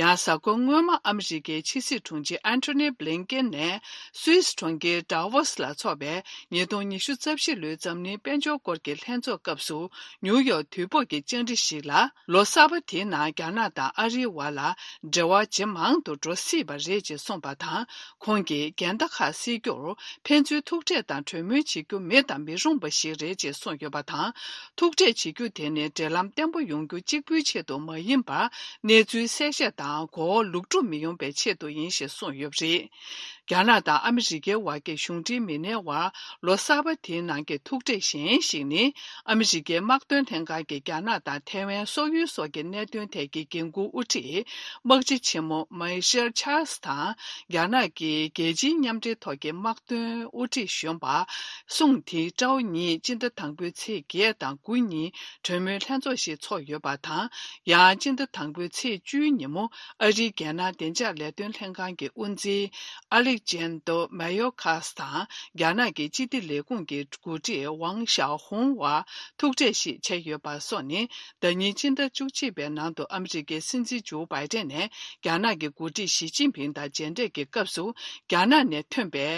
ཡང་གཟའ་འཁོར་སྔོན་མ་ཨ་མི་རི་ཀའི་ཕྱི་སྲིད་དྲུང་ཆེ་ཨན་ཐོ་ནི་བྷི་ལིན་ཀེན་ནས་སུད་སི་གྲོང་ཁྱེར་ཌ་ཝོ་སི་ལ་འཚོགས་པའི་ཉིས་སྟོང་ཉི་ཤུ་རྩ་བཞི་ལོའི་འཛམ་གླིང་དཔལ་འབྱོར་སྐོར་གྱི་ལྷན་ཚོགས་སྐབས་སུ་ནིའུ་ཡོག་དུས་བབ་ཀྱི་བཅར་འདྲི་ཞིག་ལ། ལོ་གསར་པ་དེའི་ནང་རྒྱ་ནག་དང་ཨ་རིའི་བར་ལ་འབྲེལ་བ་ཇེ་མང་དུ་འགྲོ་སྲིད་པ་རེད་ཅེས་གསུངས་པ་དང་། ཁོང་གིས་འགལ་ཟླ་ཁག་སེལ་རྒྱུར་ཕན་ཚུན་ཐུག་འཕྲད་དང་གྲོས་མོལ་བྱེད་རྒྱུ་མེད་དང་མི་རུང་བ་ཞིག་རེད་ཅེས་གསུངས་ཡོད་པ་དང་། ཐུག་འཕྲད་བྱེད་རྒྱུ་དེ་ནི་འབྲེལ་ལམ་བརྟན་པོ་ཡོང་རྒྱུ་གཅིག་པུའི་ཆེད་དུ་མ་ཡིན་པར། གནས་ཚུལ་གསལ་བཤད་དང་གོ་བ་ལུག་འཁྲུག་མི་ཡོང་པའི་ཆེད་དུ་ཡིན་ཞེས་གསུངས་ཡོད་པ་རེད། རྒྱ་ནག་དང་ཨ་མི་རི་ཀའི་བར་གྱི་གཞུང་འབྲེལ་མི་སྣའི་བར་ལོ་གསར་པ་དེའི་ནང་གི་ཐུག་འཕྲད་གཞན་ཞིག་ནི། ཨ་མི་རི་ཀའི་དམག་དོན་ལྷན་ཁང་གིས་རྒྱ་ནག་དང་ཐའེ་ཝན་སོག་ཡུལ་སོགས་ཀྱི་གནད་དོན་ཐད་ཀྱི་འགན་འཁུར་དབུ་ཁྲིད་དམག་སྤྱི་ཆེན་མོ་མའེ་ཤེལ་ཆཱལ་སི་དང་། རྒྱ་ནག་གི་རྒྱལ་སྤྱིའི་མཉམ་འབྲེལ་ཐོག་གི་དམག་དོན་དབུ་ཁྲིད་གཞོན་པ་སུང་ཐི་ཀྲའོ་གཉིས་སྤྱི་ཟླ་དང་པོའི་ཚེས་བརྒྱད་དང་དགུ་ཉིན་གྲོས་མོལ་ལྷན་ཚོགས་ཤིག་འཚོགས་ཡོད་པ་དང་། ཡང་སྤྱི་ཟླ་དང་པོའི་ཚེས་བཅུའི་ཉིན་མོ་ཨ་རིའི་རྒྱལ་ནང་བདེ་འཇགས་ལས་དོན་ལྷན་ཁང་གི་དབུ་འཛིན་ཨ་ལེ། ཅན་ཏོ་མ་ཡོ་ཁཱས་དང་རྒྱ་ནག་གི་སྤྱི་བདེ་ལས་ཁུངས་ཀྱི་འགོ་ཁྲིད་ཝང་ཞའོ་ཧུང་བར་ཐུག་འཕྲད་ཞིག་བྱས་ཡོད་པ་སོགས་ནི། ཟླ་ཉིན་སྤྱི་ཟླ་བཅུ་གཅིག་པའི་ནང་དུ་ཨ་མི་རི་ཀའི་སྲིད་འཛིན་ཇོ་བྷའི་ཏན་ནས་རྒྱ་ནག་གི་འགོ་ཁྲིད་ཞི་ཅིན་ཕིང་དང་མཇལ་འཕྲད་ཀྱི་སྐབས་སུ། རྒྱ་ནག་ནས་ཐོན་པའི་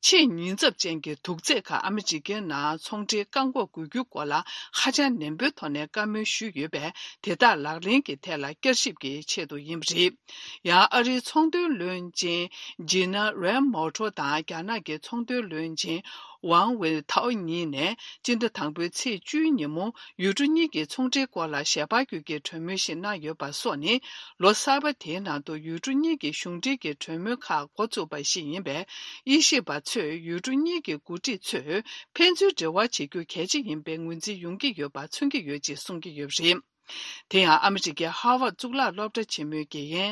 ཆེས་ཉེན་ཚབས་ཅན་གྱི་དུག་རྫས་ཁག་ཨ་མི་རི་ཀའི་ནང་ཚོང་འབྲེལ་བཀག་འགོག་དགོས་རྒྱུའི་སྐོར་ལ་ཧ་ཅང་ནན་པོའི་ཐོག་ནས་བཀའ་མོལ་ཞུས་ཡོད་པས། དེ་དག་ལག་ལེན་གྱི་ཐད་ལ་བསྐྱར་ཞིབ་ཀྱི་ཆེད་དུ་ཡིན་པ་རེད། ཡང་ཨ་རིའི་ཚོང་དོན་བློན་ཆེན་ཇི་ན་རེམ་མོ་ཊོ་དང་རྒྱ་ནག་གི་ཚོང་དོན་བློན་ཆེན་ཝང་ཝེ་ཐའོ་གཉིས་ནས་སྤྱི་ཟླ་དང་པོའི་ཚེས་བཅུའི་ཉིན་མོ། ཡུལ་གྲུ་གཉིས་ཀྱི་ཚོང་འབྲེལ་སྐོར་ལ་ཞལ་པར་བརྒྱུད་ཀྱི་གྲོས་མོལ་ཞིག་གནང་ཡོད་པ་སོགས་ནི། ལོ་གསར་པ་དེའི་ནང་དུ་ཡུལ་གྲུ་གཉིས་ཀྱི་གཞུང་འབྲེལ་གྱི་གྲོས་མོལ་ཁག་འགོ་བཙུགས་པ་ཞིག་ཡིན་པས། དབྱེ་ཞིབ་པ་ཚོས་ཡུལ་གྲུ་གཉིས་ཀྱི་འགོ་ཁྲིད་ཚོས་ཕན་ཚུན་འབྲེལ་བ་བྱེད་རྒྱུ་གལ་ཆེ་ཡིན་པའི་ངོས་འཛིན་ཡོང་གི་ཡོད་པ་མཚོན་གྱི་ཡོད་ཅེས་གསུང་གི་ཡོད་པ་རེད། དེ་ཡང་ཨ་མི་རི་ཀའི་ཧར་ཝརཌ་གཙུག་ལག་སློབ་གྲྭ་ཆེན་མོའི་དགེ་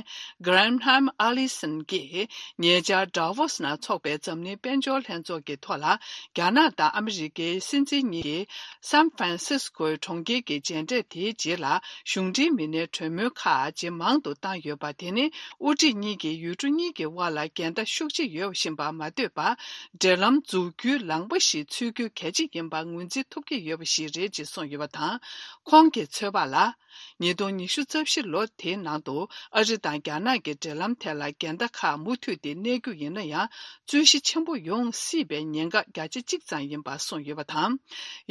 རྒན་Graham Allison་གྱིས་ཉེ་ཆར་Davos་ནང་འཚོགས་པའི་འཛམ་གླིང་དཔལ་འབྱོར་ལྷན་ཚོགས་ཀྱི་ཐོག་ལ། རྒྱ་ནག་དང་ཨ་མི་རི་ཀའི་སྲིད་འཛིན་གཉིས་ཀྱིས་San Francisco་གྲོང་ཁྱེར་གྱི་མཇལ་འཕྲད་དེའི་རྗེས་ལ། གཞུང་འབྲེལ་མི་སྣའི་གྲོས་མོལ་ཁག་ཇེ་མང་དུ་བཏང་ཡོད་པ། དེ་ནི་དབུ་ཁྲིད་གཉིས་ཀྱིས་ཡུལ་གྲུ་གཉིས་ཀྱི་དབར་ལ་འགལ་ཟླ་ཤུགས་ཆེ་ཡོད་བཞིན་པ་མ་ལྟོས་པར། འབྲེལ་ལམ་འཛུགས་རྒྱུའི་ལངས་པ་ཞིག་འཚོལ་རྒྱུ་གལ་ཆེ་ཡིན་པ་ངོས་འཛིན་ཐུབ་ཀྱི་ཡོད་པ་ཞིག་རེད་ཅེས་གསུངས་ཡོད་པ་དང་། ཁོང་གི་ཚོད་དཔག་ལ། ཉིས་སྟོང་ཉི་ཤུ་རྩ་བཞི་ལོ་དེའི་ནང་དུ་ཨ་རི་དང་རྒྱ་ནག་གི་འབྲེལ་ལམ་ཐད་ལ་འགལ་ཟླ་ཁག་མུ་མཐུད་དེ་གནས་རྒྱུ་ཡིན་ན་ཡང་། རྩོད་གཞི་ཆེན་པོ་ཡོང་སྲིད་པའི་ཉེན་ཁ་བརྒྱ་ཆ་གཅིག་ཙམ་ཡིན་པ་གསུངས་ཡོད་པ་དང་།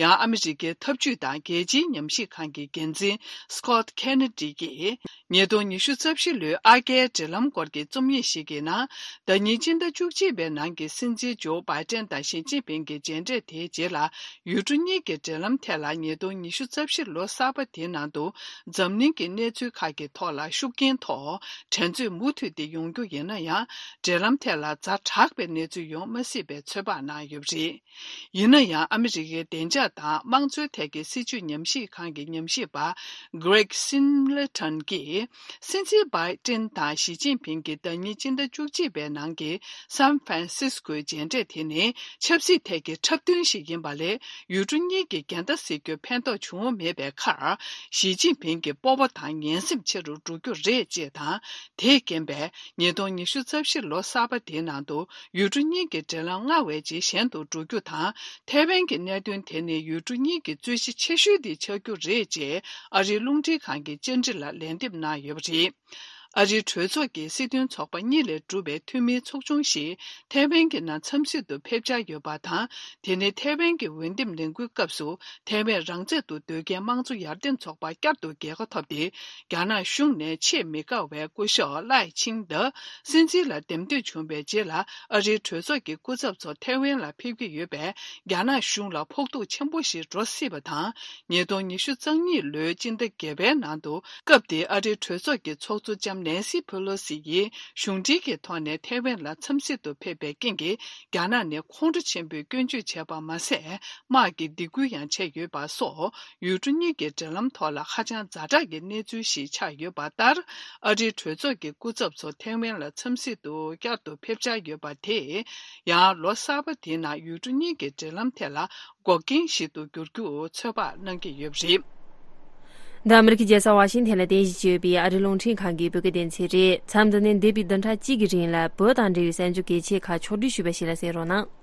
ཡང་ཨ་མི་རི་ཀའི་འཐབ་ཇུས་དང་རྒྱལ་སྤྱིའི་ཉམས་ཞིབ་ཁང་གི་འགན་འཛིན་Scott Kennedy་གྱིས། ཉིས་སྟོང་ཉི་ཤུ་རྩ་བཞི་ལོའི་ཨ་རྒྱའི་འབྲེལ་ལམ་སྐོར་གྱི་རྩོམ་ཡིག་ཞིག་གི་ནང་། ཟླ་ཉིན་སྤྱི་ཟླ་བཅུ་གཅིག་པའི་ནང་གི་སྲིད་འཛིན་ཇོ་བྷའི་ཏན་དང་ཞི་ཅིན་ཕིང་གི་མཇལ་འཕྲད་དེའི་རྗེས་ལ། ཡུལ་གྲུ་གཉིས་ཀྱི་འབྲེལ་ལམ་ཐད་ལ་ཉིས་སྟོང་ཉི་ཤུ་རྩ་བཞི་ལོ་གསར་པ་དེའི་ནང་དུ། འཛམ་གླིང་གི་གནས་ཚུལ་ཁག་གི་ཐོག་ལ་ཤུགས་རྐྱེན་ཐོགས་འགྲན་རྩོད་མུ་མཐུད་དེ་ཡོང་རྒྱུ་ཡིན་ན་ཡང་། འབྲེལ་ལམ་ཐད་ལ་ཛ་དྲག་པའི་གནས་ཚུལ་ཡོང་མ་སྲིད་པའི་ཚོད་དཔག་གནང་ཡོད་པ་རེད། ཡིན་ན་ཡང་ཨ་མི་རི་ཀའི་བདེ་འཇགས་དང་དམངས་གཙོའི་ཐད་ཀྱི་སྲིད་བྱུས་ཉམས་ཞིབ་ཁང་གི་ཉམས་ཞིབ་པ་Greg Singleton་གྱིས། སྲིད་འཛིན་བྷའི་ཏིན་དང་ཞི་ཅིན་ཕིང་གི་ཟླ་ཉིན་སྤྱི་ཟླ་བཅུ་གཅིག་པའི་ནང་གི་San Francisco་མཇལ་འཕྲད་དེ་ནི་ཆབ་སྲིད་ཐད་ཀྱི་འཁྲབ་སྟོན་ཞིག་ཡིན་པ་ལས། ཡུལ་གྲུ་གཉིས་ཀྱི་འགལ་ཟླ་སེལ་རྒྱུར་ཕན་ཐོགས་བྱུང་མེད་པའི་ཁར། ཞི་ཅིན་ཕིང་གི་སྤོབས་པ་དང་ངན་སེམས་ཆེ་རུ་འགྲོ་རྒྱུ་རེད་ཅེས་དང་། དེས་རྐྱེན་པས། ཉིས་སྟོང་ཉི་ཤུ་རྩ་བཞི་ལོ་གསར་པ་དེའི་ནང་དུ། ཡུལ་གྲུ་གཉིས་ཀྱི་འབྲེལ་ལམ་སྔར་བས་ཇེ་ཞན་དུ་འགྲོ་རྒྱུ་དང་། ཐའེ་ཝན་གྱི་གནད་དོན་དེ་ནི་ཡུལ་གྲུ་གཉིས་ཀྱི་རྩོད་གཞི་ཆེ་ཤོས་དེ་ཆགས་རྒྱུ་རེད་ཅེས་ཨ་རིའི་རླུང་འཕྲིན་ཁང་གི་བཅར་འདྲི་ལ་ལན་འདེབས་གནང་ཡོད་པ་རེད། ཨ་རིའི་གྲོས་ཚོགས་ཀྱི་སྲིད་དོན་ཚོགས་པ་གཉིས་ལས་གྲུབ་པའི་འཐུས་མིའི་ཚོགས་ཆུང་ཞིག་ཐའེ་ཝན་གྱི་ནང་འཚམས་གཟིགས་དུ་ཕེབས་འཆར་ཡོད་པ་དང་། དེ་ནི་ཐའེ་ཝན་གྱི་འོས་འདེམས་ལས་འགུལ་སྐབས་སུ། ཐའེ་ཝན་རང་བཙན་དུ་སྡོད་མཁན་དམངས་གཙོ་ཡར་ཐོན་ཚོགས་པ་བསྐྱར་དུ་རྒྱལ་ཁ་ཐོབ་སྟེ། རྒྱ་ནག་གཞུང་ནས་ཆེས་མི་དགའ་བའི་སྐུ་ཞབས་ལའེ་ཆིང་ཏེ་སྲིད་འཛིན་ལ་འདེམས་ཐོན་བྱུང་བའི་རྗེས་ལ། ཨ་རིའི་གྲོས་ཚོགས་ཀྱི་སྐུ་ཚབ་ཚོ་ཐའེ་ཝན་ལ་ཕེབས་ཀྱི་ཡོད་པས། རྒྱ་ནག་གཞུང་ལ་ཕོག་ཐུག་ཆེན་པོ་ཞིག་འགྲོ་སྲིད་པ་དང་། ཉིས་སྟོང་ཉི་ཤུ་རྩ་གཉིས་ལོའི་སྤྱི་ཟླ་བརྒྱད་པའི་ནང་དུ། སྐབས་དེའི་ཨ་རིའི་གྲོས་ཚོགས་ཀྱི་ཚོགས་གཙོ་ལྕམ་ནན་སི་ཕེ་ལོ་སི་ཡིས་གཞུང་འབྲེལ་གྱི་ཐོག་ནས་ཐའེ་ཝན་ལ་འཚམས་གཟིགས་དུ་ཕེབས་པའི་རྐྱེན་གྱིས། རྒྱ་ནག་ནས་ཁོང་ཁྲོ་ཆེན་པོས་སྐྱོན་བརྗོད་བྱས་པ་མ་ཟད། དམག་གི་སྡིགས་སྐུལ་ཡང་བྱས་ཡོད་པ་སོགས། ཡུལ་གྲུ་གཉིས་ཀྱི་འབྲེལ་ལམ་ཐོག་ལ་ཧ་ཅང་ཛ་དྲག་གི་གནས་ཚུལ་ཞིག་ཆགས་ཡོད་པ་ལྟར། ཨ་རིའི་གྲོས་ཚོགས་ཀྱི་སྐུ་ཚབ་ཚོ་ཐའེ་ཝན་ལ་འཚམས་གཟིགས་དུ་བསྐྱར་དུ་ཕེབས་འཆར་ཡོད་པ་དེས། ཡང་ལོ་གསར་པ་དེའི་ནང་ཡུལ་གྲུ་གཉིས་ཀྱི་འབྲེལ་ལམ་ཐད་ལ་འགོག་རྐྱེན་ཞིག་ཏུ་འགྱུར་རྒྱུ་ཚོད་དཔག་གནང་གི་ཡོད་པ་རེད། འདི་ཨ་མི་རི་ཀའི་རྒྱལ་ས་ཝ་ཤིང་ཐན་ལ་རྟེན་གཞི་བྱས་ཡོད་པའི་ཨ་རིའི་རླུང་འཕྲིན་ཁང་གི་བོད་སྐད་སྡེ་ཚན་རེད། མཚམས་འདི་ནས་འདས་པའི་བདུན་ཕྲག་གཅིག་གི་རིང་ལ་བོད་དང་འབྲེལ་བའི་གསར་འགྱུར་གལ་ཆེ་ཁག་ཕྱོགས་བསྒྲིགས་ཞུས་པ་ཞིག་ལ་གསན་རོགས་གནང་།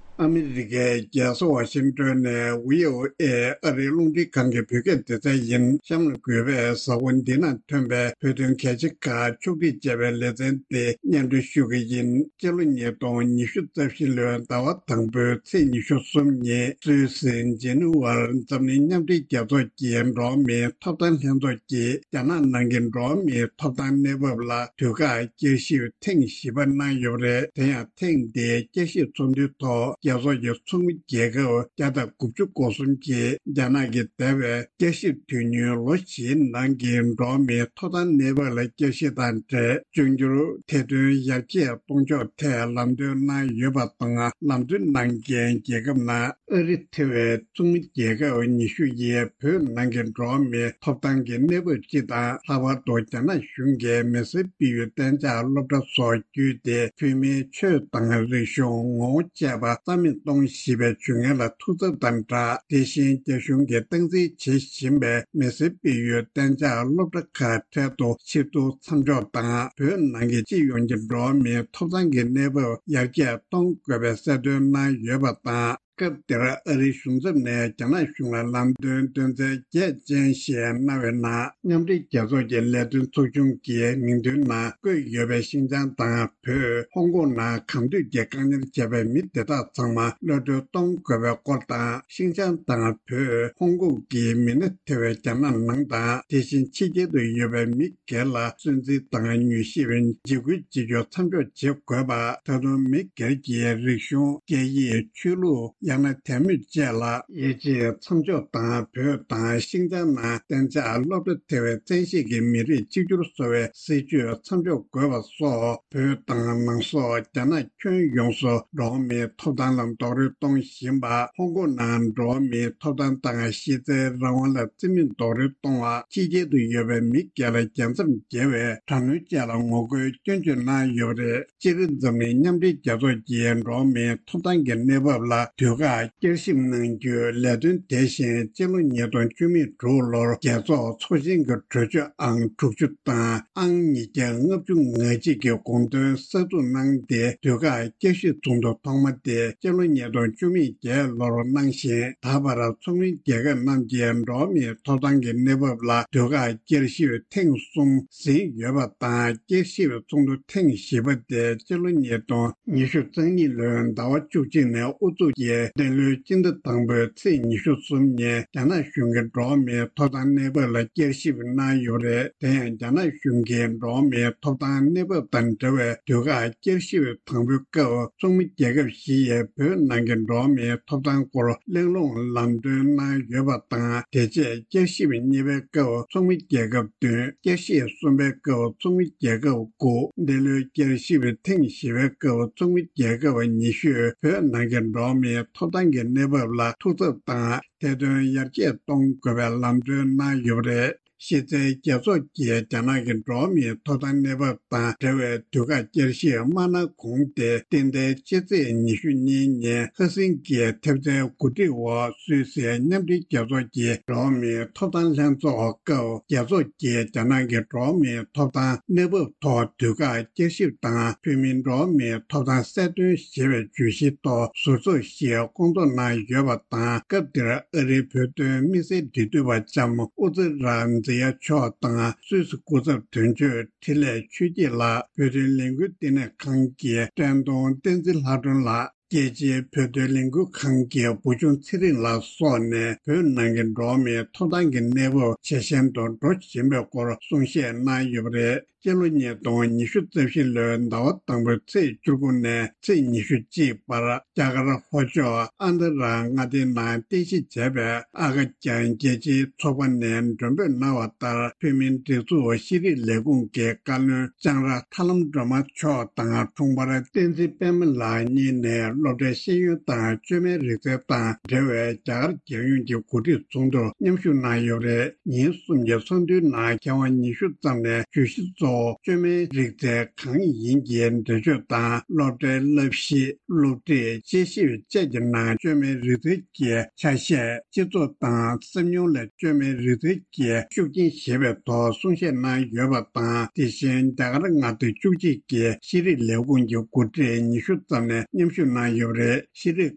ཨ་མི་རི་ཀའི་རྒྱལ་ས་ཝ་ཤིང་ཏོན་ནས་ཝི་ཨོ་ཨེ་ཨ་རིའི་རླུང་འཕྲིན་ཁང་གི་བོད་སྐད་སྡེ་ཚན་ཡིན། གཤམ་ལ་འགོད་པའི་གཟའ་འཁོར་འདི་ན་ཐོན་པའི་བོད་དོན་གལ་ཆེ་ཁག་ཕྱོགས་སྒྲིག་བྱས་པའི་ལེ་ཚན་དེ་སྙན་སྒྲོན་ཞུ་གི་ཡིན། སྤྱི་ལོ་ཉིས་སྟོང་ཉི་ཤུ་རྩ་བཞི་ལོའི་ཟླ་བ་དང་པོའི་ཚེས་ཉི་ཤུ་གསུམ་ཉིན་སུད་སི་ཇི་ནི་ཝར་འཛམ་གླིང་མཉམ་འབྲེལ་རྒྱལ་ཚོགས་ཀྱི་འགྲོ་བ་མིའི་ཐོབ་ཐང་ལྷན་ཚོགས་ཀྱིས་རྒྱ་ནག་ནང་གི་འགྲོ་བ་མིའི་ཐོབ་ཐང་གནས་བབ་ལ་དུས་བཀག་བསྐྱར་ཞིབ་ཐེངས་བཞི་པ་གནང་ཡོད་པ་རེད། དེ་ཡང་ཐེངས་འདིའི་བསྐྱར་ཞིབ་ཚོགས་འདུའི་ཐོག་རྒྱལ་ཚོགས་ཀྱི་ཚོགས་མི་རྒྱལ་ཁབ་བརྒྱ་དང་དགུ་བཅུ་གོ་གསུམ་གྱིས་རྒྱ་ནག་གི་འདས་པའི་བསྐྱར་ཞིབ་དུས་ཡུན་ལོ་བཞིའི་ནང་གི་འགྲོ་བ་མིའི་ཐོབ་ཐང་གནས་བབ་ལ་བསྐྱར་ཞིབ་དང་འབྲེལ་འབྱུང་འགྱུར་ཐེར་འདོན་ཡར་རྒྱས་གཏོང་ཕྱོགས་ཐད་ལམ་སྟོན་གནང་ཡོད་པ་དང་། ལམ་སྟོན་གནང་མཁན་རྒྱལ་ཁབ་ནང་ཨ་རི་ཐེ་བའི་ཚོགས་མི་རྒྱལ་ཁབ་ཉི་ཤུ་ཡིས་བོད་ནང་གི་འགྲོ་བ་མིའི་ཐོབ་ཐང་གི་གནས་བབ་སྤྱི་དང་། ལྷག་པར་དུ་རྒྱ་ནག་གཞུང་གིས་མི་སེར་སྤེལ་ཡུལ་གཏན་འཇགས་སློབ་གྲྭ་སོགས་བརྒྱུད་དེ་བོད་མིའི་ཆོས་དང་རིག་གཞུང་ངོ་བོ་བཅས་པ་རྩ་ མེད་གཏོང་བཞིན་པའི་ཇུས་ངན་ལ་ཐུགས་འཚབ་དང་སྦྲགས། དེ་བཞིན་རྒྱ་གཞུང་གིས་སྟངས་འཛིན་བྱེད་བཞིན་པའི་མི་སེར་སྤེལ་ཡུལ་གཏན་འཇགས་སློབ་གྲྭ་ཁག་འཕྲལ་དུ་ཕྱིར་བསྡུ་མཚམས་འཇོག་དང་། བོད་ནང་གི་སྤྱི་ཡོངས་ཀྱི་འགྲོ་བ་མིའི་ཐོབ་ཐང་གི་གནས་བབ་ཡར་རྒྱས་གཏོང་དགོས་པའི་གསལ་སྟོན་གནང་ཡོད་པ་དང་། སྐབས་དེར་ཨ་རིའི་གཞུང་ཚབ་ནས་རྒྱ་ནག་གཞུང་ལ་ལམ་སྟོན་འདོན་ཚུལ་གལ་ཆེན་ཞེས་གནང་བའི་ནང་། མཉམ་འབྲེལ་རྒྱལ་ཚོགས་ཀྱི་ལས་དོན་ཚོགས་ཆུང་གི་མིང་ཐོའི་ནང་བཀོད་ཡོད་པའི་ཤིན་ཅང་དང་བོད། ཧོང་ཀོང་ནང་གང་འདོད་ཀྱིས་བཀག་ཉར་བྱས་པའི་མི་དེ་དག་ཚང་མ་གློད་གྲོལ་གཏོང་དགོས་པའི་སྐོར་དང་། ཤིན་ཅང་དང་བོད། ཧོང་ཀོང་གི་མི་སྣ་ཐེ་བའི་རྒྱ་ནག་ནང་དང་། དེ་བཞིན་ཕྱི་རྒྱལ་དུ་ཡོད་པའི་མི་སྒེར་ལ་སུན་གཙེར་དང་མྱུལ་ཞིབ་འཇིགས་སྐུལ་བྱེད་རྒྱུ་མཚམས་འཇོག་བྱེད་དགོས་པ། ད་དུང་མི་སྒེར་གྱི་རིག་གཞུང་། སྐད་ཡིག་ཆོས་ལུགས། ཡང་ན་དད་མོས་བཅས་ལ་དབྱེ་འབྱེད་མཚམས་འཇོག་དང་། བོད་དང་ཤིན་ཅང་ནང་གཏན་འཇགས་སློབ་གྲྭ་ཐེ་བའི་བཙན་ཤེད་ཀྱིས་མི་རིགས་གཅིག་གྱུར་བཟོ་བའི་སྲིད་བྱུས་མཚམས་འཇོག་དགོས་པ་སོགས། བོད་དང་ནང་སོག་རྒྱ་ནག་ཁྱོན་ཡོངས་སུ་འགྲོ་བ་མིའི་ཐོབ་ཐང་ལ་རྡོག་རོལ་གཏོང་བཞིན་པ། ཧོང་ཀོང་ནང་འགྲོ་བ་མིའི་ཐོབ་ཐང་དང་གཞི་རྩའི་རང་དབང་ལ་བརྩི་མེད་རྡོག་རོལ་གཏོང་བ། ཕྱི་རྒྱལ་དུ་ཡོད་པའི་མི་སྒེར་ལ་རྒྱལ་མཚམས་བརྒལ་བའི་དྲག་གནོན་བཅས་ལ་ངོ་རྒོལ་སྐྱོན་བརྗོད་གནང་ཡོད་པ་རེད། སྤྱིར་འཛམ་གླིང་མཉམ་འབྲེལ་རྒྱལ་ཚོགས་ཀྱིས་འགྲོ་བ་མིའི་ཐོབ་ཐང་གི་གནས་བབ་ལ་དུས་བཀག་བསྐྱར་ཞིབ་གནང་རྒྱུའི་ལས་དོན་དེ་བཞིན་སྤྱི་ལོ་ཉིས་སྟོང་བཅུ་མེད་དྲུག་ལོར་རྒྱལ་ཚོགས་ཚོགས་ཆེན་གྱི་གྲོས་ཆོད་ཨང་དྲུག་ཅུ་དང་ཨང་ཉིས་བརྒྱ་ལྔ་བཅུ་ང་གཅིག་གི་དགོངས་དོན་གསར་འཛུགས་གནང་སྟེ། དུས་བཀག་བསྐྱར་ཞིབ་ཚོགས་འདུ་ཐོག་མ་དེ་སྤྱི་ལོ་ཉིས་སྟོང་བཅུ་མེད་བརྒྱད་ལོར་གནང་ཞིང་། ད་བར་ཚོགས་མི་རྒྱལ་ཁབ་རྣམས་ཀྱིས་འགྲོ་བ་མིའི་ཐོབ་ཐང་གི་གནས་བབ་ལ་དུས་བཀག་བསྐྱར་ཞིབ་ཐེངས་གསུམ་ཟིན་ཡོད་པ་དང་། བསྐྱར་ཞིབ་ཚོགས་འདུ་ཐེངས་བཞི་པ་དེ་སྤྱི་ལོ་ཉིས་སྟོང་ཉི་ཤུ་རྩ་གཉིས་ལོའི་ཟླ་བ་བཅུ་གཅིག་ནས་དབུ་འཛུགས་ཀྱིས་འདི་ལོའི་སྤྱི་ཟླ་དང་པོའི་ཚེས་ཉི་ཤུ་གསུམ་ཉིན་རྒྱ་ནག་གཞུང་གིས་འགྲོ་བ་མིའི་ཐོབ་ཐང་གནས་བབ་ལ་བསྐྱར་ཞིབ་གནང་ཡོད་པ་རེད། དེ་ཡང་རྒྱ་ནག་གཞུང་གིས་འགྲོ་བ་མིའི་ཐོབ་ཐང་གནས་བབ་དང་འབྲེལ་བའི་དུས་བཀག་བསྐྱར་ཞིབ་དང་པོའི་སྐབས། ཚོགས་མི་རྒྱལ་ཁབ་བཞི་ཡིས་བོད་ནང་གི་འགྲོ་བ་མིའི་ཐོབ་ཐང་སྐོར་གླེང་སློང་ལམ་སྟོན་གནང་ཡོད་པ་དང་། དེ་རྗེས་བསྐྱར་ཞིབ་གཉིས་པའི་སྐབས་ཚོགས་མི་རྒྱལ་ཁབ་བདུན། བསྐྱར་ཞིབ་གསུམ་པའི་སྐབས་ཚོགས་མི་རྒྱལ་ཁབ་དགུ། འདི་ལོའི་བསྐྱར་ཞིབ་ཐེངས་བཞི་པའི་སྐབས་ཚོགས་མི་རྒྱལ་ཁབ་ཉི་ཤུས་བོད་ནང་གི་འགྲོ་བ་མིའི་ཐོབ་ཐང་གི་གནས་བབ་ལ་ཐུགས་འཚབ་དང་། ཐེར་འདོན་ཡར་རྒྱས་གཏོང་དགོས་པའི་ལམ་སྟོན་གནང་ཡོད་པ་རེད། གཞི་རྩའི་རྒྱལ་ཚོགས་ཀྱིས་རྒྱ་ནག་གི་འགྲོ་བ་མིའི་ཐོབ་ཐང་གནས་བབ་དང་འབྲེལ་བའི་དུས་བཀག་བསྐྱར་ཞིབ་མ་གནང་གོང་སྟེ། ཏན་ཏན་ཕྱི་ཚེས་ཉི་ཤུ་གཉིས་ཉིན་ཧ་སིན་གྱིས་ཐེབས་རྩའི་གོ་སྒྲིག་འོག་སུད་སིའི་མཉམ་འབྲེལ་རྒྱལ་ཚོགས་ཀྱི་འགྲོ་བ་མིའི་ཐོབ་ཐང་ལྷན་ཚོགས་སྐབས། རྒྱལ་ཚོགས་ཀྱིས་རྒྱ་ནག་གི་འགྲོ་བ་མིའི་ཐོབ་ཐང་གནས་བབ་ཐོག་དུས་བཀག་བསྐྱར་ཞིབ་དང་། བོད་མིའི་འགྲོ་བ་མིའི་ཐོབ་ཐང་གསལ་སྟོན་ཞེས་པའི་བརྗོད་གཞིའི་ཐོག་ཟུར་ཚོགས་ཤིག་བསྐོང་ཚོགས་གནང་ཡོད་པ་དང་། སྐབས་དེར་ཨ་རིའི་བོད་དོན་དམིགས་བསལ་འབྲེལ་མཐུད་པ་ལྕམ་ཨུ་ཛི་ར་མཛེས་ཡ་མཆོག་དང་། སུད་སི་སྐུ་ཚབ་དོན་གཅོད་འཕྲིན་ལས་ཆོས་སྐྱིད་ལགས། བོད་དོན་ལས་འགུལ་བསྟི་གནས་ཁང་གི་བཀྲས་མཐོང་བསྟན་འཛིན་ལྷ་སྒྲོན་ལགས། རྒྱལ་སྤྱིའི་བོད་དོན་ལས་འགུལ་ཁང་གི་བུ་ཆུང་ཚེ་རིང་ལགས་སོགས་ནས་བོད་ནང་གི་འགྲོ་བ་མིའི་ཐོབ་ཐང་གི་གནས་བབ་ཇེ་ཞན་དུ་འགྲོ་བཞིན་པའི་སྐོར་གསུང་བཤད་གནང་ཡོད་པ་རེད། སྤྱི་ལོ་ཉིས་སྟོང་ཉི་ཤུ་རྩ་བཞི་ལོའི་ཟླ་བ་དང་པོའི་ཚེས་བཅུ་དགུ་ནས་ཚེས་ཉི་ཤུ་གཅིག་བར་རྒྱ་གར་ལྷོ་ཕྱོགས་ཨན་ད་ར་མངའ་སྡེའི་ནང་རྟེན་གཞི་བྱས་པའི་ཨ་ཀ་ཅང་རྒྱལ་སྤྱིའི་ཚོགས་པ་ནས་མགྲོན་འབོད་གནང་བ་ལྟར། བོད་མིའི་སྒྲིག་འཛུགས་ཤེས་རིག་ལས་ཁུངས་ཀྱི་བཀའ་བློན་ལྕང་ར་ཐར་ལམ་སྒྲོལ་མ་མཆོག་དང་། དྲུང་འཕར་བསྟན་འཛིན་པད་མ་ལགས་གཉིས་ནས་སློབ་གྲྭའི་ཤེས་ཡོན་དང་བཅོས་མའི་རིག་རྩལ་དང་འབྲེལ་བའི་རྒྱ་གར་རྒྱལ་ཡོངས་ཀྱི་གོ་སྒྲིག་ཚོགས་འདུར་མཉམ་ཞུགས་གནང་ཡོད་པ་རེད། ཉིན་གསུམ་གྱི་ཚོགས་འདུའི་ནང་མཁས་དབང་ཉི་ཤུ་ཙམ་ནས་བརྗོད་གཞི་གཙོ་བོ་བཅོས་མའི་རིག་རྩལ་གང་ཡིན་གྱི་འགྲེལ་བརྗོད་དང་། སློབ་གྲྭའི་བསླབ་གཞི། སློབ་ཁྲིད། དཔྱད་ཞིབ་བཅས་ཀྱི་ནང་བཅོས་མའི་རིག་རྩལ་གྱི་ཆ་ཤས། སྤྱི་ཚོགས་དང་སེམས་མྱོང་ལ་བཅོས་མའི་རིག་རྩལ་གྱི་ཤུགས་རྐྱེན་ཞེས་པའི་ཐོག་གསུང་བཤད་གནང་ཡོད་པ་དང་། དེ་བཞིན་རྒྱ་གར་མངའ་སྡེ་བཅུ་གཅིག་གི་ཤེས་རིག་ལས་ཁུངས་ཀྱི་འགོ་ཁྲིད་ཉི་ཤུ་ཙམ་ནས་མཉམ་ཞུགས་གནང་ཡོད་པ་རེད། ཤེས་རིག་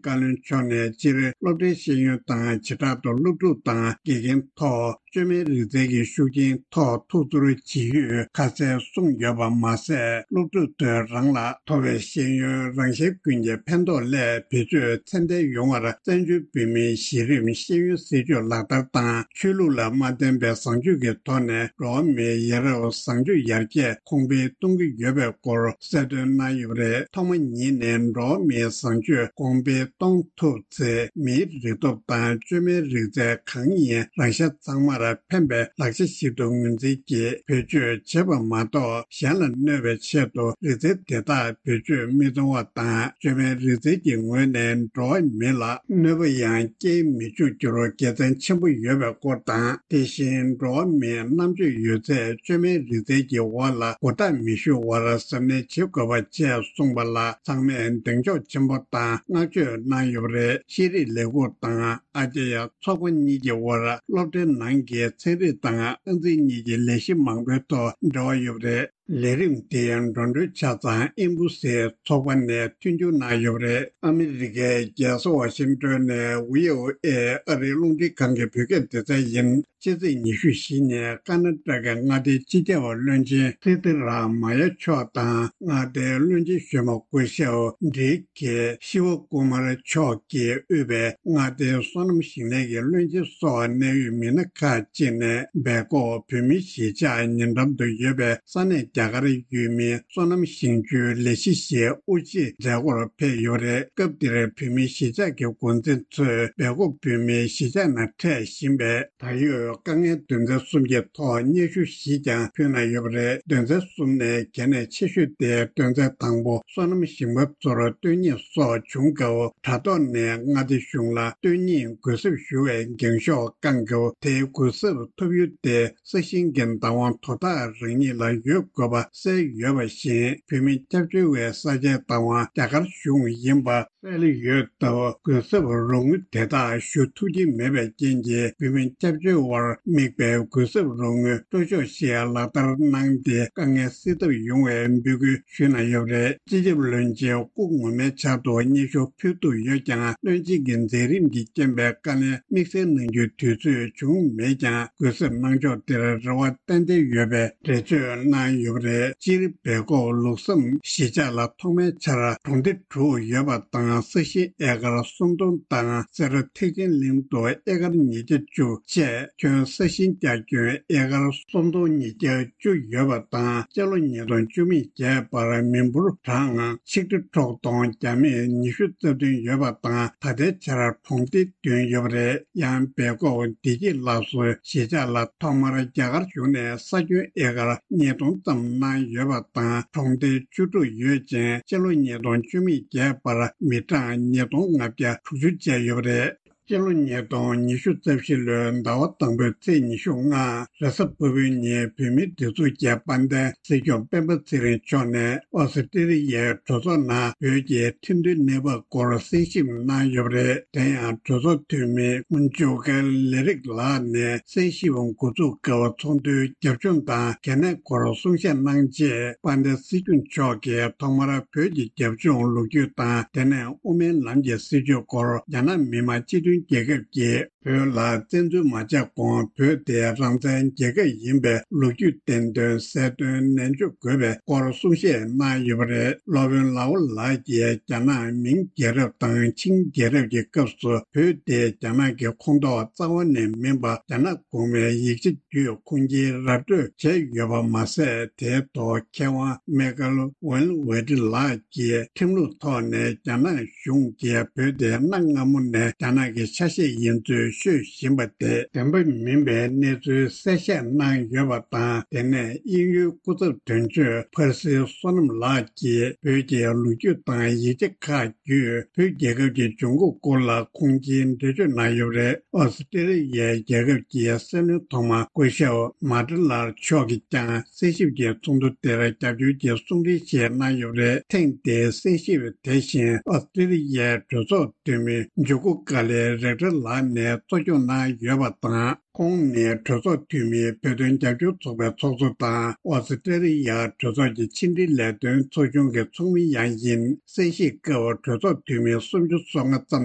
བཀའ་བློན་མཆོག་ནས་སྤྱིར་སློབ་གྲྭའི་ཤེས་ཡོན་དང་བྱེ་བྲག་ཏུ་སློབ་ཕྲུག་དང་དགེ་རྒན་ཐོག་བཅོས་མའི་རིག་རྩལ་གྱི་ཤུགས་རྐྱེན་ཐོག་ཐུགས་ཚོར་ཇི་ཡོད་ཁ་གསལ་གསུངས་ཡོད་པ་མ་ཟད། སློབ་ཕྲུག་ཚོས་རང་ལ་ཐོབ་པའི་ཤེས་ཡོན་རང་གཞན་ཀུན་གྱི་ཕན་ཐོགས་སླད་བེད་སྤྱོད་ཚད་ལྡན་ཡོང་བར་བཙན་བྱོལ་བོད་མིའི་གཞི་རིམ་ཤེས་ཡོན་སྲིད་བྱུས་ལག་བསྟར་དང་། ཆོས་ལུགས་ལ་མ་བརྟེན་པའི་བཟང་སྤྱོད་ཀྱི་ཐོག་ནས་འགྲོ་བ་མིའི་ཡ་རབས་བཟང་སྤྱོད་ཡར་རྒྱས་གོང་འཕེལ་གཏོང་གི་ཡོད་པའི་སྐོར་གསལ་སྟོན་གནང་ཡོད་པ་རེད། ཐོག་མ་ཉིད་ནས་འགྲོ་བ་མིའི་བཟང་སྤྱོད་གོང་འཕེལ་གཏོང་ཐུབ་ཚེ། མིའི་རིག་སྟོབས་དང་བཅོས་མའི་རིག་རྩལ་གང་ཡིན་རང་ཤ་ཚང་མར་ ལ་ཕན་པའི་ལག་ཆ་ཞིག་ཏུ་ངོས་འཛིན་གྱིས་བེད་སྤྱོད་བྱེད་པ་མ་གཏོགས། གཞན་ལ་གནོད་པའི་ཆེད་དུ་རིག་རྩལ་དེ་དག་བེད་སྤྱོད་མི་གཏོང་བ་དང་། བཅོས་མའི་རིག་རྩལ་གྱི་ངོས་ནས་འགྲོ་བ་མི་ལ་གནོད་པ་ཡང་སྐྱེལ་མི་བཅུག་རྒྱུར་དགེ་མཚན་ཆེན་པོ་ཡོད་པའི་སྐོར་དང་། དེ་བཞིན་འགྲོ་བ་མིའི་རྣམ་དཔྱོད་ཡོད་ཚད་བཅོས་མའི་རིག་རྩལ་གྱི་འོག་ལ་མགོ་བཏགས་མི་ཞུ་བར་གཟབ་ནན་བྱེད་དགོས་པ་བཅས་གསུངས་པ་ལ། ཚང་མས་གདེང་འཇོག་ཆེན་པོ་དང་བསྔགས་བརྗོད་གནང་ཡོད་པ་རེད། ཤེས་རིག་ལས་ཁུངས་དང་ཨ་ཅ་ཡ་ཚོགས་པ་གཉིས་ཀྱི་དབར་སློབ་གྲྭའི་ནང་གི་ཚན་རིག་དང་ཨང་རྩིས་གཉིས་ཀྱི་ལས་གཞི་མང་པོའི་ཐོག་འབྲེལ་བ་ཡོད་པ་རེད། ལས་རིམ་དེ་འགྲོ་གྲོན་ཆ་ཚང་ཨིམ་བུ་སེ་ཚོགས་པ་ནས་མཐུན་འགྱུར་གནང་ཡོད་པ་རེད། ཨ་མི་རི་ཀའི་རྒྱལ་ས་ཝ་ཤིང་ཏོན་ནས་བྷི་ཨོ་ཨེ་ཨ་རིའི་རླུང་འཕྲིན་ཁང་གི་བོད་སྐད་སྡེ་ཚན་ཡིན། ཕྱི་ཚེས་ཉི་ཤུ་བཞི་ཉིན་ཀ་ན་ཏ་གི་མངའ་སྡེའི་སྤྱི་ཁྱབ་བློན་ཆེན་སི་ཏི་ར་མ་ཡ་མཆོག་དང་། མངའ་སྡེའི་བློན་ཆེན་གཞོན་པ་སྐུ་ཞབས་ཌི་ཀེ་ཤི་ཝ་ཀུ་མར་མཆོག་གིས་དབུས་པའི་མངའ་སྡེའི་སོ་ནམ་ཞིང་ལས་ཀྱི་བློན་ཆེན་སོགས་གནད་ཡོད་མི་སྣ་ཁག་ཅིག་ནས་སྦེལ་ཀོབ་བོད་མིའི་གཞིས་ཆགས་ཉེ་འགྲམ་དུ་ཡོད་པའི་ས་གནས་རྒྱ་གར་ཡུལ་མིའི་སོ་ནམ་ཞིང་ཆུའི་ལས་གཞི་ཞིག་དབུ་འབྱེད་མཛད་སྒོར་ཕེབས་ཡོད་པ་རེད། སྐབས་དེར་བོད་མིའི་གཞིས་ཆགས་ཀྱི་འགོ་འཛིན་ཚོས་སྦེལ་ཀོབ་བོད་མིའི་གཞིས་ཆགས་ནང་འཕྲད་བཞིན་པའི་ད་ཡོད་དཀའ་ངལ་དོན་ཚན་གསུམ་གྱི་ཐོག་སྙན་ཞུ་ཞིག་ཀྱང་ཕུལ་གནང་ཡོད་པ་རེད། དོན་ཚན་གསུམ་ནས་གལ་གནད་ཆེ་ཤོས་དེ། དོན་ཚན་དང་པོ། སོ་ནམ་ཞིང་པ་ཚོར་སྟོན་རྙེད་སོགས་བྱུང་སྐབས། དྲ་ཐོག་ནས་མངའ་སྡེ་གཞུང་ལ་སྟོན་རྙེད་གུས་ཞབས་ཞུ་བའི་འགེངས་ཤོག་བསྐང་སྐབས། དེའི་གུས་ཞབས་ཐོབ་ཡུལ་དེ་ས་ཞིང་གི་བདག་དབང་དོ་བདག་རང་ཉིད་ལ་ཡོད་དགོས་པ་གསལ་ཡོད་པ་བཞིན། བོད་མི་སྐྱབས་བཅོལ་བའི་ས་ཆའི་བདག་དབང་རྒྱ་གར་གཞུང་ཡིན་པ་གསལ་ཡོད་སྟབས། གུས་ཞབས་རོགས་དངུལ་དེ་དག་ཞུ་ཐུབ་ཀྱི་མེད་པའི་རྐྱེན་གྱིས། བོད་མི་སྐྱབས་བཅོལ་བར་དམིགས་པའི་གུས་ཞབས་རོགས་དངུལ་སྤྲོད་ཕྱོགས་ཤིག་ལག་བསྟར་གནང་སྟེ། དཀའ་ངལ་སེལ་ཐབས་ཡོང་བའི་འབོད་སྐུལ་ཞུས་གནང་ཡོད་པ་རེད། སྤྱི་ཁྱབ་བློན་ཆེན་སྐུ་ངོ་མའི་ཕྱག་ཏུ་སྙན་ཞུ་ཕུལ་ཐུབ་ཡོད་ཀྱང་། བློན་ཆེན་གྱི་མཛད་རིམ་གྱི་རྐྱེན་པས་དཀའ་ལས་དམིགས་བསལ་གནང་རྒྱུའི་དུས་ཚོད་བྱུང་མེད་ཀྱང་། གུས་ཞབས་གནང་ཕྱོགས་དེར་རེ་བ་ཏན་ཏན་ཡོད་པའི་འགྲེལ་བརྗོད་གནང་ཡོད་པ་རེད། སྤྱིར་སྦེལ་ཀོབ་ལུགས་བསམ་གཞིས་ཆགས་ལ་ཐོག་མའི་ཆར་གྲོང་སྡེ་དྲུག་ཡོད་པ་དང་། ས་ཞིང་ཨེ་ཀར་སུམ་སྟོང་དང་། སེ་ར་ཐེག་ཆེན་གླིང་དུ་ཨེ་ཀར་ཉིས་བརྒྱ་བཅུ་བཅས་ཁྱོན་ས་ཞིང་རྒྱ་ཁྱོན་ཨེ་ཀར་སུམ་སྟོང་ཉིས་བརྒྱ་བཅུ་ཡོད་པ་དང་། སྤྱི་ལོ་ཉིས་སྟོང་བཅུ་མེད་བརྒྱད་བར་མི་འབོར་གྲངས་ཆིག་ཁྲི་དྲུག་སྟོང་བརྒྱ་མེད་ཉི་ཤུ་རྩ་བདུན་ཡོད་པ་དང་། ད་ལྟའི་ཆར་གྲོང་སྡེ་བདུན་ཡོད་པ་རེད། ཡང་སྦེལ་ཀོབ་བདེ་སྐྱིད་ལ་སོགས་གཞིས་ཆགས་ལ་ཐོག་མར་རྒྱ་གར་གཞུང་ནས་ས་ཁྱོན་ཨེ་ཀར་ཉིས་སྟོང་ཙམ་གནང་ཡོད་པ་དང་། གྲོང་སྡེ་བཅུ་དྲུག་ཡོད་ཅིང་། སྤྱི་ལོ་ཉིས་སྟོང་བཅུ་མེད་བརྒྱད་བར་མི་གྲངས་ཉིས་སྟོང་ལྔ་བརྒྱ་དྲུག་ཅུ་བཅས་ཡོད་པ་རེད། སྤྱི་ལོ་ཉིས་སྟོང་ཉི་ཤུ་རྩ་བཞི་ལོའི་ཟླ་བ་དང་པོའི་ཚེས་ཉི་ཤུ་ལྔ་རེས་གཟའ་ཕུར་བུའི་ཉིན་བོད་མིའི་སྒྲིག་འཛུགས་ཀྱི་དཔལ་ལྡན་སྲིད་སྐྱོང་སྤེན་པ་ཚེ་རིང་མཆོག་ནས་ཨོ་སི་ཀྲི་ལི་ཡའི་གྲོས་ཚོགས་ནང་བོད་ཀྱི་ཁྲིམས་མཐུན་གནས་བབ་སྐོར་གསན་ཞིབ་གནང་ཡོད་པ་རེད། དེ་ཡང་གྲོས་ཚོགས་འཐུས་མི་ཇོ་ཀེ་ལེ་རིག་ལགས་ནས་གསན་ཞིབ་འགོ་འཛུགས་སྐབས་ཚོགས་འདུའི་རྒྱབ་ལྗོངས་དང་གལ་གནད་སྐོར་གསུང་བཤད་གནང་རྗེས། དཔལ་ལྡན་སྲིད་སྐྱོང་མཆོག་གིས་ཐོག་མར་བོད་ཀྱི་རྒྱབ་ལྗོངས་ལོ་རྒྱུས་དང་། དེ་ནས་དབུ་མའི་ལམ་གྱི་སྲིད་བྱུས་སྐོར། རྒྱ་ནག་མི་དམངས་སྤྱི་མཐུན་རྒྱལ་ཁབ་ཀྱིས་བོད་ལ་བཙན་འཛུལ་མ་བྱས་གོང་བོད་དེ་རང་བཙན་རྒྱལ་ཁབ་ཡིན་པའི་ལོ་རྒྱུས་བསྟན་དོན་གསལ་སྟོན་ནན་བརྗོད་དགོས་པའི་སྐོར་གསུང་བཤད་གནང་ཡོད་པ་རེད། སློབ་དཔོན་ལའོ་ལགས་ཀྱིས་རྒྱ་ནག་མིང་རྒྱལ་རབས་དང་ཆིང་རྒྱལ་རབས་ཀྱི་སྐབས་སུ་བོད་དེ་རྒྱ་ནག་གི་ཁོངས་གཏོགས་རྩ་བ་ནས་མིན་པ། རྒྱ་ནག་གོང་མའི་ཡིག་ཆ་བརྒྱུད་ཁུངས་སྐྱེལ་ར་སྤྲོད་བྱས་ཡོད་པ་མ་ཟད། དེའི་ཐོག་མཁས་དབང་མེ་ཀལ་ཝན་ཝེ་ཏི་ལགས་ཀྱིས་ཁྲིམས་ལུགས་ཐོག་ནས་རྒྱ་ནག་གཞུང་གིས་བོད་དེ་གནའ་སྔ་མོ་ནས་རྒྱ་ནག་གི་ཆ་ཤས་ཡིན་ཚུལ་ཤོད་བཞིན་པ་དེ་བདེན་པ་མིན་པའི་གནས་ཚུལ་གསལ་བཤད་གནང་ཡོད་པ་དང་། དེ་ནས་དབྱིན་ཡུལ་སྐུ་ཚབ་དོན་གཅོད་ཕར་སི་བསོད་ནམས་ལགས་ཀྱིས་བོད་ཀྱི་ལོ་རྒྱུས་དང་ཡིག་ཆ་ཁག་བརྒྱུད་བོད་རྒྱལ་ཁབ་ཀྱི་འབྱུང་ཁུངས་སྐོར་ལ་ཁུངས་སྐྱེལ་འགྲེལ་བརྗོད་གནང་ཡོད་པ་རེད། ཨོ་སི་ཀྲི་ལི་ཡའི་རྒྱལ་ཁབ་ཀྱི་སྲིད་བློན་ཐོག་མ་སྐུ་ཞབས་མ་ཏི་ལར་མཆོག་གིས་ཀྱང་གསན་ཞིབ་ཀྱི་ཚོགས་འདུ་དེར་རྒྱབ་སྐྱོར་གྱི་གསུང་འཕྲིན་ཞིག་གནང་ཡོད་པ་རེད། ཐེངས་འདིའི་གསན་ཞིབ་དེ་བཞིན་ཨོ་སི་ཀྲི་ལི་ཡའི་གྲོས་ཚོགས་འཐུས་མི་ཇུ་ཀུ་ཀ་ལེ་རེག་ཏྲ་ལགས་ནས་གཙོ་སྐྱོང་གནང་ཡོད་པ་དང་། ཁོང་ནི་གྲོས་ཚོགས་འཐུས་མི་བོད་དོན་རྒྱབ་སྐྱོར་ཚོགས་པའི་ཚོགས་གཙོ་དང་། ཨོ་སི་ཀྲི་ལི་ཡ་གྲོས་ཚོགས་ཀྱི་ཕྱི་འབྲེལ་ལས་དོན་ཚོགས་ཆུང་གི་ཚོགས་མི་ཡང་ཡིན། གསན་བཞེས་སྐབས་གྲོས་ཚོགས་འཐུས་མི་སུམ་ཅུ་སོ་ལྔ་ཙམ་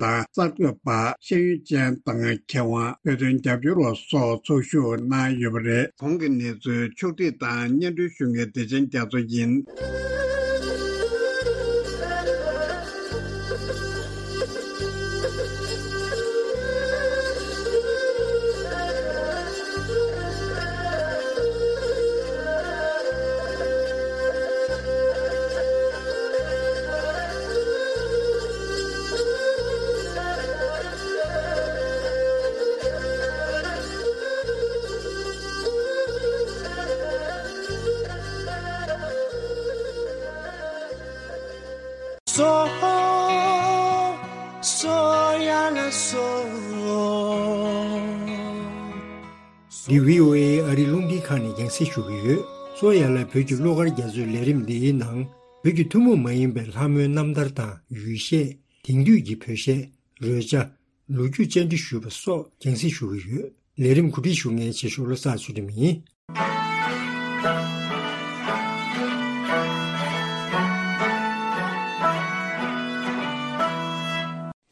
དང་། གསར་འགོད་པ། ཤེས་ཡོན་ཅན་དང་མཁས་དབང་། བོད་དོན་རྒྱབ་སྐྱོར་བ་སོགས་ཚོགས་ཞུགས་གནང་ཡོད་པ་རེད། གོང་གི་གནས་ཚུལ་ཕྱོགས་སྒྲིག་དང་སྙན་སྒྲོན་ཞུ་མཁན་བདེ་ཆེན་རྒྱ་མཚོ་ཡིན། སོ་སོ་ཡ་ལ་སོ། འདི་བྷི་ཨོ་ཨེ་ཨ་རི་རླུང་འཕྲིན་ཁང་ནས་རྒྱང་སྲིང་ཞུ་གི་ཡོད། སོ་ཡ་ལ་བོད་ཀྱི་གླུ་གར་རྒྱ་མཚོའི་ལས་རིམ་འདིའི་ནང་བོད་ཀྱི་ཐུན་མོང་མ་ཡིན་པའི་ལྷ་མོའི་རྣམ་ཐར་དང་ཡུལ་གཞས། དེང་དུས་ཀྱི་བོད་གཞས། རོལ་ཆ། ལོ་རྒྱུས་བཅར་འདྲི་ཞུས་པ་སོགས་རྒྱང་སྲིང་ཞུ་གི་ཡོད། ལས་རིམ་གོ་སྒྲིག་ཞུ་མཁན་ཆེ་ཤོས་བློ་བཟང་ཚུལ་ཁྲིམས་ཡིན།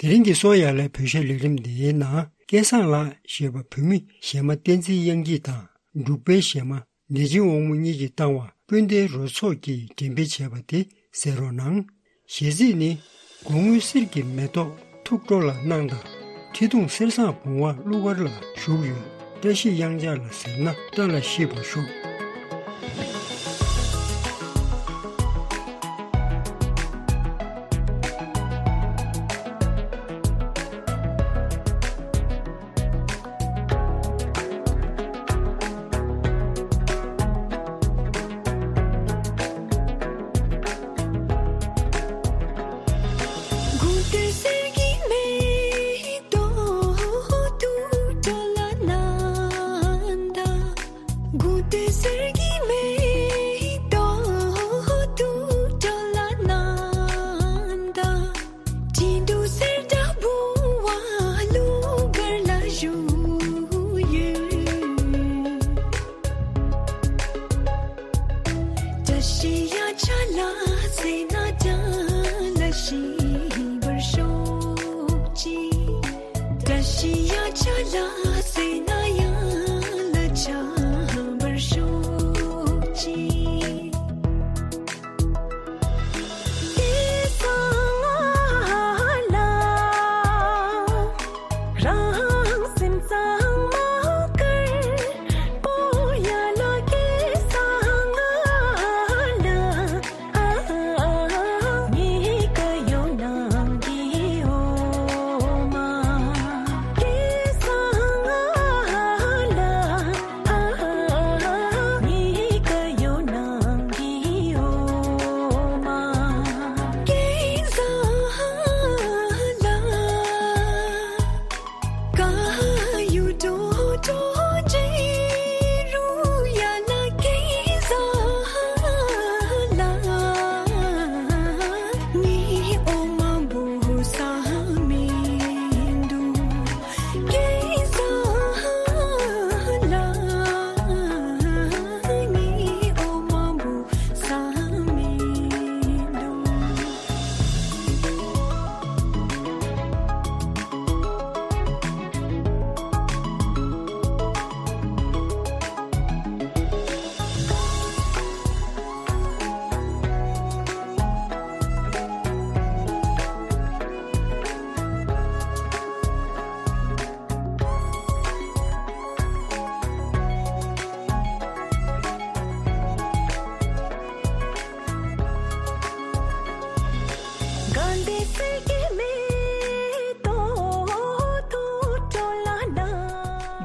དེ་རིང་གི་སོ་ཡ་ལའི་བོད་གཞས་ལས་རིམ་འདིའི་ནང་སྐལ་བཟང་ལགས་ཞེས་པ་བོད་མི་གཞས་མ་བསྟན་འཛིན་དབྱངས་སྐྱིད་དང་འབྲུག་པའི་གཞས་མ་བདེ་ཆེན་དབང་མོ་གཉིས་ཀྱིས་བཏང་བ་སྤུན་ཟླའི་རོལ་ཚོགས་ཀྱིས་འགྲེམས་སྤེལ་བྱས་པ་དེ་གསན་རོགས་གནང་། གཞས་ཚིག་ནི། སྒོ་དངུལ་གསེར་གྱི་མེ་ཏོག་ཐུགས་སྤྲོ་ལ་གནང་དང་། ཁྲི་གདུང་གསེར་བཟང་བུང་བ་གླུ་གར་ལ་ཞུགས་ཡོད། བཀྲ་ཤིས་གཡང་ཆགས་ལ་ཟེར་ན་བཀྲ་ལ་ཤིས་པར་ཤོག། བཀྲ་ཤིས་ཡ་ཆ་ལ་ཟེར་ན་བཀྲ་ལ་ཤིས་པར་ཤོག་ཅིག། བཀྲ་ཤིས་ཡ་ཆ་ལ་ཟེར་ན་ཡ་ལ་ཆ་པར་ཤོག་ཅིག།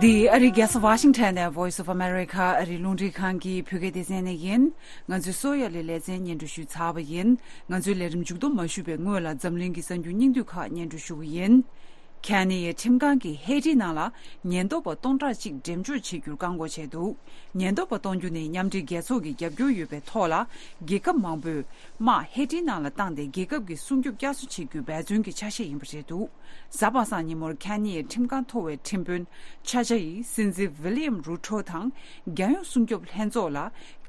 འདི་ཨ་རིའི་རྒྱལ་ས་ཝ་ཤིང་ཊོན་ནས་Voice of America ཨ་རིའི་རླུང་འཕྲིན་ཁང་གི་བོད་སྐད་སྡེ་ཚན་ནས་ཡིན། ང་ཚོས་སོ་ཡ་ལའི་ལེ་ཚན་སྙན་སྒྲོན་ཞུས་ཚར་བ་ཡིན། ང་ཚོའི་ལས་རིམ་མཇུག་སྡོམ་མ་ཞུས་པའི་སྔོན་ལ་འཛམ་གླིང་གི་གསར་འགྱུར་སྙིང་བསྡུས་ཁག་སྙན་སྒྲོན་ཞུ་གི་ཡིན། ཁེ་ནི་ཡའི་ཁྲིམས་ཁང་གིས་ཧེ་ཏི་ནང་ལ་ཉེན་རྟོག་པ་སྟོང་ཕྲག་གཅིག་འགྲེམས་འཇོག་བྱེད་རྒྱུར་བཀག་འགོག་བྱས་འདུག། ཉེན་རྟོག་པ་གཏོང་རྒྱུ་ནི་མཉམ་འབྲེལ་རྒྱལ་ཚོགས་ཀྱི་རྒྱབ་སྐྱོར་ཡོད་པའི་ཐོག་ལ། རྒྱལ་ཁབ་མང་པོས་དམག་ཧེ་ཏི་ནང་ལ་བཏང་སྟེ་རྒྱལ་ཁབ་ཀྱི་སྲུང་སྐྱོབ་བསྐྱར་གསོ་བྱེད་རྒྱུའི་འབད་བརྩོན་གྱི་ཆ་ཤས་ཡིན་པ་རེད་འདུག། གཟའ་པ་སངས་ཉིན་མོར་ཁེ་ནི་ཡའི་ཁྲིམས་ཁང་མཐོ་བའི་ཁྲིམས་དཔོན་ཆ་ཆ་ཡིས་སྲིད་འཛིན་ཝི་ལི་ཡམ་རུ་ཐོ་དང་རྒྱལ་ཡོངས་སྲུང་སྐྱོབ་ལྷན་ཚོགས་ལ།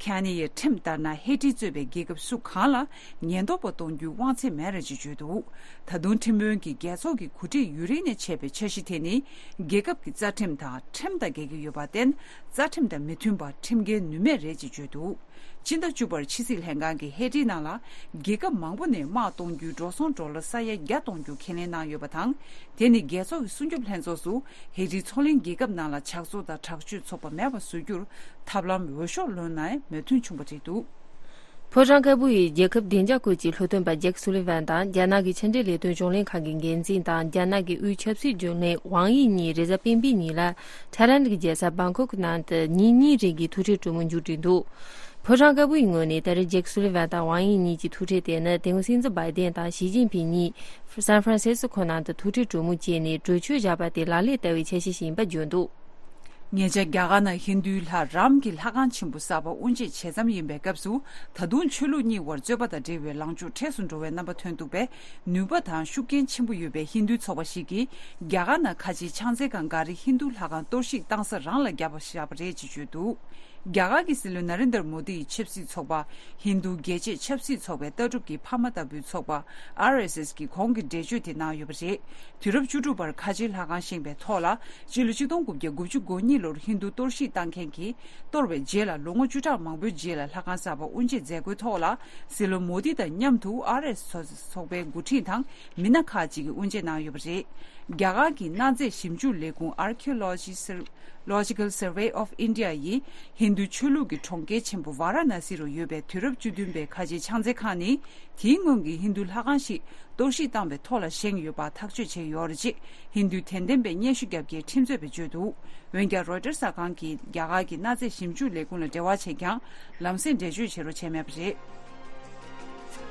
ཁེ་ནི་ཡའི་ཁྲིམས་ལྟར་ན་ཧེ་ཏི་གཙོས་པའི་རྒྱལ་ཁབ་སུ་གང་ལ་ཉེན་རྟོག་པ་གཏོང་རྒྱུའི་དབང་ཚད་མེད་རེད་ཅེས་བརྗོད་འདུག། ད་དུང་ཁྲིམས་དཔོན་གྱིས་རྒྱལ་ཚོགས་ཀྱི་གོ་སྒྲིག་ཡུན་རིང་ནས་བྱས་པའི་འཆར་གཞི་དེ་ནི། རྒྱལ་ཁབ་ཀྱི་རྩ་ཁྲིམས་དང་ཁྲིམས་དང་འགལ་གྱི་ཡོད་པར་བརྟེན། རྩ་ཁྲིམས་དང་མི་མཐུན་པར་ཁྲིམས་འགལ་ནུས་མེད་རེད་ཅེས་བརྗོད་འདུག། ཕྱི་ཟླ་བཅུ་པར་ཕྱི་སྲིད་ལྷན་ཁང་གིས་ཧེ་ཏི་ནང་ལ་རྒྱལ་ཁབ་མང་པོ་ནས་དམག་གཏོང་རྒྱུའི་འགྲོ་སོང་ཌོ་ལར་ས་ཡ་བརྒྱ་གཏོང་རྒྱུ་ཁས་ལེན་གནང་ཡོད་པ་དང་། དེ་ནི་རྒྱལ་ཚོགས་ཀྱི་སྲུང་སྐྱོབ་ལྷན་ཚོགས་སུ་ཧེ་ཏིའི་མཚོ་གླིང་རྒྱལ་ཁབ་ནང་ལ་ཇག་ཚོགས་དང་དྲག་སྤྱོད་ཚོགས་པ་མེད་པ་བཟོ་རྒྱུར་ཐབས་ལམ་འོས་ཤོག་ལོན་ནའི་མོས་མཐུན་བྱུང་བ་རེད་འདུག། ཕོ་བྲང་དཀར་པོ་ཡི་རྒྱལ་ཁབ་བདེ་འཇགས་སྐོར་གྱི་སློབ་སྟོན་པ་ཇེཀ་སུ་ལི་ཝན་དང་རྒྱ་ནག་གི་ཕྱི་འབྲེལ་ལས་དོན་གཞུང་ལས་ཁང་གི་འགན་འཛིན་དང་རྒྱ་ནག་གི་དབུས་ཆབ་སྲིད་རྒྱུན་ལས་ཝང་དབྱི་གཉིས་རེས་གཟའ་སྤེན་པའི་ཉིན་ལ་ཐའི་ལན་གྱི་རྒྱལ་ས་བང་ཀོག་ནང་དུ་ཉིན་གཉིས་རིང་གི་ཐུག་འཕྲད་གྲོས་མོལ་མཇུག་བསྒྲིལ་འདུག། ཕོ་བྲང་དཀར་པོའི་ངོས་ནས་ད་རེས་ཇེཀ་སུ་ལི་ཝན་དང་ཝང་དབྱི་གཉིས་ཀྱི་ཐུག་འཕྲད་དེ་ནི་དེ་སྔོན་སྲིད་འཛིན་བྷའི་ཌེན་དང་ཞི་ཅིན་ཕིང་གཉིས་སན་ཧྥ་རན་སིས་ཀོ་ནང་དུ་ཐུག་འཕྲད་གྲོས་མོལ་བྱས་ནས་གྲོས་ཆོད་བཞག་པ་དེ་ལག་ལེན་བསྟར་བའི་འཆར་གཞི་ཞིག་ཡིན་པ་བརྗོད་འདུག། ཉེ་ཆར་རྒྱ་གར་ནང་ཧིན་རྡུའི་ལྷ་རམ་གྱི་ལྷ་ཁང་ཆེན་པོ་གསར་པ་དབུ་འབྱེད་བྱེད་མཚམས་ཡིན་པའི་སྐབས་སུ། ད་དུང་ཆོས་ལུགས་གཉིས་བར་རྩོད་པ་དང་འབྲེལ་བའི་ལངས་ཕྱོགས་འཕྲལ་དུ་འགྲོ་བའི་རྣམ་པ་ཐོན་འདུག་པས། ནུས་པ་དང་ཤུགས་རྐྱེན་ཆེན་པོ་ཡོད་པའི་ཧིན་རྡུའི་ཚོགས་པ་ཞིག་གིས་རྒྱ་གར་ནང་ཁ་ཆེའི་ཕྱག་འཚལ་ཁང་འགའ་རེ་ཧིན་རྡུ་ལྷ་ཁང་གཏོར་བཤིག་བཏང་ས་རང་ལ་བརྒྱབ་པ་བཞག་པ་རེད་ཅེས་བརྗོད་འདུག། རྒྱ་གར་གྱི་སྲིད་བློན་ན་རེན་དར་མོ་དི་ཡི་ཆབ་སྲིད་ཚོགས་པ་ཧིན་རྡུ་རྒྱལ་གཅེས་ཆབ་སྲིད་ཚོགས་པའི་ལྟ་གྲུབ་ཀྱི་ཕ་མ་ལྟ་བུའི་ཚོགས་པ་ཨར་ཨེས་ཨེས་ཀྱིས་གོང་གི་འགྲེལ་བརྗོད་དེ་གནང་ཡོད་པ་རེད། དུས་རབས་བཅུ་དྲུག་པར་ཁ་ཆེའི་ལྷ་ཁང་བཞེངས་པའི་ཐོག་ལ། སྤྱི་ལོ་ཆིག་སྟོང་དགུ་བརྒྱ་དགུ་བཅུ་གོ་གཉིས་ལོར་ཧིན་རྡུ་གཏོར་བཤིག་བཏང་མཁན་གྱིས་གཏོར་བའི་རྗེས་ལ་ལོ་ངོ་བཅུ་ཕྲག་མང་པོའི་རྗེས་ལ་ལྷ་ཁང་གསར་པ་དབུ་འབྱེད་མཛད་སྒོའི་ཐོག་ལ། སྲིད་བློན་མོ་དི་དང་མཉམ་དུ་ཨར་ཨེས་ཚོགས་པའི་འགོ་ཁྲིད་དང་མི་སྣ་ཁག་ཅིག་གིས་དབུ་འབྱེད་གནང་ཡོད་པ་རེད། རྒྱ་གར་གྱི་གནའ་རྫས་ཞིབ་འཇུག་ལས་ཁུངས་Archaeology Sur- Logical Survey of India ཡིས་ཧིན་རྡུ་ཆོས་ལུགས་ཀྱི་གྲོང་ཁྱེར་ཆེན་པོ་ཝཱ་ར་ཎ་སི་རུ་ཡོད་པའི་དུས་རབས་བཅུ་བདུན་པའི་ཁ་ཆེའི་ཕྱག་འཚལ་ཁང་ནི། དེའི་སྔོན་གྱི་ཧིན་རྡུ་ལྷ་ཁང་ཞིག་གཏོར་བཤིག་བཏང་བའི་ཐོག་ལ་བཞེངས་ཡོད་པ་ཐག་གཅོད་བྱས་ཡོད་རེད་ཅེས་ཧིན་རྡུའི་དད་ལྡན་པའི་སྙན་ཞུ་བརྒྱབ་རྒྱའི་ཁྲིམས་རྩོད་པས་བརྗོད་འདུག། འོན་ཀྱང་རོའི་ཊར་གསར་ཁང་གིས་རྒྱ་གར་གྱི་གནའ་རྫས་ཞིབ་འཇུག་ལས་ཁུངས་ལ་འབྲེལ་བ་བྱས་ཀྱང་ལམ་སེང་འགྲེལ་བརྗོད་བྱེད་རོགས་བྱས་མེད་པ་རེད།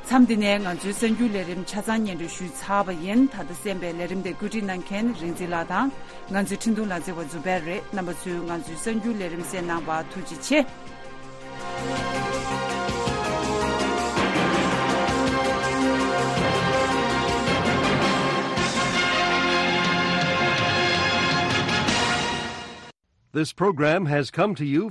མཚམས་འདི་ནས་ང་ཚོའི་གསར་འགྱུར་ལས་རིམ་ཆ་ཚང་སྙན་སྒྲོན་ཞུས་ཚར་བ་ཡིན། ད་ལྟ་གསན་པའི་ལས་རིམ་དེ་བཀོད་སྒྲིག་གནང་མཁན་རིག་འཛིན་ལགས་དང་། ང་ཚོའི་འཕྲིན་གཏོང་ལག་རྩལ་བ་ཛུ་བེར་རེད། རྣམ་པ་ཚོས་ང་ཚོའི་གསར་འགྱུར་ལས་རིམ་གསན་གནང་བར་ཐུགས་རྗེ་ཆེ། This program has come to you